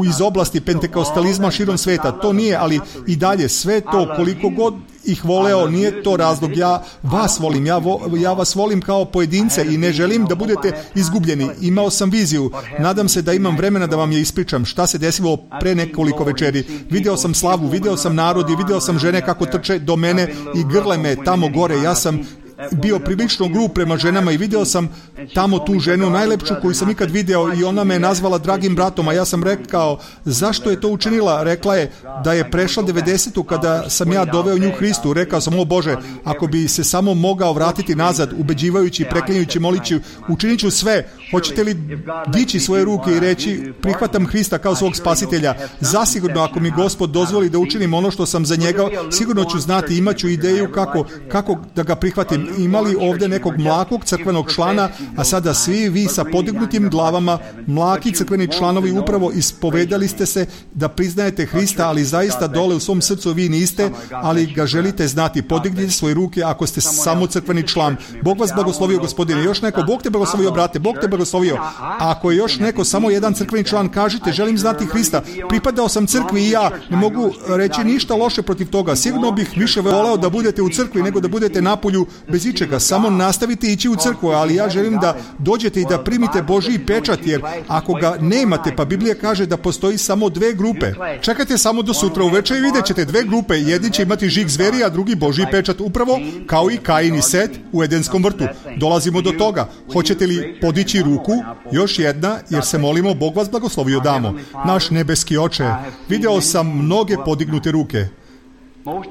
iz oblasti pentekostalizma širom sveta. To nije, ali i dalje, sve to, koliko god ih voleo, nije to razlog. Ja vas volim, ja vas volim kao pojedince i ne želim da budete izgubljeni. Imao sam viziju, nadam se da imam vremena da vam je ispričam šta se desilo pre nekoliko večeri. Video sam slavu, video sam narod i video sam žene kako trče do mene i grle me tamo gore. Ja sam bio prilično grub prema ženama i video sam tamo tu ženu, najlepšu koju sam ikad video, i ona me nazvala dragim bratom, a ja sam rekao, zašto je to učinila? Rekla je da je prešla 90-u kada sam ja doveo nju Hristu. Rekao sam, o Bože, ako bi se samo mogao vratiti nazad, ubeđivajući, preklinjući, molići, učinit ću sve. Hoćete li dići svoje ruke i reći, prihvatam Hrista kao svog spasitelja? Zasigurno, ako mi Gospod dozvoli da učinim ono što sam za njega, sigurno ću znati, imaću ideju kako da ga prihvatim. Imali ovdje nekog mlakog crkvenog člana, a sada svi vi sa podignutim glavama, mlaki crkveni članovi, upravo ispovedali ste se da priznajete Hrista, ali zaista dole u svom srcu vi niste, ali ga želite znati. Podignite svoje ruke ako ste samo crkveni član. Bog vas blagoslovio, gospodine. Još neko, Bog te blagoslovio, brate, Bog te blagoslovio. A ako je još neko, samo jedan crkveni član, kažite, želim znati Hrista. Pripadao sam crkvi i ja ne mogu reći ništa loše protiv toga. Sigurno bih više voleo da budete u crkvi nego da budete napolju bez ičega. Samo nastavite ići u crkvu, ali ja želim da dođete i da primite Božji pečat, jer ako ga nemate, pa Biblija kaže da postoji samo dve grupe. Čekajte samo do sutra uveče i vidjet ćete dve grupe. Jedni će imati žig zveri, a drugi Božji pečat, upravo kao i Kain i Set u Edenskom vrtu. Dolazimo do toga. Hoćete li podići ruku? Još jedna, jer se molimo, Bog vas blagoslovio damo. Naš nebeski Oče, video sam mnoge podignute ruke.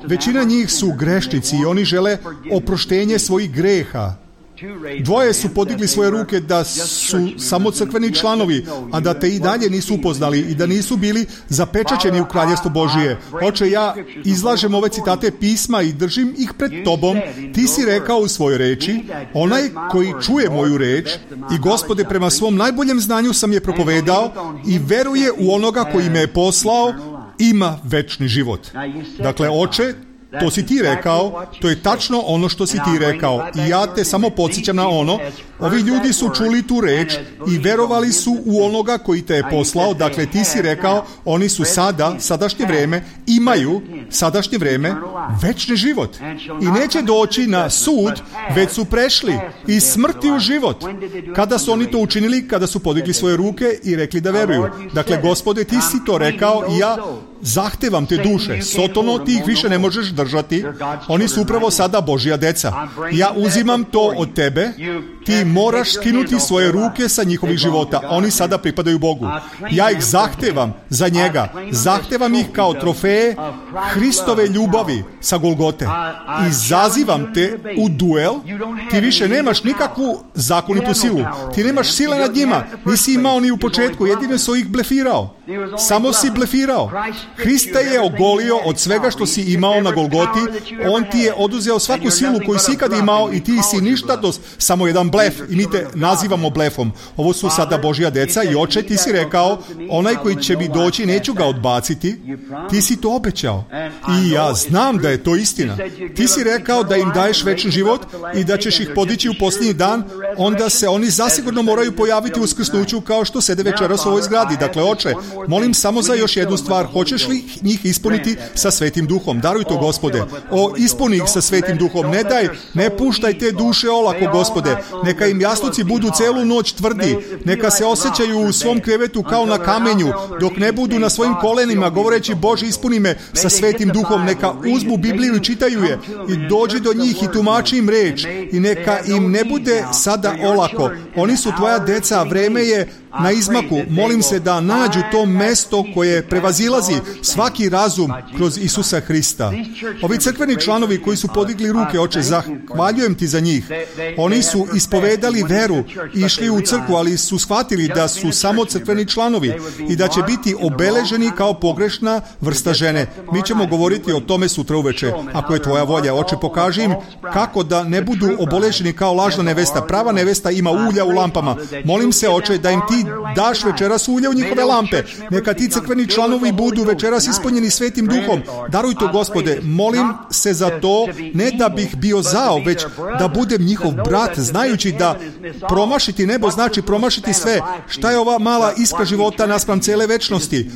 Većina njih su grešnici i oni žele oproštenje svojih greha. Dvoje su podigli svoje ruke da su samo crkveni članovi, a da te i dalje nisu upoznali i da nisu bili zapečaćeni u kraljevstvo Božije. Oče, ja izlažem ove citate pisma i držim ih pred tobom. Ti si rekao u svojoj reči, onaj koji čuje moju reč i Gospode, prema svom najboljem znanju sam je propovedao i veruje u onoga koji me je poslao, ima večni život. Dakle, Oče, to si ti rekao, to je tačno ono što si ti rekao i ja te samo podsjećam na ono. Ovi ljudi su čuli tu reč i verovali su u onoga koji te je poslao. Dakle, ti si rekao, oni su imaju sadašnje vreme večni život i neće doći na sud, već su prešli iz smrti u život. Kada su oni to učinili? Kada su podigli svoje ruke i rekli da veruju. Dakle, Gospode, ti si to rekao i ja zahtevam te duše. Sotono, ti ih više ne možeš držati. Oni su upravo sada Božja deca. Ja uzimam to od tebe. Ti moraš skinuti svoje ruke sa njihovih života. Oni sada pripadaju Bogu. Ja ih zahtevam za njega. Zahtevam ih kao trofeje Hristove ljubavi sa Golgote. Izazivam te u duel. Ti više nemaš nikakvu zakonitu silu. Ti nemaš sile nad njima. Nisi imao ni u početku. Jedino su ih blefirao. Samo si blefirao. Hrista je ogolio od svega što si imao na Golgoti. On ti je oduzeo svaku silu koju si ikad imao i ti si ništa, samo jedan blef i mi te nazivamo blefom. Ovo su sada Božja deca i Oče, ti si rekao, onaj koji će mi doći, neću ga odbaciti. Ti si to obećao i ja znam da je to istina. Ti si rekao da im daješ večni život i da ćeš ih podići u posljednji dan. onda se oni zasigurno moraju pojaviti u uskrsnuću kao što sede večeras u ovoj zgradi. Dakle, Oče, molim samo za još jednu stvar. Hoćeš li njih ispuniti sa Svetim Duhom? Daruj to, Gospode. Ispuni ih sa Svetim Duhom. Ne puštaj te duše olako, Gospode. Neka im jasluci budu celu noć tvrdi. Neka se osjećaju u svom krevetu kao na kamenju, dok ne budu na svojim kolenima govoreći: Bože, ispuni me sa Svetim Duhom. Neka uzmu Bibliju i čitaju je i dođi do njih i tumači im reč i neka im ne bude sada olako. Oni su tvoja deca, vreme je na izmaku. Molim se da nađu to mesto koje prevazilazi svaki razum kroz Isusa Hrista. Ovi crkveni članovi koji su podigli ruke, Oče, zahvaljujem ti za njih. Oni su ispovedali veru i išli u crkvu, ali su shvatili da su samo crkveni članovi i da će biti obeleženi kao pogrešna vrsta žene. Mi ćemo govoriti o tome sutra uveče. Ako je tvoja volja, Oče, pokaži im kako da ne budu obeleženi kao lažna nevesta. Prava nevesta ima ulja u lampama. Molim se, Oče, da im ti daš večeras ulje u njihove lampe. Neka ti crkveni članovi budu večeras ispunjeni Svetim Duhom. Daruj to, Gospode. Molim se za to, ne da bih bio zao, već da budem njihov brat, znajući da promašiti nebo znači promašiti sve. Šta je ova mala iskra života naspram cele večnosti?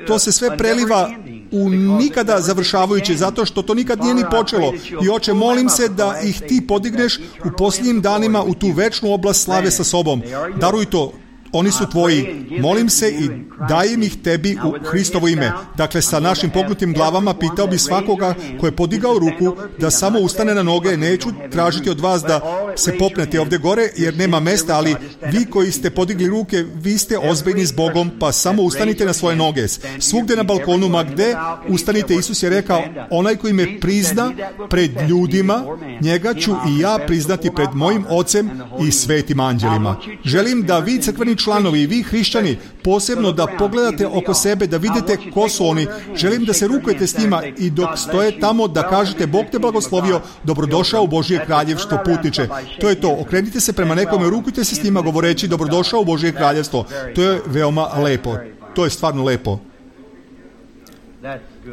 To se sve preliva u nikada završavajuće, zato što to nikad nije ni počelo. I Oče, molim se da ih ti podigneš u posljednjim danima u tu večnu oblast slave sa sobom. Daruj to. Oni su tvoji. Molim se i dajem ih tebi u Hristovo ime. Dakle, sa našim pognutim glavama pitao bi svakoga ko je podigao ruku da samo ustane na noge. Neću tražiti od vas da se popnete ovdje gore, jer nema mesta, ali vi koji ste podigli ruke, vi ste ozbiljni s Bogom, pa samo ustanite na svoje noge. Svugdje na balkonu, ma gde ustanite, Isus je rekao: onaj koji me prizna pred ljudima, njega ću i ja priznati pred mojim Ocem i svetim anđelima. Želim da vi, crkveni članovi, i vi hrišćani, posebno da pogledate oko sebe, da vidite ko su oni. Želim da se rukujete s njima i dok stoje tamo da kažete: Bog te blagoslovio, dobrodošao u Božje kraljevstvo, putniče. To je to. Okrenite se prema nekome, rukujte se s njima govoreći: dobrodošao u Božje kraljevstvo. To je veoma lepo. To je stvarno lepo.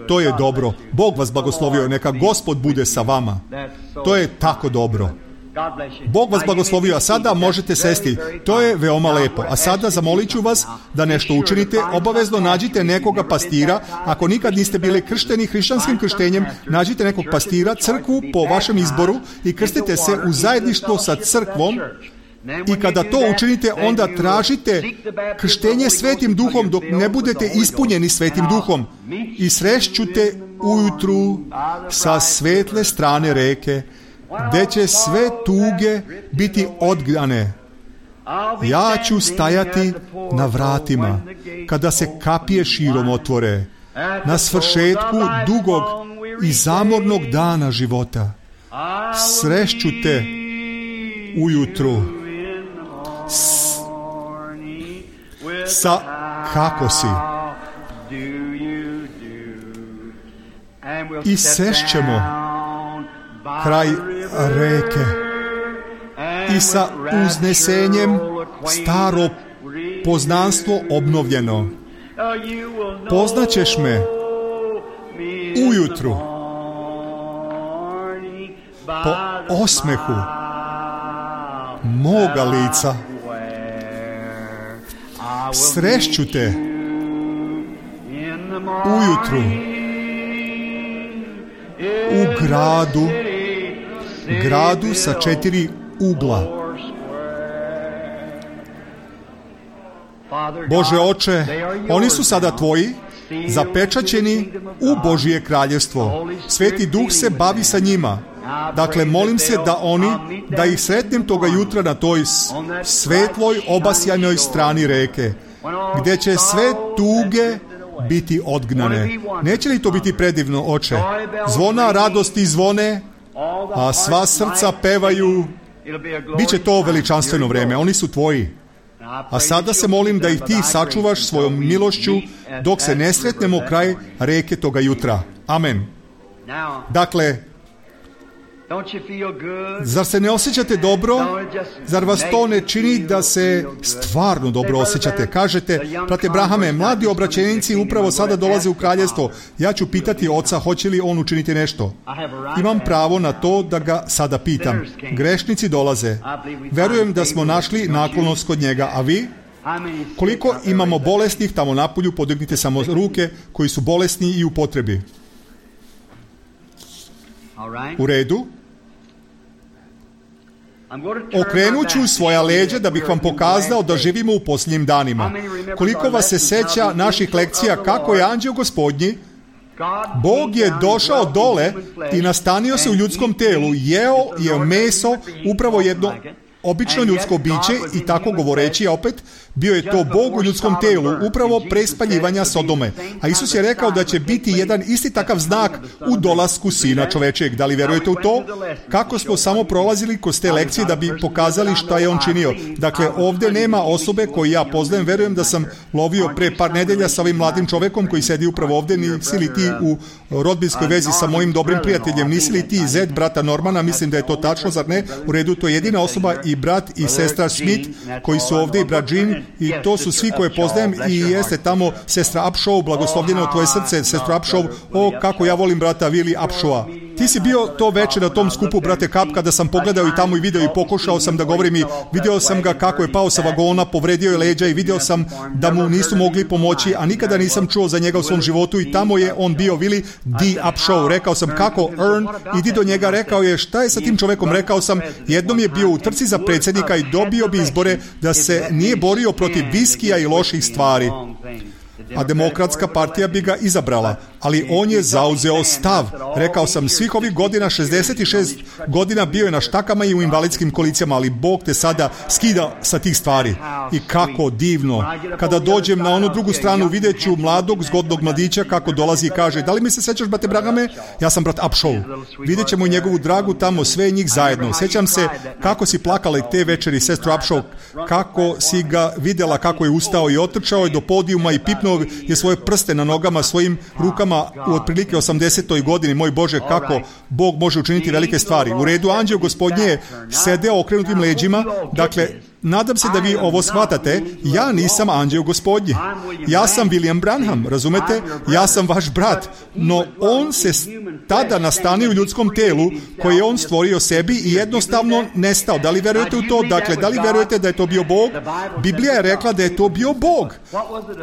To je dobro. Bog vas blagoslovio. Neka Gospod bude sa vama. To je tako dobro. Bog vas blagoslovio, a sada možete sesti. To je veoma lepo. A sada zamolit ću vas da nešto učinite. Obavezno nađite nekoga pastira. Ako nikad niste bili kršteni hrišćanskim krštenjem, nađite nekog pastira, crkvu po vašem izboru i krstite se u zajedništvo sa crkvom. I kada to učinite, onda tražite krštenje Svetim Duhom dok ne budete ispunjeni Svetim Duhom. I srešću te ujutru sa svetle strane reke, gde će sve tuge biti odgnane. Ja ću stajati na vratima kada se kapije širom otvore, na svršetku dugog i zamornog dana života. Srešću te ujutru sa kako si. I sešćemo kraj reke i sa uznesenjem staro poznanstvo obnovljeno. Poznaćeš me ujutru po osmehu moga lica. Srešću te ujutru u gradu sa 4 ugla. Bože Oče, oni su sada tvoji, zapečaćeni u Božje kraljevstvo. Sveti Duh se bavi sa njima. Dakle, molim se da ih sretnem toga jutra na toj svetloj, obasjanoj strani reke, gdje će sve tuge biti odgnane. Neće li to biti predivno, Oče? Zvona radosti zvone, a sva srca pevaju. Biće to veličanstveno vreme, oni su tvoji. A sada se molim da ih ti sačuvaš svojom milošću dok se ne sretnemo kraj reke toga jutra. Amen. Dakle, Zar se ne osjećate dobro? Zar vas to ne čini da se stvarno dobro osjećate? Kažete, brate Brahame, mladi obraćenici upravo sada dolaze u kraljestvo. Ja ću pitati oca hoće li on učiniti nešto. Imam pravo na to da ga sada pitam. Grešnici dolaze. Verujem da smo našli naklonost kod njega, a vi? Koliko imamo bolesnih tamo napolju, podignite samo ruke koji su bolesni i u potrebi. U redu. Okrenut ću svoja leđa da bih vam pokazao da živimo u posljednjim danima. Koliko vas se seća naših lekcija kako je anđeo Gospodnji, Bog je došao dole i nastanio se u ljudskom telu, jeo je meso, upravo jedno obično ljudsko biće i tako govoreći opet, bio je to Bog u ljudskom telu, upravo pre spaljivanja Sodome. A Isus je rekao da će biti jedan isti takav znak u dolasku Sina čovečijeg. Da li verujete u to? Kako smo samo prolazili kroz te lekcije da bi pokazali šta je on činio. Dakle, ovdje nema osobe koju ja poznajem. Verujem da sam lovio pre par nedelja sa ovim mladim čovekom koji sedi upravo ovdje. Nisi li ti u rodbinskoj vezi sa mojim dobrim prijateljem? Nisi li ti Zed, brata Normana? Mislim da je to tačno, zar ne? U redu, to je jedina osoba i brat i sestra Smith koji su ovdje i brat Jean. I to su svi koje poznajem i jeste tamo sestra Upshaw, blagoslovljeno tvoje srce, sestra Upshaw, o kako ja volim brata Willie Upshawa. Ti si bio to večer na tom skupu, brate Kap, kada sam pogledao i tamo i video i pokušao sam da govorim i vidio sam ga kako je pao sa vagona, povredio je leđa i vidio sam da mu nisu mogli pomoći, a nikada nisam čuo za njega u svom životu i tamo je on bio Willie D. Upshaw. Rekao sam kako Ern, idi do njega, rekao je šta je sa tim čovekom, rekao sam jednom je bio u trci za predsjednika i dobio bi izbore da se nije borio protiv viskija i loših stvari. A demokratska partija bi ga izabrala, ali on je zauzeo stav. Rekao sam, svih ovih godina, 66 godina bio je na štakama i u invalidskim kolicijama, ali Bog te sada skida sa tih stvari. I kako divno. Kada dođem na onu drugu stranu, vidjet ću mladog, zgodnog mladića kako dolazi i kaže, da li mi se sećaš, brate Bragame? Ja sam brat Upshaw. Vidjet ćemo i njegovu dragu tamo, sve njih zajedno. Sjećam se kako si plakala i te večeri, sestru Upshaw, kako si ga vidjela kako je ustao i otrčao je do podijuma i pipnuo je svoje prste na nogama, svojim rukama u otprilike 80. godini. Moj Bože, kako Bog može učiniti velike stvari. U redu, anđeo Gospodnje je sedeo okrenutim leđima. Dakle, nadam se da vi ovo shvatate. Ja nisam anđeo Gospodnji. Ja sam William Branham, razumete? Ja sam vaš brat. No, on se tada nastanio u ljudskom telu koje je on stvorio sebi i jednostavno nestao. Da li verujete u to? Dakle, da li verujete da je to bio Bog? Biblija je rekla da je to bio Bog.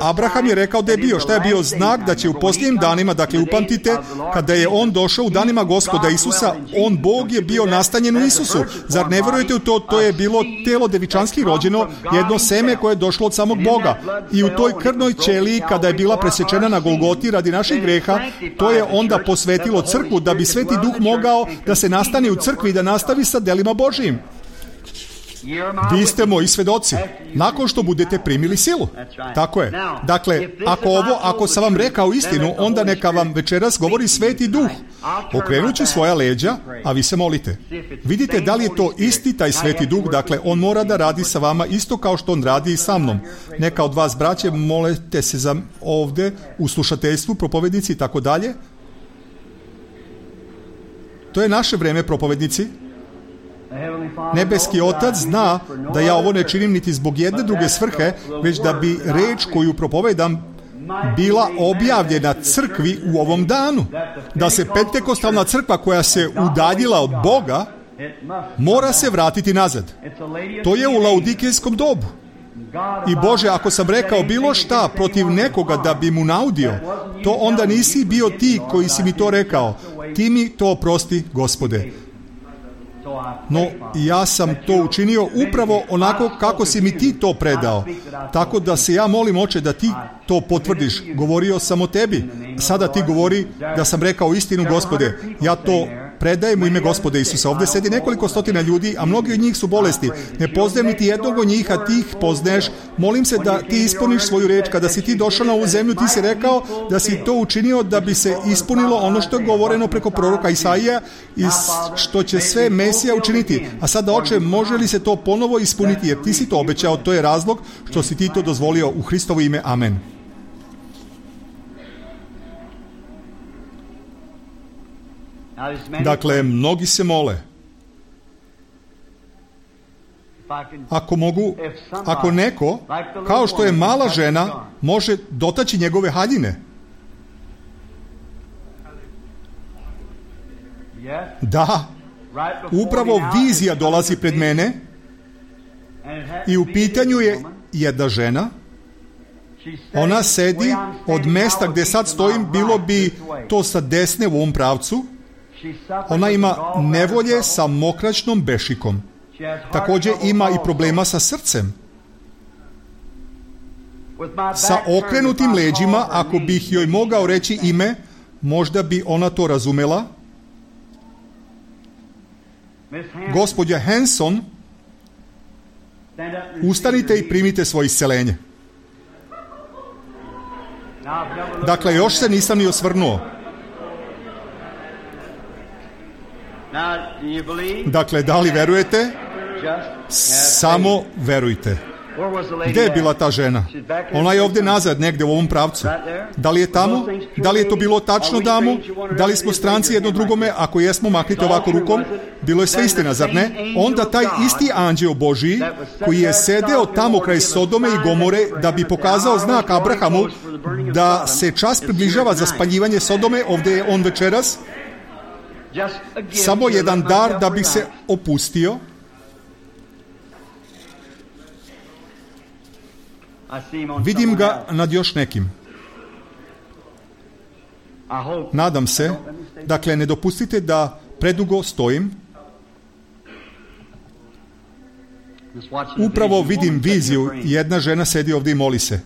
Abraham je rekao da je bio. Šta je bio znak? Da će u posljednjim danima, dakle upamtite, kada je on došao u danima Gospoda Isusa, on Bog je bio nastanjen u Isusu. Zar ne verujete u to? To je bilo telo devičanski rođeno, jedno seme koje je došlo od samog Boga. I u toj krvnoj ćeliji, kada je bila presečena na Golgoti radi naših greha, to je onda posvetilo crkvu da bi Sveti Duh mogao da se nastani u crkvi i da nastavi sa delima Božijim. Vi ste moji svedoci, nakon što budete primili silu. Tako je. Dakle, ako sam vam rekao istinu, onda neka vam večeras govori Sveti Duh. Okrenut ću svoja leđa, a vi se molite. Vidite da li je to isti taj Sveti Duh, dakle, on mora da radi sa vama isto kao što on radi i sa mnom. Neka od vas, braće, molite se za ovde u slušateljstvu, propovednici i tako dalje. To je naše vreme, propovednici. Nebeski Otac zna da ja ovo ne činim niti zbog jedne druge svrhe, već da bi reč koju propovedam bila objavljena crkvi u ovom danu. Da se pentekostalna crkva koja se udaljila od Boga mora se vratiti nazad. To je u laudikijskom dobu. I Bože, ako sam rekao bilo šta protiv nekoga da bi mu naudio, to onda nisi bio ti koji si mi to rekao. Ti mi to oprosti, Gospode. No, ja sam to učinio upravo onako kako si mi ti to predao. Tako da se ja molim, Oče, da ti to potvrdiš. Govorio sam o tebi. Sada ti govori da sam rekao istinu, Gospode. Ja to predajem u ime Gospoda Isusa. Ovdje sedi nekoliko stotina ljudi, a mnogi od njih su bolesti. Ne poznajem niti jednog od njih, a ti ih poznaješ. Molim se da ti ispuniš svoju reč. Kada si ti došao na ovu zemlju, ti si rekao da si to učinio da bi se ispunilo ono što je govoreno preko proroka Isaija i što će sve Mesija učiniti. A sada, Oče, može li se to ponovo ispuniti, jer ti si to obećao, to je razlog što si ti to dozvolio u Hristovo ime. Amen. Dakle, mnogi se mole. Ako neko, kao što je mala žena, može dotaći njegove haljine. Da, upravo vizija dolazi pred mene i u pitanju je jedna žena. Ona sedi od mesta gdje sad stojim, bilo bi to sa desne u ovom pravcu. Ona ima nevolje sa mokraćnom bešikom. Također ima i problema sa srcem. Sa okrenutim leđima, ako bih joj mogao reći ime, možda bi ona to razumela. Gospođa Hanson, ustanite i primite svoje isceljenje. Dakle, još se nisam ni osvrnuo. Dakle, da li verujete? Samo verujte. Gdje je bila ta žena? Ona je ovdje nazad, negdje u ovom pravcu. Da li je tamo? Da li je to bilo tačno, damo? Da li smo stranci jedno drugome? Ako jesmo, maknite ovako rukom. Bilo je sve istina, zar ne? Onda taj isti anđeo Božiji, koji je sedeo tamo kraj Sodome i Gomore, da bi pokazao znak Abrahamu da se čas približava za spaljivanje Sodome, ovdje je on večeras, samo jedan dar da bi se opustio. Vidim ga nad još nekim. Nadam se. Dakle, ne dopustite da predugo stojim. Upravo vidim viziju. Jedna žena sedi ovdje i moli se.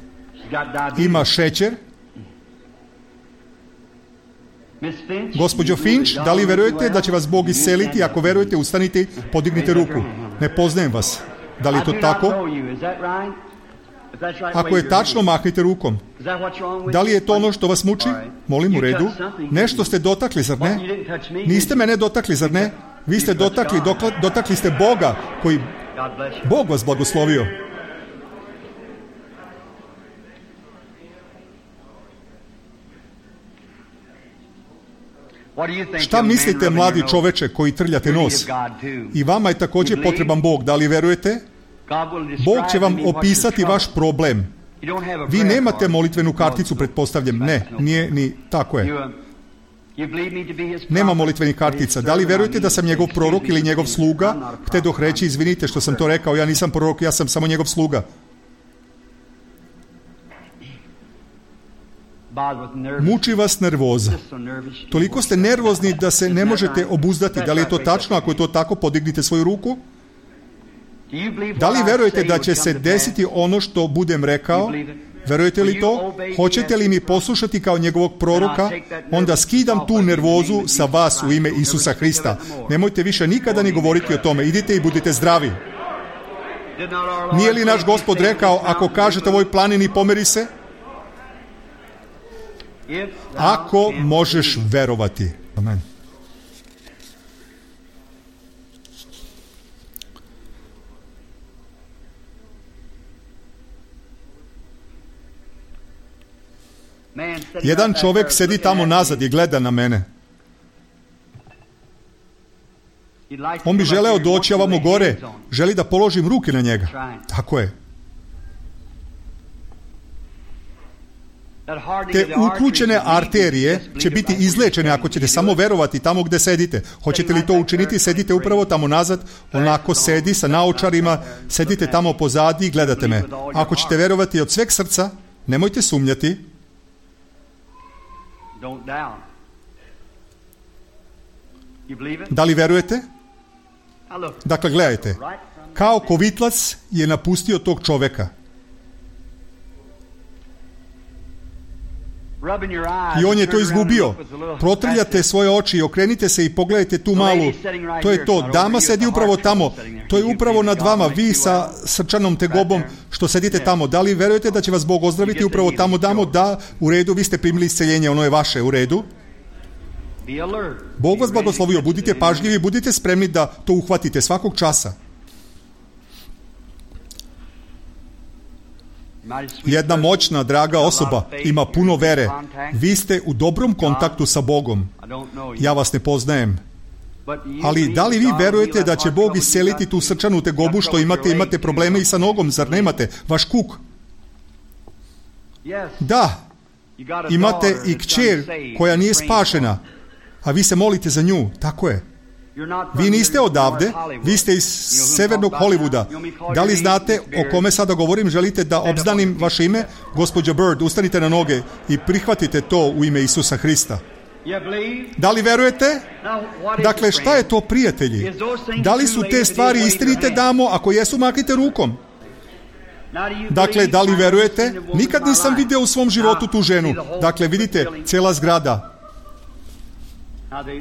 Ima šećer. Gospođo Finch, da li verujete da će vas Bog isceliti? Ako verujete, ustanite, podignite ruku. Ne poznajem vas. Da li je to tako? Ako je tačno, mahnite rukom. Da li je to ono što vas muči? Molim, u redu. Nešto ste dotakli, zar ne? Niste mene dotakli, zar ne? Vi ste dotakli ste Boga, koji... Bog vas blagoslovio. Šta mislite, mladi čoveče koji trljate nos? I vama je također potreban Bog. Da li verujete? Bog će vam opisati vaš problem. Vi nemate molitvenu karticu, pretpostavljam. Ne, nije ni tako je. Nema molitvenih kartica. Da li verujete da sam njegov prorok ili njegov sluga? Htedoh reći, izvinite što sam to rekao, ja nisam prorok, ja sam samo njegov sluga. Muči vas nervoza. Toliko ste nervozni da se ne možete obuzdati. Da li je to tačno? Ako je to tako, podignite svoju ruku. Da li verujete da će se desiti ono što budem rekao? Verujete li to? Hoćete li mi poslušati kao njegovog proroka? Onda skidam tu nervozu sa vas u ime Isusa Hrista. Nemojte više nikada ni govoriti o tome. Idite i budite zdravi. Nije li naš Gospod rekao, ako kažete ovoj planini pomeri se? Ako možeš verovati. Amen. Jedan čovjek sedi tamo nazad i gleda na mene. On bi želeo doći ovamo gore. Želi da položim ruke na njega. Tako je. Te uključene arterije će biti izlečene ako ćete samo verovati tamo gdje sedite. Hoćete li to učiniti? Sedite upravo tamo nazad, onako sedi sa naočarima, sedite tamo pozadi i gledate me. Ako ćete verovati od sveg srca, nemojte sumnjati. Da li verujete? Dakle, gledajte. Kao kovitlac je napustio tog čoveka. I on je to izgubio. Protrljate svoje oči i okrenite se i pogledajte tu malu. To je to. Dama sedi upravo tamo. To je upravo nad vama. Vi sa srčanom tegobom što sedite tamo. Da li verujete da će vas Bog ozdraviti upravo tamo, damo? Da, u redu, vi ste primili isceljenje, ono je vaše, u redu. Bog vas blagoslovio. Budite pažljivi, budite spremni da to uhvatite svakog časa. Jedna moćna, draga osoba ima puno vere. Vi ste u dobrom kontaktu sa Bogom. Ja vas ne poznajem. Ali da li vi verujete da će Bog isceliti tu srčanu tegobu što imate probleme i sa nogom, zar nemate? Vaš kuk? Da. Imate i kćer koja nije spašena, a vi se molite za nju. Tako je. Vi niste odavde, vi ste iz severnog Hollywooda. Da li znate o kome sada govorim? Želite da obznanim vaše ime? Gospođa Bird, ustanite na noge i prihvatite to u ime Isusa Hrista. Da li verujete? Dakle, šta je to, prijatelji? Da li su te stvari istinite, damo? Ako jesu, maknite rukom. Dakle, da li verujete? Nikad nisam vidio u svom životu tu ženu. Dakle, vidite, cijela zgrada.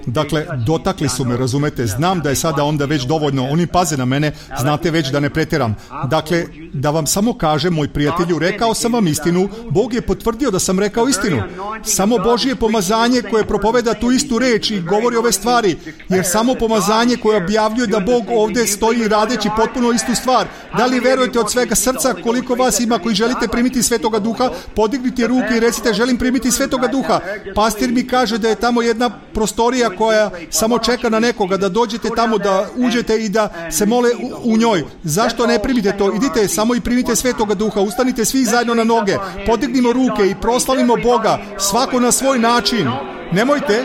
Dakle, dotakli su me, razumete? Znam da je sada onda već dovoljno. Oni paze na mene, znate već da ne pretjeram. Dakle, da vam samo kažem, moj prijatelju, rekao sam vam istinu. Bog je potvrdio da sam rekao istinu. Samo Božje pomazanje koje propoveda tu istu reč i govori ove stvari. Jer samo pomazanje koje objavljuje da Bog ovdje stoji radeći potpuno istu stvar. Da li verujete od svega srca? Koliko vas ima koji želite primiti Svetoga Duha? Podignite ruke i recite, želim primiti Svetoga Duha. Pastir mi kaže da je tamo jedna prostorija koja samo čeka na nekoga, da dođete tamo, da uđete i da se mole u njoj. Zašto ne primite to? Idite samo i primite Svetoga Duha. Ustanite svi zajedno na noge. Podignimo ruke i proslavimo Boga. Svako na svoj način. Nemojte,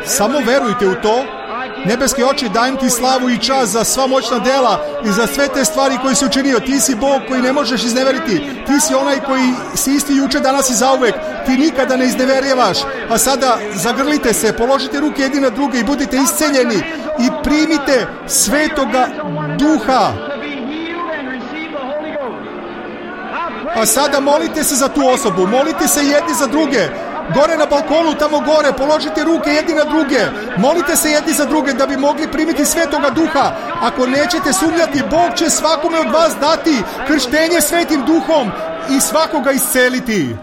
samo verujte u to. Nebeski oči, dajem ti slavu i čast za sva moćna dela i za sve te stvari koje si učinio. Ti si Bog koji ne možeš izneveriti. Ti si onaj koji si isti juče, danas i zauvek. Ti nikada ne izneverjevaš. A sada zagrlite se, položite ruke jedni na druge i budite isceljeni i primite Svetoga Duha. A sada molite se za tu osobu, molite se jedni za druge. Gore na balkonu, tamo gore, položite ruke jedni na druge. Molite se jedni za druge da bi mogli primiti Svetoga Duha. Ako nećete sumnjati, Bog će svakome od vas dati krštenje Svetim Duhom i svakoga isceliti.